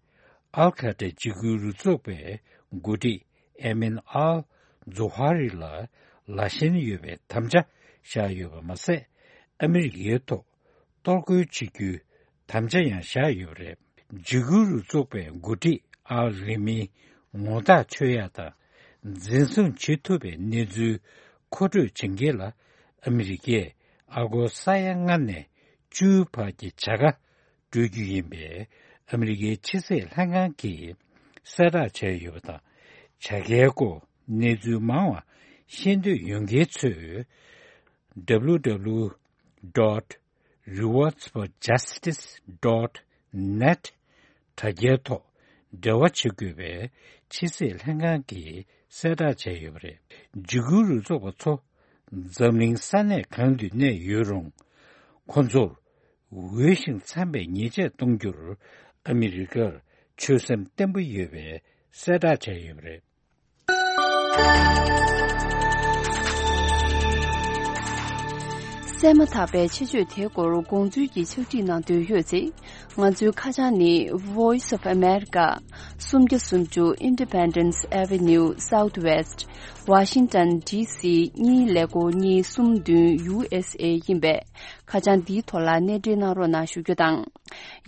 ཨལ་ཁ་ཏྲ་འཇིགས་སྐུལ་རུ་ཚོགས་པའི་འགོ་ཁྲིད་ཨེ་མིན་ཨལ་ཛོ་ཧ་རི་ལ་ལ་ཞེན་ཡོད་པའི་དམ་བཅའ་བཞག་ཡོད་པ་མ་ཟད། ཨ་མི་རི་ཀའི་ཐོག་གཏོར་རྒོལ་བྱེད་རྒྱུའི་དམ་བཅའ་ཡང་བཞག་ཡོད་པ་རེད། འཇིགས་སྐུལ་རུ་ཚོགས་པའི་འགོ་ཁྲིད་ཨལ་རི་མིའི་ངོ་རྟགས་ཆོད་ཡག་དང་། འཛིན་བཟུང་བྱེད་ཐུབ་པའི་གནས་ཚུལ་མཁོ་སྤྲོད་བྱེད་མཁན་ལ། ཨ་མི་རི་ཀས་ཨ་སྒོར་ས་ཡ་ལྔ་ནས་བཅུའི་བར་གྱི་བྱ་དགའ་ སྤྲོད་རྒྱུ་ཡིན་པའི་ཨ་མི་རི་ཀའི་ཕྱི་སྲིད་ལྷན་ཁང་གིས་གསལ་བསྒྲགས་བྱས་ཡོད་པ་དང་། བྱ་དགའི་སྐོར་གནས་ཚུལ་མང་བ་ཤེས་འདོད་ཡོད་མཁན་ཚོས་W W W dot rewards for justice dot net དྲ་རྒྱའི་ཐོག་འབྲེལ་བ་བྱེད་དགོས་པའི་ཕྱི་སྲིད་ལྷན་ཁང་གིས་གསལ་བསྒྲགས་བྱས་ཡོད་པ་རེད། འཇིགས་སྐུལ་རུ་ཚོགས་པ་ཚོ་འཛམ་གླིང་ས་གནས་གང་དུ་གནས་ཡོད་རུང་། ཁོ་ཚོར་འོས་ཤིང་འཚམ་པའི་ཉེས་ཆད་གཏོང་རྒྱུར་ཨ་མི་རི་ཀར་ཆོད་སེམས་བརྟན་པོ་ཡོད་པའི་གསལ་བསྒྲགས་བྱས་ཡོད་པ་རེད། གསན་མ་ཐག་པའི་ཆེད་བརྗོད་དེའི་སྐོར་དགོངས་ཚུལ་གྱི་ཕྱག་བྲིས་གནང་འདོད་ཡོད་ཚེ། ང་ཚོའི་ཁ་བྱང་ནི། Voice of America, སུམ་བརྒྱ་སུམ་ཅུ། Independence Avenue Southwest, Washington D C གཉིས་ཀླད་ཀོར་གཉིས་གསུམ་བདུན། U S A ཡིན་པས། ཁ་བྱང་འདིའི་ཐོག་ལ་གནས་འབྲེལ་གནང་རོགས་གནང་ཞུ་རྒྱུ་དང་།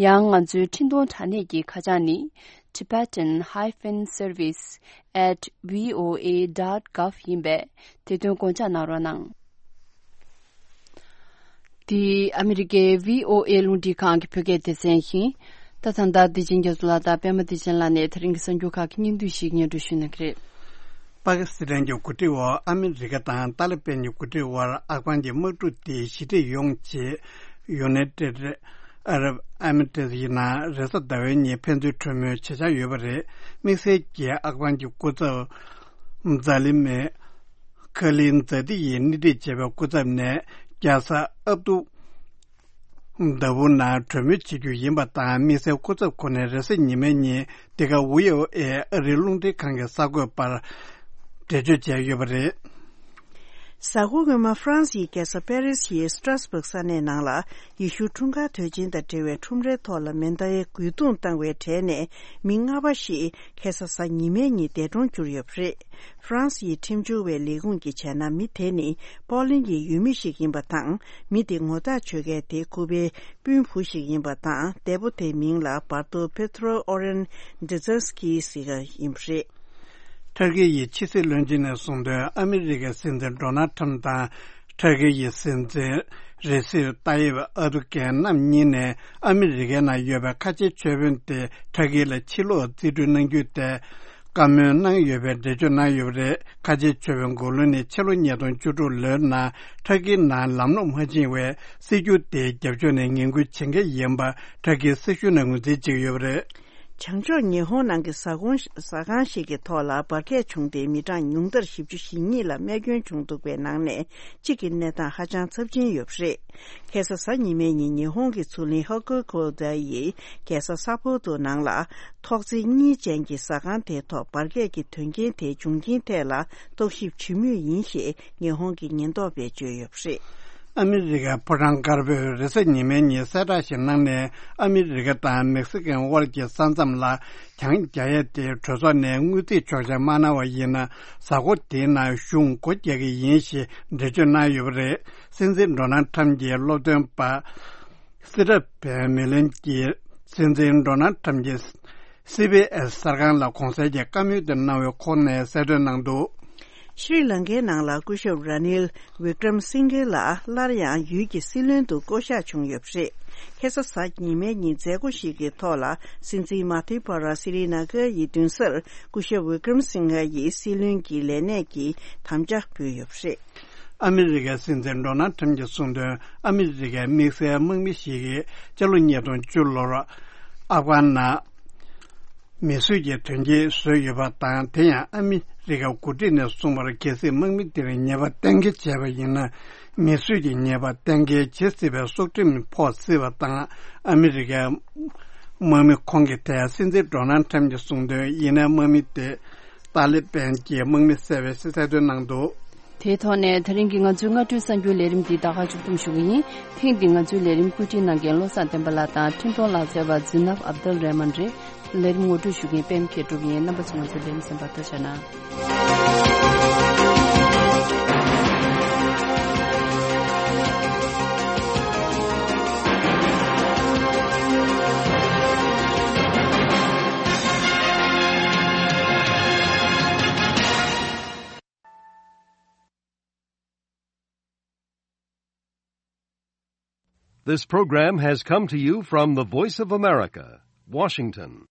ཡང་ང་ཚོའི་འཕྲིན་གཏོང་དྲ་གནས་ཀྱི་ཁ་བྱང་ནི། Tibetan hyphen service at V O A dot gov ཡིན་པས། དེ་དོན་དགོངས་འཇགས་གནང་རོགས་གནང་། འདི་ཨ་མི་རི་ཀའི་V O A རླུང་འཕྲིན་ཁང་གི་བོད་སྐད་སྡེ་ཚན་ཡིན། ད་ད་ལྟ་བདེ་ཆེན་རྒྱ་མཚོ་ལགས་དང་པད་མ་བདེ་ཆེན་ལགས་ནས་དེ་རིང་གི་གསར་འགྱུར་ཁག་གི་སྙིང་བསྡུས་ཤིག་སྙན་སྒྲོན་ཞུ་གནང་གི་རེད། པ་ཀི་སི་ཐན་གྱི་འགོ་ཁྲིད་འོག་ཨ་མི་རི་ཀ་དང་ཏཱ་ལི་པན་གྱི་འགོ་ཁྲིད་དབར་ཨབ་གྷན་གྱི་དམག་འཁྲུག་དེ་ཞི་འགྲིག་ཡོང་ཆེད་United Arab Emirates ཡི་ནང་རེས་གཟའ་ཟླ་བའི་ཉིན་ཕན་ཚུན་གྲོས་མོལ་བྱེད་འཆར་ཡོད་པ་རེད། དམིགས་བསལ་གྱིས་ཨབ་གྷན་གྱི་སྐུ་ཚབ་ཛཱ་ལི་མེ་ཁ་ལིན་ཛཱ་ཏི་ཡིས་སྣེ་ཁྲིད་བྱས་པའི་སྐུ་ཚབ་ནས་རྒྱལ་ས་ཨབ་ཏུ་ལྡ་བུ་ནང་གྲོས་མོལ་བྱེད་རྒྱུ་ཡིན་པ་དང་། དམིགས་བསལ་སྐུ་ཚབ་ཁོ་ནས་རེས་གཟའ་ཉི་མའི་ཉིན་འདི་ག་ཝི་ཨོ་ཨེ་ཨ་རིའི་རླུང་འཕྲིན་ཁང་གི་གསར་འགོད་པར་འགྲེལ་བརྗོད་བྱས་ཡོད་པ་རེད། གཟའ་འཁོར་སྔོན་མ་ཧྥ་རན་སིའི་རྒྱལ་ས་པེ་རི་སི་ཡི་སི་ཏྲ་སི་བྷག་ས་གནས་ནང་ལ་ཡེ་ཤུ་འཁྲུངས་སྐར་དུས་ཆེན་དང་འབྲེལ་བའི་ཁྲོམ་རའི་ཐོག་ལ་མེ་མདའི་རྒོལ་རྡུང་བཏང་བའི་གྲས་ནས་མི་ལྔ་པ་ཞིག་ཁ་སང་གཟའ་ཉི་མའི་ཉིན་འདས་གྲོངས་གྱུར་ཡོད་པ་རེད། ཧྥ་རན་སིའི་ཁྲིམས་སྦྱོར་བའི་ལས་ཁུངས་ཀྱིས་བྱས་ན། མི་དེ་ནི་པོ་ལན་གྱི་ཡུལ་མི་ཞིག་ཡིན་པ་དང་། མི་དེ་ངོ་རྟགས་ཆོད་མཁན་དེ་ཁོ་པའི་སྤུན་བུ་ཞིག་ཡིན་པ་དང་། འདས་པོ་དེའི་མིང་ལ་བར་དོ་པེ་ཏྲོ་ཨོ་རེན་ཌི་ཛེན་སི་ཀི་ཟེར་བ་ཡིན་པ་རེད། ཐར་ཀི་ཡི་ཕྱི་སྲིད་བློན་ཆེན་ནས་གསུངས་དོན། ཨ་མི་རི་ཀའི་སྲིད་འཛིན་ཌོ་ནལ་ཁྲམ་དང་། ཐར་ཀི་ཡི་སྲིད་འཛིན་རེ་སིབ་ཏཱ་ཡིབ་ཨར་དུ་གྷན་རྣམ་གཉིས་ནས་ཨ་མི་རི་ཀའི་ནང་ཡོད་པའི་ཁ་ཆེ་ཆོས་དཔོན་དེ་ཐར་ཀི་ལ་ཕྱིར་ལོག་རྩིས་སྤྲོད་གནང་རྒྱུ་དེ་བཀའ་མོལ་གནང་ཡོད་པའི་འགྲེལ་བརྗོད་གནང་ཡོད་པ་རེད། ཁ་ཆེ་ཆོས་དཔོན་མགོ་ལོག་ནི་ཕྱི་ལོ་ཉིས་སྟོང་བཅུ་དྲུག་ལོའི་ནང་ཐར་ཀིའི་ནང་ལམ་ལྷོང་མ་ཕྱིན་བའི་སྲིད་ཇུས་དེའི་རྒྱབ་ཕྱོགས་ནས་ངན་སྐུལ་བྱེད་མཁན་ཡིན་པ་ཐར་ཀིའི་སྲིད་གཞུང་ནས་ངོས་འཛིན་བྱེད་ཀྱི་ཡོད་པ་རེད། བྱང་ཕྱོགས་ཉི་ཧོང་ནང་གི་ཟ་ཁང་ཟ་ཁང་ཞིག་གི་ཐོག་ལ་འབར་གས་བྱུང་སྟེ་མི་གྲངས་ཉུང་མཐར་བཞི་བཅུ་ཞེ་གཉིས་ལ་རྨས་སྐྱོན་བྱུང་འདུག་པའི་ནང་ནས་གཅིག་གི་གནས་སྟངས་ཧ་ཅང་ཚབས་ཆེན་ཡོད་པ་རེད། ཁ་སང་གཟའ་ཉི་མའི་ཉིན་ཉི་ཧོང་གི་མཚོ་གླིང་ཧོ་ཀུ་ཀོ་ད་ཡི་རྒྱལ་ས་ས་ཕོ་ཏོ་ནང་ལ་ཐོག་བརྩེགས་གཉིས་ཅན་གྱི་ཟ་ཁང་དེའི་ཐོག་འབར་གས་ཀྱི་དོན་རྐྱེན་དེའི་འབྱུང་རྐྱེན་ཐད་ལ་རྟོག་ཞིབ་བྱེད་མུས་ཡིན་ཞེས་ཉི་ཧོང་གི་ཉེན་རྟོག་པས་བརྗོད་ཡོད་པ་རེད། ཨ་མི་རི་ཀའི་ཕོ་བྲང་དཀར་པོས་རེས་གཟའ་ཉི་མའི་ཉིན་གསལ་བསྒྲགས་ཤིག་གནང་ནས། ཨ་མི་རི་ཀ་དང་མེག་སི་ཀོའི་དབར་གྱི་ས་མཚམས་ལ་གྱང་རྒྱག་ཡས་དེ་གྲོས་ཚོགས་ནས་དངུལ་རྩིས་ཆོག་མཆན་མ་གནང་བ་ཡིན་ན། གཟའ་འཁོར་དེའི་ནང་གཞུང་སྒོ་རྒྱག་གི་ཡིན་ཞེས་འགྲེལ་བརྗོད་གནང་ཡོད་པ་རེད། སྲིད་འཛིན་ཌོ་ནལ་ཁྲམ་གྱི་སློབ་སྟོན་པ་སི་ཏྲ་བན་མི་ལན་གྱིས་སྲིད་འཛིན་ཌོ་ནལ་ཁྲམ་གྱི་སི་བྷི་ཨེས་གསར་ཁང་ལ་གོང་གསལ་གྱི་བཀའ་མོལ་དེ་གནང་བའི་ཁོངས་ནས་གསལ་སྟོན་གནང་འདུག། ཤྲི་ལང་ཀའི་ནང་ལ་སྐུ་ཞབས་ར་ནིལ་ཝི་ཀྲམ་སིང་གྷེ་ལགས་སླར་ཡང་ཡུལ་གྱི་སྲིད་བློན་དུ་བསྐོ་གཞག་བྱུང་ཡོད་པ་རེད། ཁ་སང་གཟའ་ཉི་མའི་ཉིན་མཛད་སྒོ་ཞིག་གི་ཐོག་ལ་སྲིད་འཛིན་མ་ཐི་པ་ར་སི་རི་ན་གྷ་ཡི་མདུན་སར་སྐུ་ཞབས་ཝི་ཀྲམ་སིང་གྷེ་ཡིས་སྲིད་བློན་གྱི་ལས་གནས་ཀྱི་དམ་བཅའ་ཕུལ་ཡོད་པ་རེད། ཨ་མི་རི་ཀའི་སྲིད་འཛིན་ཌོ་ནལ་ཁྲམ་གྱིས་གསུངས་དོན། ཨ་མི་རི་ཀའི་དམིགས་བསལ་དམག་མི་ཞིག་གིས་སྤྱི་ལོ་ཉིས་སྟོང་བཅུ་ལོར་ཨབ་གྷན་ནང་མེ་གསོད་ཀྱི་དོན་རྐྱེན་བཟོས་ཡོད་པ་དང་། དེ་ཡང་ཨ་མི་རི་ཀའི་འགོ་ཁྲིད་ནས་གསུངས་པར། གལ་སྲིད་དམག་མི་དེར་ཉེས་པ་གཏན་འཁེལ་བྱས་པ་ཡིན་ན། མེ་གསོད་ཀྱི་ཉེས་པ་གཏན་འཁེལ་བྱེད་སྲིད་པའི་སྲོག་ཁྲིམས་ཕོག་སྲིད་པ་དང་། ཨ་མི་རི་ཀའི་དམག་མི་ཁོང་གི་ཐད་སྲིད་འཛིན་ཌོ་ནལ་ཁྲམ་གྱིས་གསུངས་དོན། ཡིན་ནའི་དམག་མི་དེ་ཏཱ་ལི་པན་གྱི་དམག་མི་བསད་པའི་གསལ་སྟོན་གནང་འདུག། དེའི་ཐོག་ནས་དེ་རིང་གི་ང་ཚོའི་སྔ་དྲོའི་གསར་འགྱུར་ལས་རིམ་འདི་ད་ག་མཇུག་བསྡོམས་ཞུ་གི་ཡིན། ཐེངས་འདིའི་ང་ཚོའི་ལས་རིམ་བཀོད་སྒྲིག་གནང་མཁན་བློ་བཟང་བསྟན་པ་ལགས་དང་འཕྲིན་གཏོང་ལག་རྩལ་བ་ཛི་ནབ་ཨབ་དལ་རེ་མན་རེད། ལས་རིམ་ངོ་སྤྲོད་ཞུ་མཁན་པད་མ་མཁས་གྲུབ་ཡིན། རྣམ་པ་ཚོ་ང་ཚོའི་ལས་རིམ་གསན་པར་ཐུགས་རྗེ་གནང་། This program has come to you from the Voice of America, Washington.